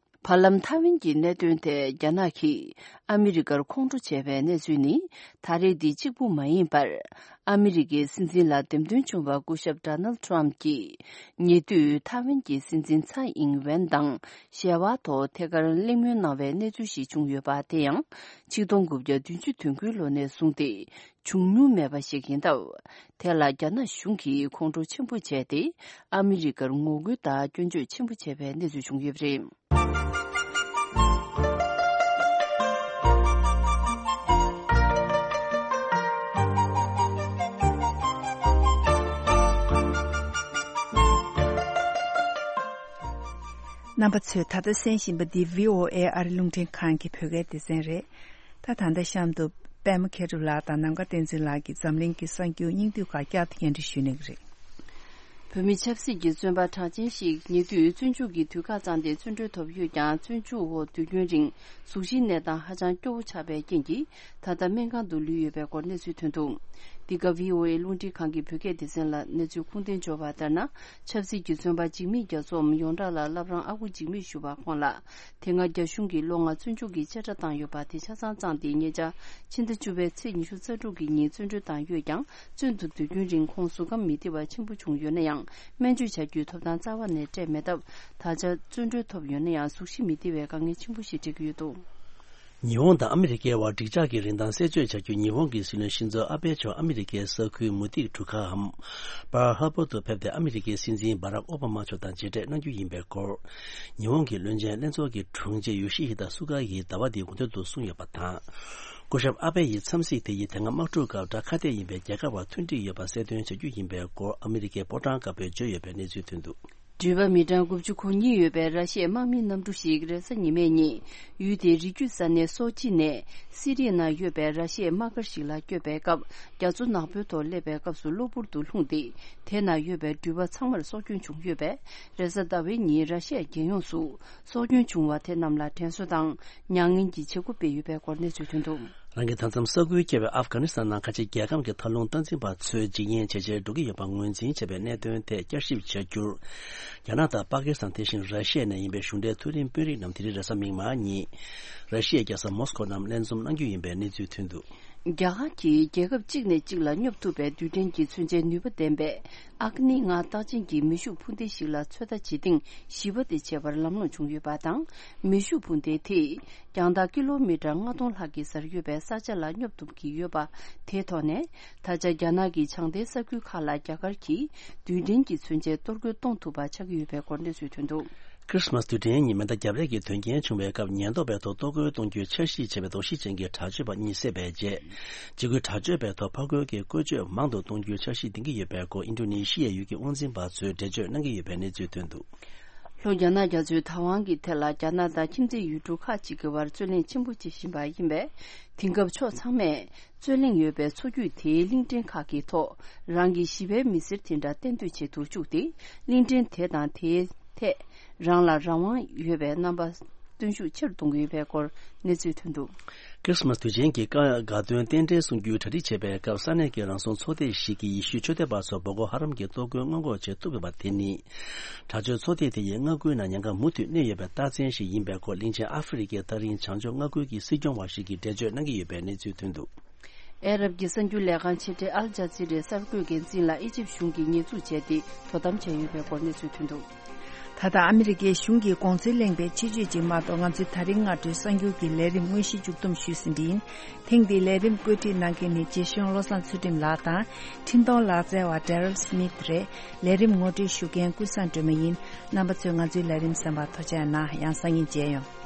བར་ལམ་ཐའེ་ཝན་གྱི་གནད་དོན་ཐད་རྒྱ་ནག་གིས་ཨ་མི་རི་ཀར་ཁོང་ཁྲོ་བྱས་པའི་གནས་ཚུལ་ནི་ད་རེས་འདི་གཅིག་པུ་མ་ཡིན་པར། ཨ་མི་རི་ཀའི་སྲིད་འཛིན་ལ་འདེམས་ཐོན་བྱུང་བ་སྐུ་ཞབས་ཌོ་ནལ་ཊམ་གྱིས་ཉེ་དུས་ཐའེ་ཝན་གྱི་སྲིད་འཛིན་ཚའེ་ཨིང་ཝེན་དང་ཞལ་པར་ཐོག་ཐད་ཀར་གླེང་མོལ་གནང་བའི་གནས་ཚུལ་ཞིག་བྱུང་ཡོད་པ། དེ་ཡང་ཆིག་སྟོང་དགུ་བརྒྱ་བདུན་ཅུ་དོན་དགུའི་ལོ་ནས་བཟུང་སྟེ་བྱུང་མྱོང་མེད་པ་ཞིག་ཡིན་སྟབས། དེ་ལ་རྒྱ་ནག་གཞུང་གིས་ཁོང་ཁྲོ་ཆེན་པོ་བྱས་ཏེ། ཨ་མི་རི་ཀར་ངོ་རྒོལ་དང་སྐྱོན་བརྗོད་ཆེན་པོ་བྱས་པའི་གནས་ཚུལ་བྱུང་ཡོད་པ་རེད། རྣམ་པ་ཚོས་ད་ལྟ་གསན་བཞིན་པ་འདི་བྷི་ཨོ་ཨེ་ཨ་རི་རླུང་འཕྲིན་ཁང་གི་བོད་སྐད་སྡེ་ཚན་རེད། ད་ད་ལྟ་གཤམ་དུ་པད་མ་མཁས་གྲུབ་ལགས་དང་ནམ་མཁའ་བསྟན་འཛིན་ལགས་ཀྱིས་འཛམ་གླིང་གི་གསར་འགྱུར་སྙིང་བསྡུས་ཁག་བསྐྱར་དུ་སྙན་སྒྲོན་ཞུ་གནང་གི་རེད། བོད་མི་ཆབ་སྲིད་ཀྱི་བཙོན་པ་གྲགས་ཅན་ཞིག་ཉེ་དུས་བཙོན་འཇུག་གི་དུས་བཀག་བཅངས་ཏེ་བཙོན་གྲོལ་ཐོབ་ཡོད་ཀྱང་། བཙོན་འཇུག་འོག་དུས་རྒྱུན་རིང་གཟུགས་གཞིའི་གནས་སྟངས་ཧ་ཅང་སྐྱོ་བོ་ཆགས་པའི་རྐྱེན་གྱིས། ད་ལྟ་སྨན་ཁང་དུ་ལུས་ཡོད་པའི་སྐོར་གནས་ཚུལ་ཐོན་འདུག། འདི་ག་བྷི་ཨོ་ཨེ་རླུང་འཕྲིན་ཁང་གི་བོད་སྐད་སྡེ་ཚན་ལ་གནས་ཚུལ་ཁུངས་ལྡན་འབྱོར་བ་ལྟར་ན། ཆབ་སྲིད་ཀྱི་བཙོན་པ་འཇིགས་མེད་རྒྱ་མཚོའམ་ཡོངས་གྲགས་ལ་བླ་བྲང་ཨ་ཁུ་འཇིགས་མེད་ཞུ་བ་ཁོང་ལ། དེ་སྔ་རྒྱ་གཞུང་གིས་ལོ་ལྔ་བཙོན་འཇུག་གི་བཅད་ཁྲ་བཏང་ཡོད་པ་དེ་ཆ་ཚང་བཅངས་ཏེ། ཉེ་ཆར་ཕྱི་ཟླ་བཅུ་པའི་ཚེས་ཉི་ཤུ་རྩ་དྲུག་གི་ཉིན་བཙོན་གྲོལ་བཏང་ཡོད་ཀྱང་། བཙོན་དུ་སྡོད་རྒྱུན་རིང་ཁོང་གཟུགས་ཁམས་མི་བདེ་བ་ཆེན་པོ་བྱུང་ཡོད་ན་ཡང་། སྨན་བཅོས་བྱ་རྒྱུའི་ཐོབ་ཐང་རྩ་བ་ནས་སྤྲད་མེད་སྟབས། ད་ཆ་བཙོན་གྲོལ་ཐོབ་ཡོད་ན་ཡང་། གཟུགས་གཞི་མི་བདེ་བའི་དཀའ་ངལ་ཆེན་པོ་ཞིག་འཕྲད་ཀྱི་ཡོད་འདུག། ཉི་ཧོང་དང་ཨ་མི་རི་ཀའི་བར་འགྲིག་འཇགས་ཀྱི་རིན་ཐང་གསལ་བརྗོད་བྱ་རྒྱུ། ཉི་ཧོང་གི་སྲིད་བློན་ཤིན་ཛོ་ཨ་བྷེ་མཆོག་ཨ་མི་རི་ཀའི་ས་ཁུལ་མུ་ཏིག་གྲུ་ཁའམ་པར་ཧར་བར་དུ་ཕེབས་ཏེ། ཨ་མི་རི་ཀའི་སྲིད་འཛིན་བྷ་རག་ཨོ་བྷ་མ་མཆོག་དང་མཇལ་འཕྲད་གནང་རྒྱུ་ཡིན་པའི་སྐོར། ཉི་ཧོང་གི་བློན་ཆེན་ལྷན་ཚོགས་ཀྱི་དྲུང་ཆེ་ཡོ་ཤི་ཧི་ད་སུ་ག་ཡིས་ཟླ་བ་འདིའི་འགོ་སྟོད་དུ་གསུངས་ཡོད་པ་དང་། སྐུ་ཞབས་ཨ་བྷེ་ཡི་འཚམས་གཟིགས་དེ་ཡིས་དེ་སྔ་དམག་འཁྲུག་སྐབས་དགྲ་ཁ་གཏད་ཡིན་པའི་རྒྱལ་ཁབ་བར་མཐུན་འགྲིག་ཡོད་པ་གསལ་སྟོན་བྱ་རྒྱུ་ཡིན་པའི་སྐོར། ཨ་མི་རི་ཀའི་ཕོ་བྲང་དཀར་པོས་བརྗོད་ཡོད་པའི་གནས་ཚུལ་ཐོན་འདུག། འགྲུལ་པ་མི་གྲངས་དགུ་བཅུ་གོ་གཉིས་ཡོད་པའི་ར་ཤི་ཡའི་དམག་མིའི་གནམ་གྲུ་ཞིག་རེས་གཟའ་ཉི་མའི་ཉིན་ཡུལ་དེའི་རི་རྒྱུད་ས་གནས་སོ་ཅི་ནས་སི་རི་ཡའི་ནང་ཡོད་པའི་ར་ཤི་ཡའི་དམག་སྒར་ཞིག་ལ་བསྐྱོད་པའི་སྐབས། རྒྱ་མཚོ་ནག་པོའི་ཐོག་སླེབས་པའི་སྐབས་སུ་གློ་བུར་དུ་ལྷུང་སྟེ། དེ་ནང་ཡོད་པའི་འགྲུལ་པ་ཚང་མར་སྲོག་སྐྱོན་བྱུང་ཡོད་པས། རེས་གཟའ་ཟླ་བའི་ཉིན་ར་ཤི་ཡ་རྒྱལ་ཡོངས་སུ་སྲོག་སྐྱོན་བྱུང་བ་དེ་རྣམས་ལ་དྲན་གསོ་དང་མྱ་ངན་གྱི་བྱེད་སྒོ་སྤེལ་ཡོད་པའི་སྐོར་གནས་ཚུལ་ཐོན་འདུག། རང་གི་མཐའ་མཚམས་ས་ཁུལ་བཀལ་བའི་ཨབ་གྷ་ནི་སི་ཐན་ནང་ཁ་ཆེ་རྒྱལ་ཁམས་ཀྱི་མཐའ་ལྷུང་སྟངས་འཛིན་པ་ཚོས་འཇིགས་ཉེན་ཇེ་ཆེར་འགྲོ་གི་ཡོད་པ་ངོས་འཛིན་བྱས་པའི་གནད་དོན་ཐད་བསྐྱར་ཞིབ་བྱ་རྒྱུར། རྒྱ་ནག་དང་པ་ཀི་སི་ཐན། དེ་བཞིན་ར་ཤི་ཡ་ནས་ཡིན་པའི་གཞུང་འབྲེལ་མཐོ་རིམ་དཔོན་རིགས་རྣམས་དེ་རིང་རེས་གཟའ་མིག་དམར་ཉིན། ར་ཤི་ཡའི་རྒྱལ་ས་མོ་སི་ཀོ་ནང་ལྷན་འཛོམས་གནང་རྒྱུ་ཡིན་པའི་གནས་ཚུལ་ཐོན་འདུག། རྒྱ་གར་གྱིས་རྒྱལ་ཁབ་གཅིག་ནས་གཅིག་ལ་སྙོབ་ཐུབ་པའི་རྡུལ་ཕྲན་གྱི་མཚོན་ཆའི་ནུས་པ་ལྡན་པའི་ཨག་ནི་ལྔ་རྟགས་ཅན་གྱི་མེ་ཤུགས་འཕུར་མདེལ་ཞིག་ལ་ཚོད་ལྟ་བྱེད་ཐེངས་བཞི་པ་དེ་བྱེད་པར་ལམ་ལྷོང་བྱུང་ཡོད་པ་དང་། མེ་ཤུགས་འཕུར་མདེལ་དེས་རྒྱང་ཐག་ཀི་ལོ་མི་ཊར་ལྔ་སྟོང་ལྷག་གི་སར་ཡོད་པའི་ས་ཆ་ལ་སྙོབ་ཐུབ་ཀྱི་ཡོད་པ། དེའི་ཐོག་ནས་ད་ཆ་རྒྱ་ནག་གི་བྱང་མཐའི་ས་ཁུལ་ཁག་ལ་རྒྱ་གར་གྱིས་རྡུལ་ཕྲན་གྱི་མཚོན་ཆའི་གཏོར་རྒོལ་གཏོང་ཐུབ་པ་ཆགས་ཀྱི་ཡོད་པའི་སྐོར་གནས་ཚུལ་ཐོན་འདུག། ཁྲི་སི་མཱས་དུས་དྲན་ཉིན་མེ་མདའ་རྒྱབ་རེས་ཀྱི་དོན་རྐྱེན་བྱུང་བའི་སྐབས། ཉེན་རྟོག་པའི་ཐོག་གཏོར་རྒོལ་གཏོང་རྒྱུའི་འཆར་གཞི་བྱས་པའི་དོགས་གཞི་ཅན་གྱི་དྲག་སྤྱོད་པ་གཉིས་བསད་པའི་རྗེས། འཇིགས་སྐུལ་དྲག་སྤྱོད་པའི་ཐོག་ཕར་རྒོལ་གྱི་བཀོལ་སྤྱོད་མང་དུ་གཏོང་རྒྱུའི་འཆར་གཞི་འདིང་གི་ཡོད་པའི་སྐོར། ཨིན་ཌོ་ནེ་ཤི་ཡའི་ཡུལ་གྱི་དབང་འཛིན་པ་ཚོས་འགྲེལ་བརྗོད་གནང་གི་ཡོད་པའི་གནས་ཚུལ་ཐོན་འདུག། ལྷོ་རྒྱ་ནག་རྒྱ་མཚོའི་བདག་དབང་གི་ཐད་ལ་རྒྱ་ནག་དང་ཁྱིམ་མཚེས་ཡུལ་གྲུ་ཁག་ཅིག་གི་བར་རྩོད་གླེང་ཆེན་པོ་བྱེད་བཞིན་པ་ཡིན་པས། དེང་སྐབས་ཕྱོགས་ཚང་མས་རྩོད་གླེང་ཡོད་པའི་མཚོ་རྒྱུད་དེའི་གླིང་ཕྲན་ཁག་གི་ཐོག་རང་གི་ཞི་བའི་མི་སེར་དེ་འདྲ་གཏན་སྡོད་བྱེད་དུ་བཅུག་སྟེ། གླིང་ཕྲན་དེ་དང་དེའི་ཐད་རང་ལ་རང་དབང་ཡོད་པའི་རྣམ་པ་སྟོན་ཤུགས་ཆེ་རུ་གཏོང་གི་ཡོད་པའི་སྐོར་གནས་ཚུལ་ཐོན་འདུག། ཁྲི་སི་མཱས་དུས་ཆེན་གྱི་དགའ་སྟོན་རྟེན་འབྲེལ་གསུང་རྒྱུའི་གྲ་སྒྲིག་བྱེད་པའི་སྐབས། ས་གནས་ཀྱི་རང་སྲུང་ཚོགས་སྡེ་ཞིག་གིས་ཡེ་ཤུའི་ཆོས་དད་པ་ཚོར་བོ་ཀོ་ཧ་རམ་གྱི་གཏོར་རྒོལ་སྔོན་འགོག་བྱེད་ཐུབ་ཡོད་པ་དེ་ནི། དྲག་སྤྱོད་ཚོགས་སྡེ་དེ་ཡི་མངའ་ཁུལ་ནང་ཉེན་ཁ་མུ་མཐུད་གནས་ཡོད་པའི་རྟགས་མཚན་ཞིག་ཡིན་པའི་སྐོར། གླིང་ཆེན་ཨ་ཧྥེ་རི་ཁའི་ཐག་རིང་བྱང་ཕྱོགས་མངའ་ཁུལ་གྱི་སྲིད་སྐྱོང་བ་ཞིག་གིས་འགྲེལ་བརྗོད་གནང་གི་ཡོད་པའི་གནས་ཚུལ་ཐོན་འདུག། ཨ་རབ་ཀྱི་གསར་འགྱུར་ལས་ཁང་ཕྱི་དྲིལ་ཨལ་ཇ་ཛི་རའི་གསར་འགོད་འགན་འཛིན་ལ་ཨི་ཇིབ་གཞུང་གིས་ཉེས་འཛུགས་བྱས་ཏེ་དོ་དམ་བྱས་ཡོད་པའི་སྐོར་གནས་ཚུལ་ཐོན་འདུག། ད་ལྟ་ཨ་མི་རི་ཀའི་གཞུང་གིས་དགོངས་ཚུལ་གླེང་བའི་ཆེད་བརྗོད་ཅིག་མ་གཏོགས། ང་ཚོས་ད་རིང་སྔ་དྲོའི་གསར་འགྱུར་གྱི་ལས་རིམ་དངོས་གཞི་མཇུག་བསྡོམས་ཞུས་ཟིན་པ་ཡིན། ཐེངས་འདིའི་ལས་རིམ་བཀོད་སྒྲིག་གནང་མཁན་ནི་རྗེ་གཞུང་བློ་བཟང་ཚུལ་ཁྲིམས་ལགས་དང་། འཕྲིན་གཏོང་ལག་རྩལ་བ་Daryl Smith་རེད། ལས་རིམ་ངོ་སྤྲོད་ཞུ་མཁན་ཀུན་བཟང་སྒྲོལ་མ་ཡིན། རྣམ་པ་ཚོས་ང་ཚོའི་ལས་རིམ་གསན་པར་ཐུགས་རྗེ་གནང་། ཡང་སང་ཉིན་མཇལ་ཡོང་།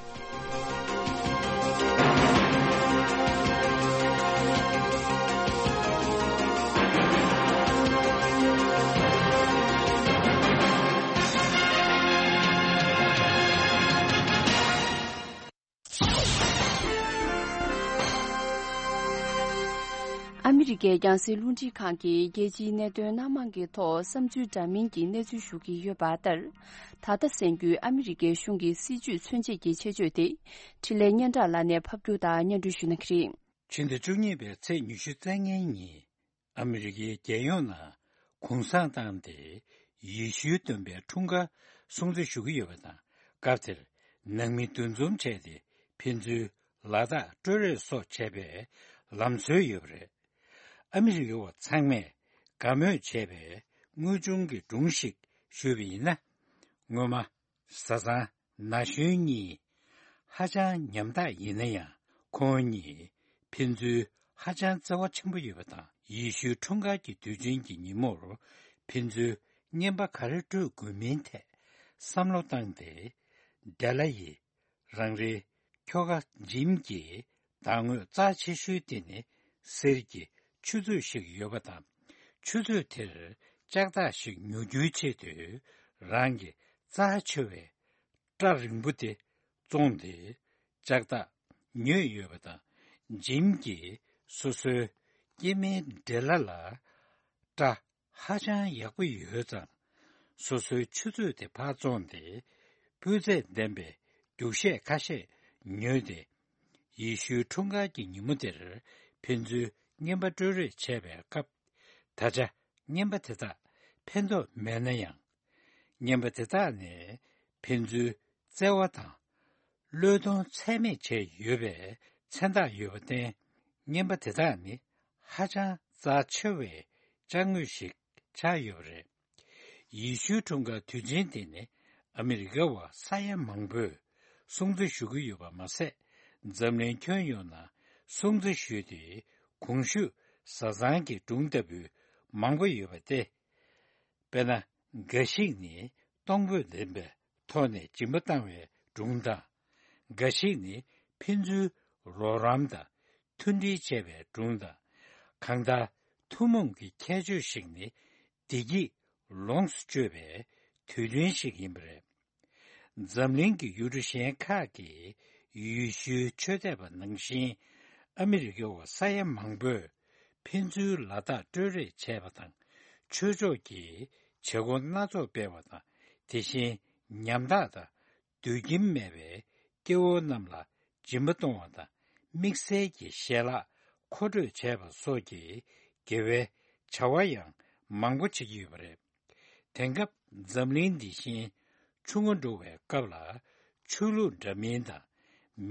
ཨ་མི་རི་ཀའི་རྒྱང་སྲིང་རླུང་འཕྲིན་ཁང་གིས་རྒྱལ་སྤྱིའི་གནད་དོན་སྣ་མང་གི་ཐོག་བསམ་ཚུལ་འདྲ་མིན་གྱི་གནས་ཚུལ་ཞུ་གི་ཡོད་པ་ལྟར། ད་ལྟ་གསན་རྒྱུའི་ཨ་མི་རི་ཀའི་གཞུང་གི་སྲིད་ཇུས་མཚོན་བྱེད་ཀྱི་ཆེད་བརྗོད་དེ། འཕྲིན་ལས་སྙན་གྲགས་ལགས་ནས་ཕབ་སྒྱུར་དང་སྙན་སྒྲོན་ཞུ་གནང་གི་རེད། ཕྱི་ཟླ་བཅུ་གཉིས་པའི་ཚེས་ཉི་ཤུ་རྩ་ལྔའི་ཉིན། ཨ་མི་རི་ཀའི་རྒྱལ་ཡོངས་ནང་གུང་སེང་བཏང་སྟེ། ཡེ་ཤུའི་སྟོན་པའི་འཁྲུངས་སྐར་སྲུང་བརྩི་ཞུ་གི་ཡོད་པ་དང་། སྐབས་དེར་ནང་མི་འདུ་འཛོམས་བྱས་ཏེ། ཕན་ཚུན་ལ་དྭགས་སྤྲོད་རེས་སོགས་བྱས་པའི་ལམ་སྲོལ་ཡོད་པ་རེད། ཨ་མི་རི་ཀ་བ་ཚང་མས་དགའ་མོས་བྱས་པའི་དངོས་བྱུང་གི་སྒྲུང་ཞིག་ཞུས་པ་ཡིན་ན། སྔོན་མ། བཟའ་ཚང་ན་གཞོན་གཉིས་ཧ་ཅང་ཉམ་ཐག་ཡིན་ན་ཡང་། ཁོང་གཉིས་ཕན་ཚུན་ཧ་ཅང་བརྩེ་བ་ཆེན་པོ་ཡོད་པ་དང་། ཡེ་ཤུའི་འཁྲུངས་སྐར་གྱི་དུས་ཆེན་གྱི་ཉིན་མོར་ཕན་ཚུན་རྔན་པ་ག་རེ་སྤྲོད་དགོས་མིན་ཐད་བསམ་བློ་བཏང་སྟེ། ཌེ་ལ་ཡི་རང་རེའི་ཁྱོ་ག་ཇིམ་གྱི་བདག་ངོས་རྩ་ཆེ་ཤོས་དེ་ནི་གསེར་གྱི་ཆུ་ཚོད་ཞིག་ཡོད་པ་དང་། ཆུ་ཚོད་དེར་ལྕགས་ཐག་ཞིག་ཉོ་རྒྱུའི་ཆེད་དུ་རང་གི་རྩ་ཆེ་བའི་སྐྲ་རིང་པོ་དེ་བཙོངས་ཏེ་ལྕགས་ཐག་ཉོས་ཡོད་པ་དང་། ཇིམ་གྱིས་སོ་སོའི་སྐྱེ་དམན་ཌེ་ལ་ལ་སྐྲ་ཧ་ཅང་ཡག་པོ་ཡོད་ཙང་། སོ་སོའི་ཆུ་ཚོད་དེ་ཕར་བཙོངས་ཏེ་སྤུས་ཚད་ལྡན་པའི་རྒྱུག་ཤད་ཁ་ཤས་ཉོས་ཏེ། ཡེ་ཤུའི་འཁྲུངས་སྐར་གྱི་ཉིན་མོ་དེར་ཕན་ཚུན་རྔན་པ་སྤྲོད་རེས་བྱས་པའི་སྐབས། ད་ཆ་རྔན་པ་དེ་དག་ཕན་ཐོགས་མེད་ན་ཡང་། རྔན་པ་དེ་དག་ནས་ཕན་ཚུན་བརྩེ་བ་དང་བློས་གཏོང་ཚད་མེད་བྱས་ཡོད་པའི་མཚན་རྟགས་ཡོད་པར་བརྟེན། རྔན་པ་དེ་དག་ནི་ཧ་ཅང་རྩ་ཆེ་བའི་ཅ་དངོས་ཤིག་ཆགས་ཡོད་པ་རེད། ཡེ་ཤུའི་འཁྲུངས་སྐར་དུས་ཆེན་དེ་ནི་ཨ་མི་རི་ཀ་བ་ས་ཡ་མང་པོས་སྲུང་བརྩི་ཞུ་གི་ཡོད་པ་མ་ཟད། འཛམ་གླིང་ཁྱོན་ཡོངས་ནང་སྲུང་བརྩི་ཞུས་ཏེ། གོང་ཞུས་བཟའ་ཚང་གི་སྒྲུང་ལྟ་བུ་མང་པོ་ཡོད་པ་སྟེ། དཔེར་ན། འགའ་ཞིག་ནི་གཏོང་ཕོད་ལྡན་པའི་ཐོག་ནས་སྦྱིན་པ་བཏང་བའི་སྒྲུང་དང་། འགའ་ཞིག་ནི་ཕན་ཚུན་རོགས་རམ་དང་མཐུན་སྒྲིལ་བྱས་པའི་སྒྲུང་དང་། གང་ལྟར་ཐུན་མོང་གི་ཁྱད་ཆོས་ཤིག་ནི་བདེ་སྐྱིད་ལོངས་སུ་སྤྱོད་པའི་དུས་སྟོན་ཞིག་ཡིན་པ་རེད། འཛམ་གླིང་གི་ཡུལ་གྲུ་གཞན་ཁག་གི་ཡེ་ཤུའི་ཆོས་དད་པ་ནང་བཞིན། ཨ་མི་རི་ཀའི་བ་ས་ཡ་མང་པོས་ཕན་ཚུན་ལ་དྭགས་སྤྲོད་རེས་བྱས་པ་དང་། ཆོས་ཕྱོགས་ཀྱི་བྱེད་སྒོ་སྣ་ཚོགས་སྤེལ་བ་དང་། དེ་བཞིན་ཉམ་ཐག་དང་སྡོད་ཁྱིམ་མེད་པའི་སྐྱེ་བོ་རྣམས་ལ་སྦྱིན་པ་གཏོང་བ་དང་། དམིགས་བསལ་གྱི་ཞལ་ལག་མཁོ་སྤྲོད་བྱས་པ་སོགས་ཀྱི་དགེ་བའི་བྱ་བ་ཡང་མང་པོ་བྱེད་ཀྱི་ཡོད་པ་རེད། དེང་སྐབས་འཛམ་གླིང་འདི་བཞིན་ཆུ་ངོ་འགྲོ་བའི་སྐབས་ལ། ཆོས་ལུགས་འདྲ་མིན་དང་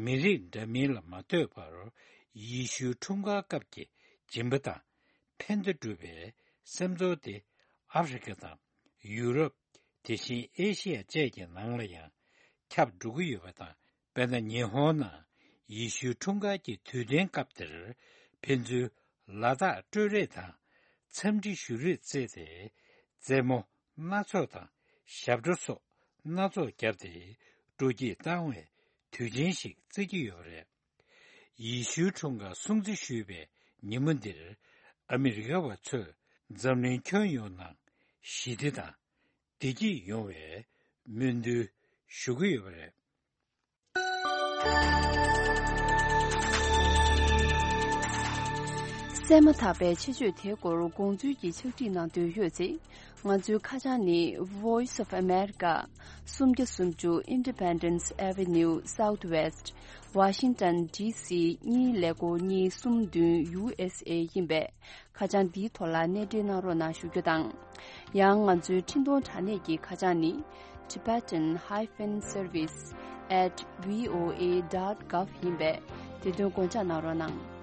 མི་རིགས་འདྲ་མིན་ལ་མ་ལྟོས་པར། ཡེ་ཤུའི་འཁྲུངས་སྐར་སྐབས་ཀྱི་སྦྱིན་པ་དང་ཕན་བདེ་སྒྲུབ་པའི་སེམས་ཚོར་དེ། ཨ་ཧྥེ་རི་ཁ་དང་ཡུ་རོབ། དེ་བཞིན་ཨེ་ཤི་ཡ་བཅས་ཀྱི་ནང་ལ་ཡང་ཁྱབ་འགྲོ་གི་ཡོད་པ་དང་། དཔེར་ན། ཉི་ཧོང་ནང་ཡེ་ཤུའི་འཁྲུངས་སྐར་གྱི་དུས་སྟོན་སྐབས་དེར། ཕན་ཚུན་ལ་དྭགས་སྤྲོད་རེས་དང་འཚམས་འདྲི་ཞུ་རེས་བརྩིས་ཏེ། རྩེད་མོ་སྣ་ཚོགས་དང་ཞབས་བྲོ་སོགས་སྣ་ཚོགས་བརྒྱབ་སྟེ། སྤྲོ་སྐྱིད་བཏང་བའི་དུས་ཆེན་ཞིག་བརྩི་གི་ཡོད་པ་རེད། ཡེ་ཤུའི་འཁྲུངས་སྐར་སྲུང་བརྩི་ཞུས་པའི་ཉིན་མོ་འདིར། ཨ་མི་རི་ཀ་བ་ཚོས་འཛམ་གླིང་ཁྱོན་ཡོངས་ནང་ཞི་བདེ་དང་བདེ་སྐྱིད་ཡོང་བའི་སྨོན་འདུན་ཞུ་གི་ཡོད་པ་རེད། གསན་མ་ཐག་པའི་ཆེད་བརྗོད་དེའི་སྐོར་དགོངས་ཚུལ་གྱི་ཕྱག་བྲིས་གནང་འདོད་ཡོད་ཚེ། ང་ཚོའི་ཁ་བྱང་ནི། Voice of America། སུམ་བརྒྱ་སུམ་ཅུ་Independence Avenue Southwest། Washington D C གཉིས་ཀླད་ཀོར་གཉིས་གསུམ་བདུན། U S A ཡིན་པས། ཁ་བྱང་འདིའི་ཐོག་ལ་གནས་འབྲེལ་གནང་རོགས་གནང་ཞུ་རྒྱུ་དང་། ཡང་ང་ཚོའི་འཕྲིན་གཏོང་དྲ་གནས་ཀྱི་ཁ་བྱང་ནི། Tibetan hyphen service at V O A dot gov ཡིན་པས། དེ་དོན་དགོངས་འཇགས་གནང་རོགས་གནང་།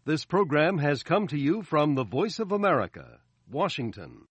This program has come to you from the Voice of America, Washington.